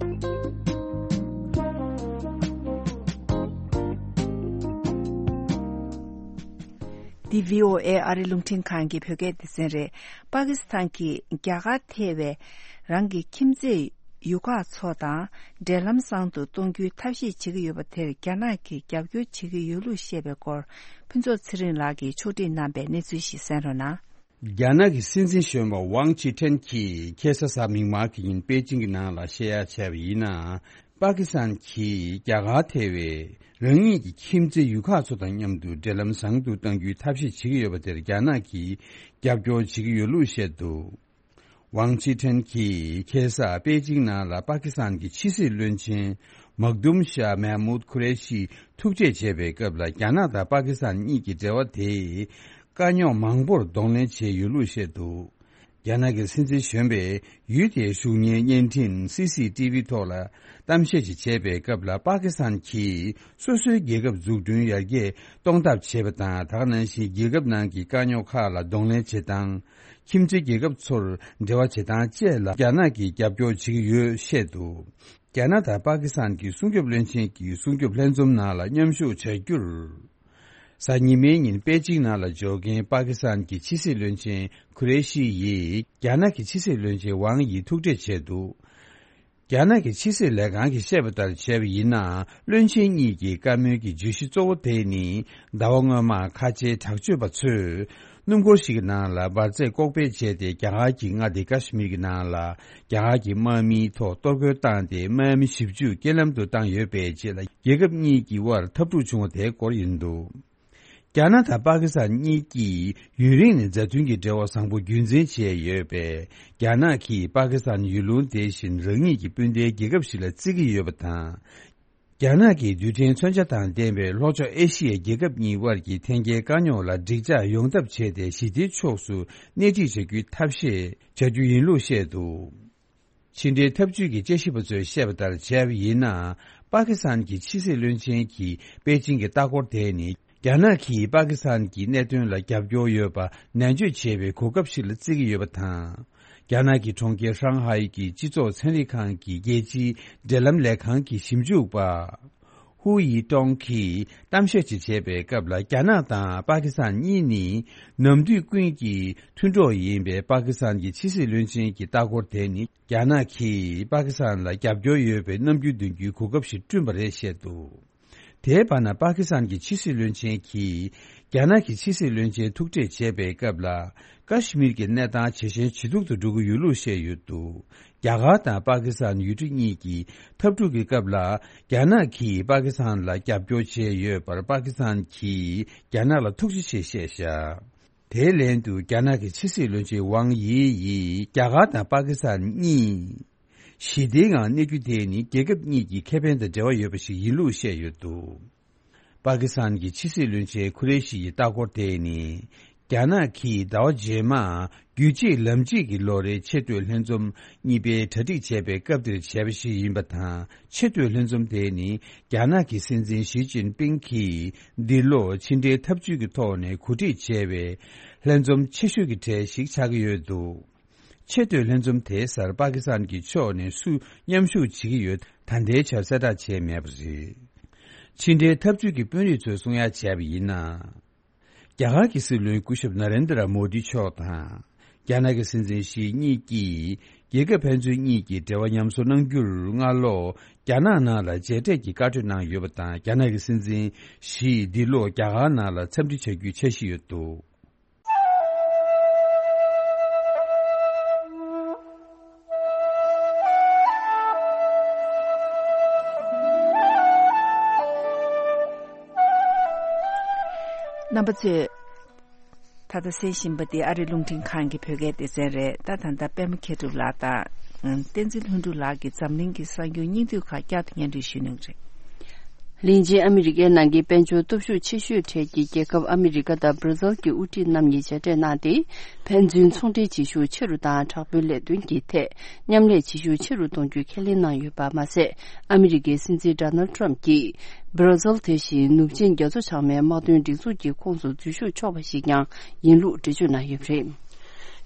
འདི་བྷི་ཨོ་ཨེ་ཨ་རི་རླུང་འཕྲིན་ཁང་གི་བོད་སྐད་སྡེ་ཚན་རེད། པ་ཀི་སི་ཐན་གྱིས་རྒྱ་གར་ཐེ་བའི་རང་གི་ཁྱིམ་མཚེས་ཡུལ་ཁག་ཚོ་དང་འབྲེལ་ལམ་བཟང་དུ་གཏོང་རྒྱུའི་ཐབས་ཤེས་བྱེད་ཀྱི་ཡོད་པ་དེར་རྒྱ་ནག་གིས་རྒྱབ་སྐྱོར་བྱེད་ཀྱི་ཡོད་ལུགས་བཤད་པའི་སྐོར། ཕུན་ཚོགས་ཚེ་རིང་ལགས་ཀྱིས་ཕྱོགས་སྒྲིག་གནང་པའི་གནས་ཚུལ་ཞིག་གསན་རོགས་གནང་། རྒྱ་ནག་གི་སྲིད་འཛིན་གཞོན་པ་ཝང་ཅི་ཁྲེན་གྱིས་ཁ་སང་གཟའ་མིག་དམར་གྱི་ཉིན་པེ་ཅིང་གི་ནང་ལ་བཤད་ཡ་བྱས་པ་ཡིན་ན། པ་ཀི་སི་ཐན་གྱིས་རྒྱ་གར་ཐེ་བའི་རང་ཉིད་ཀྱི་ཁྱིམ་མཚེས་ཡུལ་ཁག་ཚོ་དང་མཉམ་དུ་འབྲེལ་ལམ་བཟང་དུ་གཏང་རྒྱུའི་ཐབས་ཤེས་བྱེད་ཀྱི་ཡོད་པ་དེར་རྒྱ་ནག་གིས་རྒྱབ་སྐྱོར་བྱེད་ཀྱི་ཡོད་ལུགས་བཤད་འདུག་ཝང་ཅི་ཁྲེན་གྱིས་ཁ་སང་པེ་ཅིང་ནང་ལ་པ་ཀི་སི་ཐན་གྱི་ཕྱི་སྲིད་བློན་ཆེན་མག་དུམ་ཤཱ་མེ་མུད་ཁུ་རེ་ཤི་ཐུག་འཕྲད་བྱས་པའི་སྐབས་ལ། རྒྱ་ནག་དང་པ་ཀི་སི་ཐན་གཉིས་ཀྱི་འབྲེལ་བ་དེས་དཀའ་རྙོག་མང་པོར་གདོང་ལེན་བྱས་ཡོད་ལུགས་བཤད་འདུག་རྒྱ་ནག་གི་སྲིད་འཛིན་གཞོན་པས་ཡུལ་དེའི་གཞུང་གཉེར་བརྙན་འཕྲིན་སི་སི་ཏི་ཝི་ཐོག་ལ་གཏམ་བཤད་ཅིག་བྱས་པའི་སྐབས་ལ། པ་ཀི་སི་ཐན་གྱིས་སོ་སོའི་རྒྱལ་ཁབ་འཛུགས་སྐྲུན་ཡར་རྒྱས་གཏོང་ཐབས་བྱས་པ་དང་། ད་ག་ནང་བཞིན་རྒྱལ་ཁབ་ནང་གི་དཀའ་རྙོག་ཁག་ལ་གདོང་ལེན་བྱེད་སྟངས། ཁྱིམ་མཚེས་རྒྱལ་ཁབ་ཚོར་འབྲེལ་བ་བྱེད་སྟངས་བཅས་ལ་རྒྱ་ནག་གིས་རྒྱབ་སྐྱོར་བྱེད་ཀྱི་ཡོད་བཤད་འདུག་རྒྱ་ནག་དང་པ་ཀི་སི་ཐན་གྱི་སྲུང་སྐྱོབ་བློན་ཆེན་གྱི་སྲུང་སྐྱོབ་ལྷན་འཛོམས་ནང་ལ་མཉམ་ཞུགས་བྱ་རྒྱུར། གཟའ་ཉི་མའི་ཉིན་པེ་ཅིང་ནང་ལ་འབྱོར་མཁན་པ་ཀི་སི་ཐན་གྱི་ཕྱི་སྲིད་བློན་ཆེན་ཁུ་རེ་ཤི་ཡིས་རྒྱ་ནག་གི་ཕྱི་སྲིད་བློན་ཆེན་ཝང་ཡི་ཐུག་འཕྲད་བྱས་འདུག་རྒྱ་ནག་གི་ཕྱི་སྲིད་ལས་ཁང་གིས་བཤད་པ་ལྟར་བྱས་པ་ཡིན་ན། བློན་ཆེན་གཉིས་ཀྱི་བཀའ་མོལ་གྱི་བརྗོད་གཞི་གཙོ་བོ་དེ་ནི། ཟླ་བ་སྔོན་མ་ཁ་ཆེའི་དྲག་སྤྱོད་པ་ཚོས་སྣུམ་འཁོར་ཞིག་གི་ནང་ལ་འབར་རྫས་ལྐོག་སྤེལ་བྱས་ཏེ། རྒྱ་གར་གྱི་མངའ་སྡེ་ཀ་ཤི་མིར་གྱི་ནང་ལ་རྒྱ་གར་གྱི་དམག་མིའི་ཐོག་གཏོར་རྒོལ་བཏང་སྟེ། དམག་མི་བཞི་བཅུ་རྐྱེན་ལམ་དུ་བཏང་ཡོད་པའི་རྗེས་ལ། རྒྱལ་ཁབ་གཉིས་ཀྱི་དབར་འཐབ་འཁྲུག་བྱུང་བ་དེའི་སྐོར་ཡིན་འདུག་རྒྱ་ནག་དང་པ་ཀི་སི་ཐན་གཉིས་ཀྱིས་ཡུན་རིང་ནས་མཛའ་མཐུན་གྱི་འབྲེལ་བ་བཟང་པོ་རྒྱུན་འཛིན་བྱས་ཡོད་པས། རྒྱ་ནག་གིས་པ་ཀི་སི་ཐན་ཡུལ་ལུང་དེ་བཞིན་རང་ཉིད་ཀྱི་སྤུན་ཟླའི་རྒྱལ་ཁབ་ཞིག་ལ་བརྩི་གི་ཡོད་པ་དང་། རྒྱ་ནག་གིས་རྡུལ་ཕྲན་མཚོན་ཆ་དང་ལྡན་པའི་ལྷོ་ཕྱོགས་ཨེ་ཤི་ཡའི་རྒྱལ་ཁབ་གཉིས་དབར་གྱི་འཐེན་འཁྱེར་དཀའ་རྙོག་ལ་འགྲིག་འཇགས་ཡོང་ཐབས་བྱས་ཏེ། ཞི་བདེའི་ཕྱོགས་སུ་སྣེ་ཁྲིད་བྱ་རྒྱུའི་ཐབས་ཤེས་བྱ་རྒྱུ་ཡིན་ལུགས་བཤད་འདུག་ཕྱི་འབྲེལ་འཐབ་ཇུས་ཀྱི་དཔྱད་ཞིབ་པ་ཚོས་བཤད་པ་ལྟར་བྱས་པ་ཡིན་ན། པ་ཀི་སི་ཐན་གྱི་ཕྱི་སྲིད་བློན་ཆེན་གྱིས་པེ་ཅིང་གི་ལྟ་སྐོར་དེ་ནི། རྒྱ་ནག་གིས་པ་ཀི་སི་ཐན་གྱི་གནད་དོན་ལ་རྒྱབ་སྐྱོར་ཡོད་པ་ནན་བརྗོད་བྱེད་པའི་གོ་སྐབས་ཤིག་ལ་བརྩི་གི་ཡོད་པ་དང་། རྒྱ་ནག་གི་གྲོང་ཁྱེར་ཧྲང་ཧའེ་གྱི་སྤྱི་ཚོགས་ཚན་རིག་ཁང་གི་རྒྱལ་སྤྱིའི་འབྲེལ་ལམ་ལས་ཁང་གི་ཞིབ་འཇུག་པ། ཧུའུ་ཡི་ཀྲོང་གིས་གཏམ་བཤད་ཅིག་བྱས་པའི་སྐབས་ལ། རྒྱ་ནག་དང་པ་ཀི་སི་ཐན་གཉིས་ནི་ནམ་དུས་ཀུན་གྱི་མཐུན་གྲོགས་ཡིན་པའི་པ་ཀི་སི་ཐན་གྱི་ཕྱི་སྲིད་བློན་ཆེན་གྱི་ལྟ་སྐོར་དེ་ནི། རྒྱ་ནག་གིས་པ་ཀི་སི་ཐན་ལ་རྒྱབ་སྐྱོར་ཡོད་པའི་རྣམ་འགྱུར་འདོན་རྒྱུའི་གོ་སྐབས་ཤིག་བསྐྲུན་པ་རེད་བཤད་འདུག་དེའི་བར་ན། པ་ཀི་སི་ཐན་གྱི་ཕྱི་སྲིད་བློན་ཆེན་གྱིས། རྒྱ་ནག་གི་ཕྱི་སྲིད་བློན་ཆེན་ཐུག་འཕྲད་བྱས་པའི་སྐབས་ལ། ཀ་ཤི་མིར་གྱི་གནས་སྟངས་ཇེ་ཞན་ཇེ་སྡུག་ཏུ་འགྲོ་གི་ཡོད་ལུགས་བཤད་ཡོད་འདུག་རྒྱ་གར་དང་པ་ཀི་སི་ཐན་ཡུལ་གྲུ་གཉིས་ཀྱི་འཐབ་འཁྲུག་གི་སྐབས་ལ། རྒྱ་ནག་གིས་པ་ཀི་སི་ཐན་ལ་རྒྱབ་སྐྱོར་བྱས་ཡོད་པར། པ་ཀི་སི་ཐན་གྱིས་རྒྱ་ནག་ལ་ཐུགས་རྗེ་ཆེ་བཤད་བཞག་དེའི་ལན་དུ། རྒྱ་ནག་གི་ཕྱི་སྲིད་བློན་ཆེན་ཝང་དབྱི་ཡིས། རྒྱ་གར་དང་པ་ཀི་སི་ཐན་གཉིས་ཞི་བདེའི་ངང་གནས་རྒྱུ་དེ་ནི། རྒྱལ་ཁབ་གཉིས་ཀྱི་ཁེ་ཕན་དང་འབྲེལ་བ་ཡོད་པ་ཞིག་ཡིན་ལུགས་བཤད་ཡོད་འདུག་པ་ཀི་སི་ཐན་གྱི་ཕྱི་སྲིད་བློན་ཆེན་ཁུ་རེ་ཤི་ཡི་ལྟ་སྐོར་དེ་ནི། རྒྱ་ནག་གིས་ཟླ་བ་རྗེས་མ། རྒྱུད་གཅིག་ལམ་གཅིག་གི་ལོ་རེའི་ཆེས་མཐོའི་ལྷན་འཛོམས་གཉིས་པའི་གྲ་སྒྲིག་བྱས་པའི་སྐབས་དེར་བྱས་པ་ཞིག་ཡིན་པ་དང་། ཆེས་མཐོའི་ལྷན་འཛོམས་དེ་ནི། རྒྱ་ནག་གི་སྲིད་འཛིན་ཞི་ཅིན་ཕིང་གིས་འདི་ལོ་ཕྱི་འབྲེལ་འཐབ་ཇུས་ཀྱི་ཐོག་ནས་གོ་སྒྲིག་བྱས་པའི་ལྷན་འཛོམས་ཆེ་ཤོས་ཀྱི་གྲས་ཤིག་ཆགས་ཀྱི་ཡོད་འདུག་ཆེས་མཐོའི་ལྷན་འཛོམས་དེའི་སར་པ་ཀི་སི་ཐན་གྱི་ཕྱོགས་ནས་སུ་མཉམ་ཞུགས་བྱེད་ཀྱི་ཡོད། ད་ལྟའི་ཆར་གསལ་བསྒྲགས་བྱས་མེད་པ་རེད། ཕྱི་འབྲེལ་འཐབ་ཇུས་ཀྱི་དཔོན་རིགས་ཚོས་གསུང་ཡ་བྱས་པ་ཡིན་ན། རྒྱ་གར་གྱི་སྲིད་བློན་སྐུ་ཞབས་ན་རེན་དྲ་མོ་དི་མཆོག་དང་། རྒྱ་ནག་གི་སྲིད་འཛིན་ཞི་གཉིས་ཀྱིས། རྒྱལ་ཁབ་ཕན་ཚུན་གཉིས་ཀྱི་འབྲེལ་བ་ཉམས་གསོ་གནང་རྒྱུར། སྔ་ལོ། རྒྱ་ནག་ནང་ལ་མཇལ་འཕྲད་ཀྱི་བཀའ་འཁྲོལ་གནང་ཡོད་པ་དང་། རྒྱ་ནག་གི་སྲིད་འཛིན་ཞི་འདི་ལོ་རྒྱ་གར་ནང་ལ་འཚམས་འདྲི་བྱ་རྒྱུའི་འཆར་གཞི་ཡོད་འདུག་རྣམ་པ་ཚོས། ད་ལྟ་གསན་བཞིན་པ་འདི་ཨ་རི་རླུང་འཕྲིན་ཁང་གི་བོད་སྐད་སྡེ་ཚན་རེད། ད་ད་ལྟ་པད་མ་མཁས་གྲུབ་ལགས་དང་། བསྟན་འཛིན་ལྷུན་གྲུབ་ལགས་ཀྱིས་འཛམ་གླིང་གི་གསར་འགྱུར་སྙིང་བསྡུས་ཁག་བསྐྱར་དུ་སྙན་སྒྲོན་ཞུ་གནང་གི་རེད། ལྷན་ཅིག་ཨ་མི་རི་ཀའི་ནང་གི་དཔལ་འབྱོར་སྟོབས་ཤུགས་ཆེ་ཤོས་གྲས་ཀྱི་རྒྱལ་ཁབ་ཨ་མི་རི་ཀ་དང་སྦྲ་ཛིལ་གྱི་དབུ་ཁྲིད་རྣམ་གཉིས་མཇལ་འཕྲད་གནང་སྟེ། ཕན་ཚུན་ཚོང་འབྲེལ་བྱེད་ཤུགས་ཆེ་རུ་དང་། དྲག་པོའི་ལས་དོན་གྱི་ཐད་མཉམ་ལས་བྱེད་ཤུགས་ཆེ་རུ་གཏོང་རྒྱུ་ཁས་ལེན་གནང་ཡོད་པ་མ་ཟད། ཨ་མི་རི་ཀའི་སྲིད་འཛིན་ཌོ་ནལ་ཊམ་གྱིས། སྦྲ་ཛིལ་དེ་བཞིན་ནུབ་ཆིངས་རྒྱ་མཚོ་བྱང་མའི་དམག་དོན་སྒྲིག་འཛུགས་ཀྱི་ཁོངས་སུ་འཛུལ་ཞུགས་ཆོག་པ་ཞིག་ཀྱང་ཡིན་ལུགས་འགྲེལ་བརྗོད་གནང་ཡོད་པ་རེད།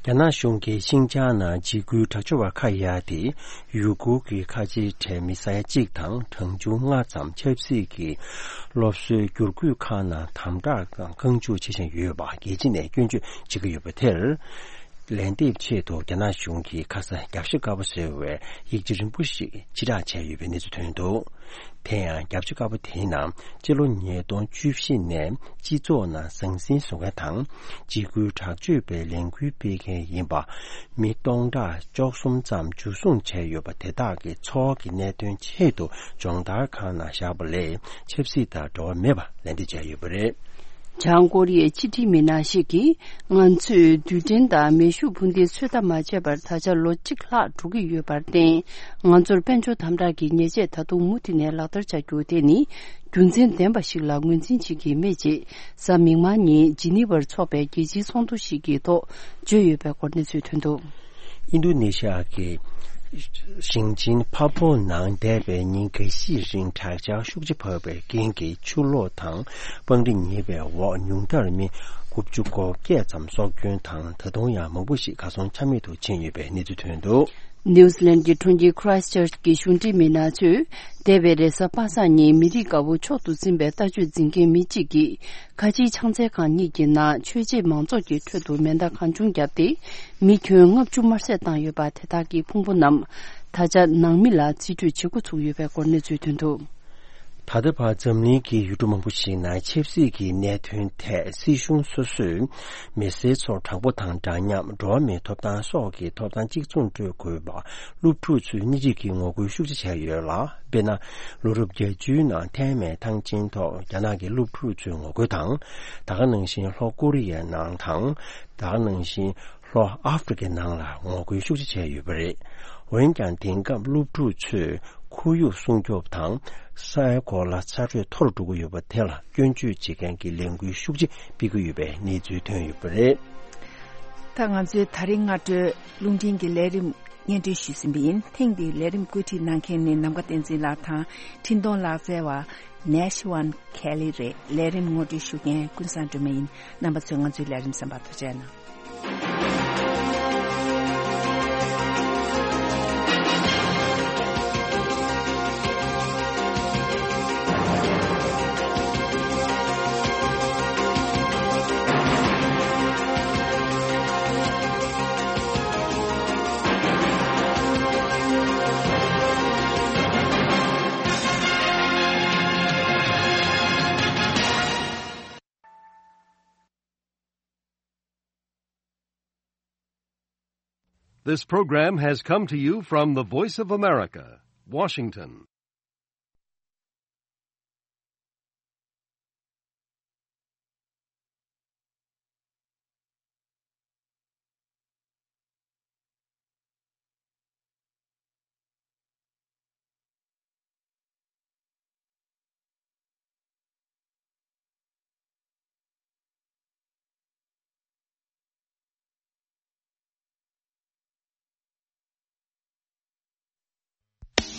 རྒྱ་ནག་གཞུང་གིས་ཤིན་ཅང་ནང་འཇིགས་སྐུལ་དྲག་སྤྱོད་པ་ཁ་གཡར་ཏེ། ཡུ་གུར་གྱི་ཁ་ཆེའི་གྲས་མི་ས་ཡ་གཅིག་དང་གྲངས་ཆུང་ལྔ་ཙམ་ཆབ་སྲིད་ཀྱི་སློབ་གསོའི་བསྒྱུར་བཀོད་ཁང་ནང་དམ་དྲག་དང་བཀག་འཇུག་བྱེད་བཞིན་ཡོད་པ་རྒྱལ་སྤྱི་ནས་སྐྱོན་བརྗོད་བྱེད་ཀྱི་ཡོད་པ་དེར། ལན་འདེབས་ཆེད་དུ་རྒྱ་ནག་གཞུང་གིས་ཁ་ས་རྒྱབ་ཤ་དཀར་པོ་ཟེར་བའི་ཡིག་ཆ་རིང་པོ་ཞིག་ཕྱིར་བསྒྲགས་བྱས་ཡོད་པའི་གནས་ཚུལ་ཐོན་འདུག་དེ་ཡང་རྒྱབ་ཤ་དཀར་པོ་དེའི་ནང་སྤྱི་ལོ་ཉིས་སྟོང་བཅུ་བཞི་ནས་སྤྱི་ཚོགས་ནང་ཟང་ཟིང་བཟོ་མཁན་དང་། འཇིགས་སྐུལ་དྲག་སྤྱོད་པའི་ལས་འགུལ་སྤེལ་མཁན་ཡིན་པ་མི་སྟོང་ཕྲག་བཅུ་གསུམ་ཙམ་འཇུ་བཟུང་བྱས་ཡོད་པ་དེ་དག་གི་འཚོ་བ་གི་གནད་དོན་ཆེད་དུ་སྦྱོང་བརྡར་ཁང་ནང་བཞག་པ་ལས་ཆབ་སྲིད་དང་འབྲེལ་བ་མེད་པ་ལན་འདེབས་བྱས་ཡོད་པ་རེད། བྱང་ཀོ་རི་ཡའི་ཕྱི་འབྲེལ་མི་སྣ་ཞིག་གིས། ང་ཚོས་རྡུལ་ཕྲན་དང་མེ་ཤུགས་འཕུར་མདེལ་ཚོད་ལྟ་མ་བྱས་པར་ད་ཆ་ལོ་གཅིག་ལྷག་འགྲོ་གི་ཡོད་པར་བརྟེན། ང་ཚོར་དཔལ་འབྱོར་དམ་དྲག་གི་ཉེས་ཆད་ད་དུང་མུ་མཐུད་ནས་ལག་བསྟར་བྱ་རྒྱུ་དེ་ནི། རྒྱུ་མཚན་ལྡན་པ་ཞིག་ལ་ངོས་འཛིན་བྱེད་ཀྱི་མེད་ཅེས། གཟའ་མིག་དམར་ཉིན་ཇི་ནི་ཝར་འཚོགས་པའི་རྒྱལ་སྤྱིའི་ཚོགས་འདུ་ཞིག་གི་ཐོག་བརྗོད་ཡོད་པའི་སྐོར་གནས་ཚུལ་ཐོན་འདུག་ཨིན་རྡུ་ནེ་ཤི་ཡ་གི་ཞིང་ཆེན་ཕ་པོ་ནང་འདས་པའི་ཉིན་འགའ་ཤས་རིང་དྲག་ཆར་ཤུགས་ཆེ་བབས་པའི་རྐྱེན་གྱིས་ཆུ་ལོག་དང་། སྤང་རི་ཉིལ་བའི་འོག་ཉུང་མཐར་མི་དགུ་བཅུ་གོ་བརྒྱད་ཙམ་སྲོག་སྐྱོན་དང་། ད་དུང་ཡང་མང་པོ་ཞིག་གར་སོང་ཆ་མེད་དུ་ཕྱིན་ཡོད་པའི་གནས་ཚུལ་ཐོན་འདུག་ནིའུ་སི་ལན་གྱི་གྲོང་ཁྱེར་ཁྲའི་སི་ཅར་ཅི་གི་གཞུང་འབྲེལ་མི་སྣ་ཚོས། འདས་པའི་རེས་གཟའ་པ་སངས་ཉིན་མི་རིགས་དགའ་པོ་མཆོག་ཏུ་འཛིན་པའི་ལྟ་སྤྱོད་འཛིན་མཁན་མི་གཅིག་གིས། ཁ་ཆེའི་ཕྱག་འཚལ་ཁང་གཉིས་ཀྱི་ནང་ཆོས་བྱེད་མང་ཚོགས་ཀྱི་ཁྲོད་དུ་མེ་མདའ་གང་བྱུང་བརྒྱབ་སྟེ། མི་ཁྱོན་ལྔ་བཅུ་དམར་བསད་བཏང་ཡོད་པ་དེ་དག་གི་ཕུང་པོ་རྣམས། ད་ཆ་ནང་མི་ལ་རྩིས་སྤྲོད་བྱེད་འགོ་ཚུགས་ཡོད་པའི་སྐོར་གནས་ཚུལ་ཐོན་འདུག་ད་ལྟ་བར་འཛམ་གླིང་གི་ཡུལ་གྲུ་མང་པོ་ཞིག་ནང་ཆབ་སྲིད་ཀྱི་གནད་དོན་ཐད་སྲིད་གཞུང་སོ་སོས་མི་སེར་ཚོར་དྲང་པོ་དང་འདྲ་མཉམ། འགྲོ་བ་མིའི་ཐོབ་ཐང་སོགས་ཀྱི་ཐོབ་ཐང་གཅིག་མཚུངས་སྤྲོད་དགོས་པ་སློབ་ཕྲུག་ཚོས་སྣེ་ཁྲིད་ཀྱིས་ངོ་རྒོལ་ཤུགས་ཆེ་བྱས་ཡོད་ལ། དཔེར་ན། ལོ་རབས་བརྒྱད་ཅུའི་ནང་ཐའེ་མེན་ཐང་ཆེན་ཐོག་རྒྱ་ནག་གི་སློབ་ཕྲུག་ཚོས་ངོ་རྒོལ་དང་། ད་ག་ནང་བཞིན་ལྷོ་ཀོ་རི་ཡའི་ནང་དང་། ད་ག་ནང་བཞིན་ལྷོ་ཨ་ཧྥེ་རི་ཁའི་ནང་ལ་ངོ་རྒོལ་ཤུགས་ཆེ་བྱས་ཡོད་པ་རེད། འོན་ཀྱང་དེང་སྐབས་སློབ་ཕྲུག་ཚོས་ཁོར་ཡུག་སྲུང་སྐྱོབ་དང་། སའི་གོ་ལ་ཚ་དྲོད་མཐོ་རུ་འགྲོ་གི་ཡོད་པ་དེ་ལ་སྐྱོན་བརྗོད་བྱེད་མཁན་གྱི་ལས་འགུལ་ཤུགས་ཆེ་སྤེལ་གྱི་ཡོད་པའི་གནས་ཚུལ་ཐོན་ཡོད་པ་རེད། ད་ང་ཚོའི་ད་རིང་སྔ་དྲོའི་རླུང་འཕྲིན་གྱི་ལས་རིམ་སྙན་སྒྲོན་ཞུས་ཟིན་པ་ཡིན། ཐེངས་འདིའི་ལས་རིམ་བཀོད་སྒྲིག་གནང་མཁན་ནི་ནམ་མཁའ་བསྟན་འཛིན་ལགས་དང་། འཕྲིན་གཏོང་ལག་རྩལ་བ་ནེ་ཤི་ཝན་ཁེ་ལི་རེད། ལས་རིམ་ངོ་སྤྲོད་ཞུ་མཁན་ཀུན་བཟང་སྒྲོལ་མ་ཡིན། རྣམ་པ་ཚོས་ང་ཚོའི་ལས་རིམ་གསན་པར་ཐུགས་རྗེ་གནང་། This program has come to you from the Voice of America, Washington.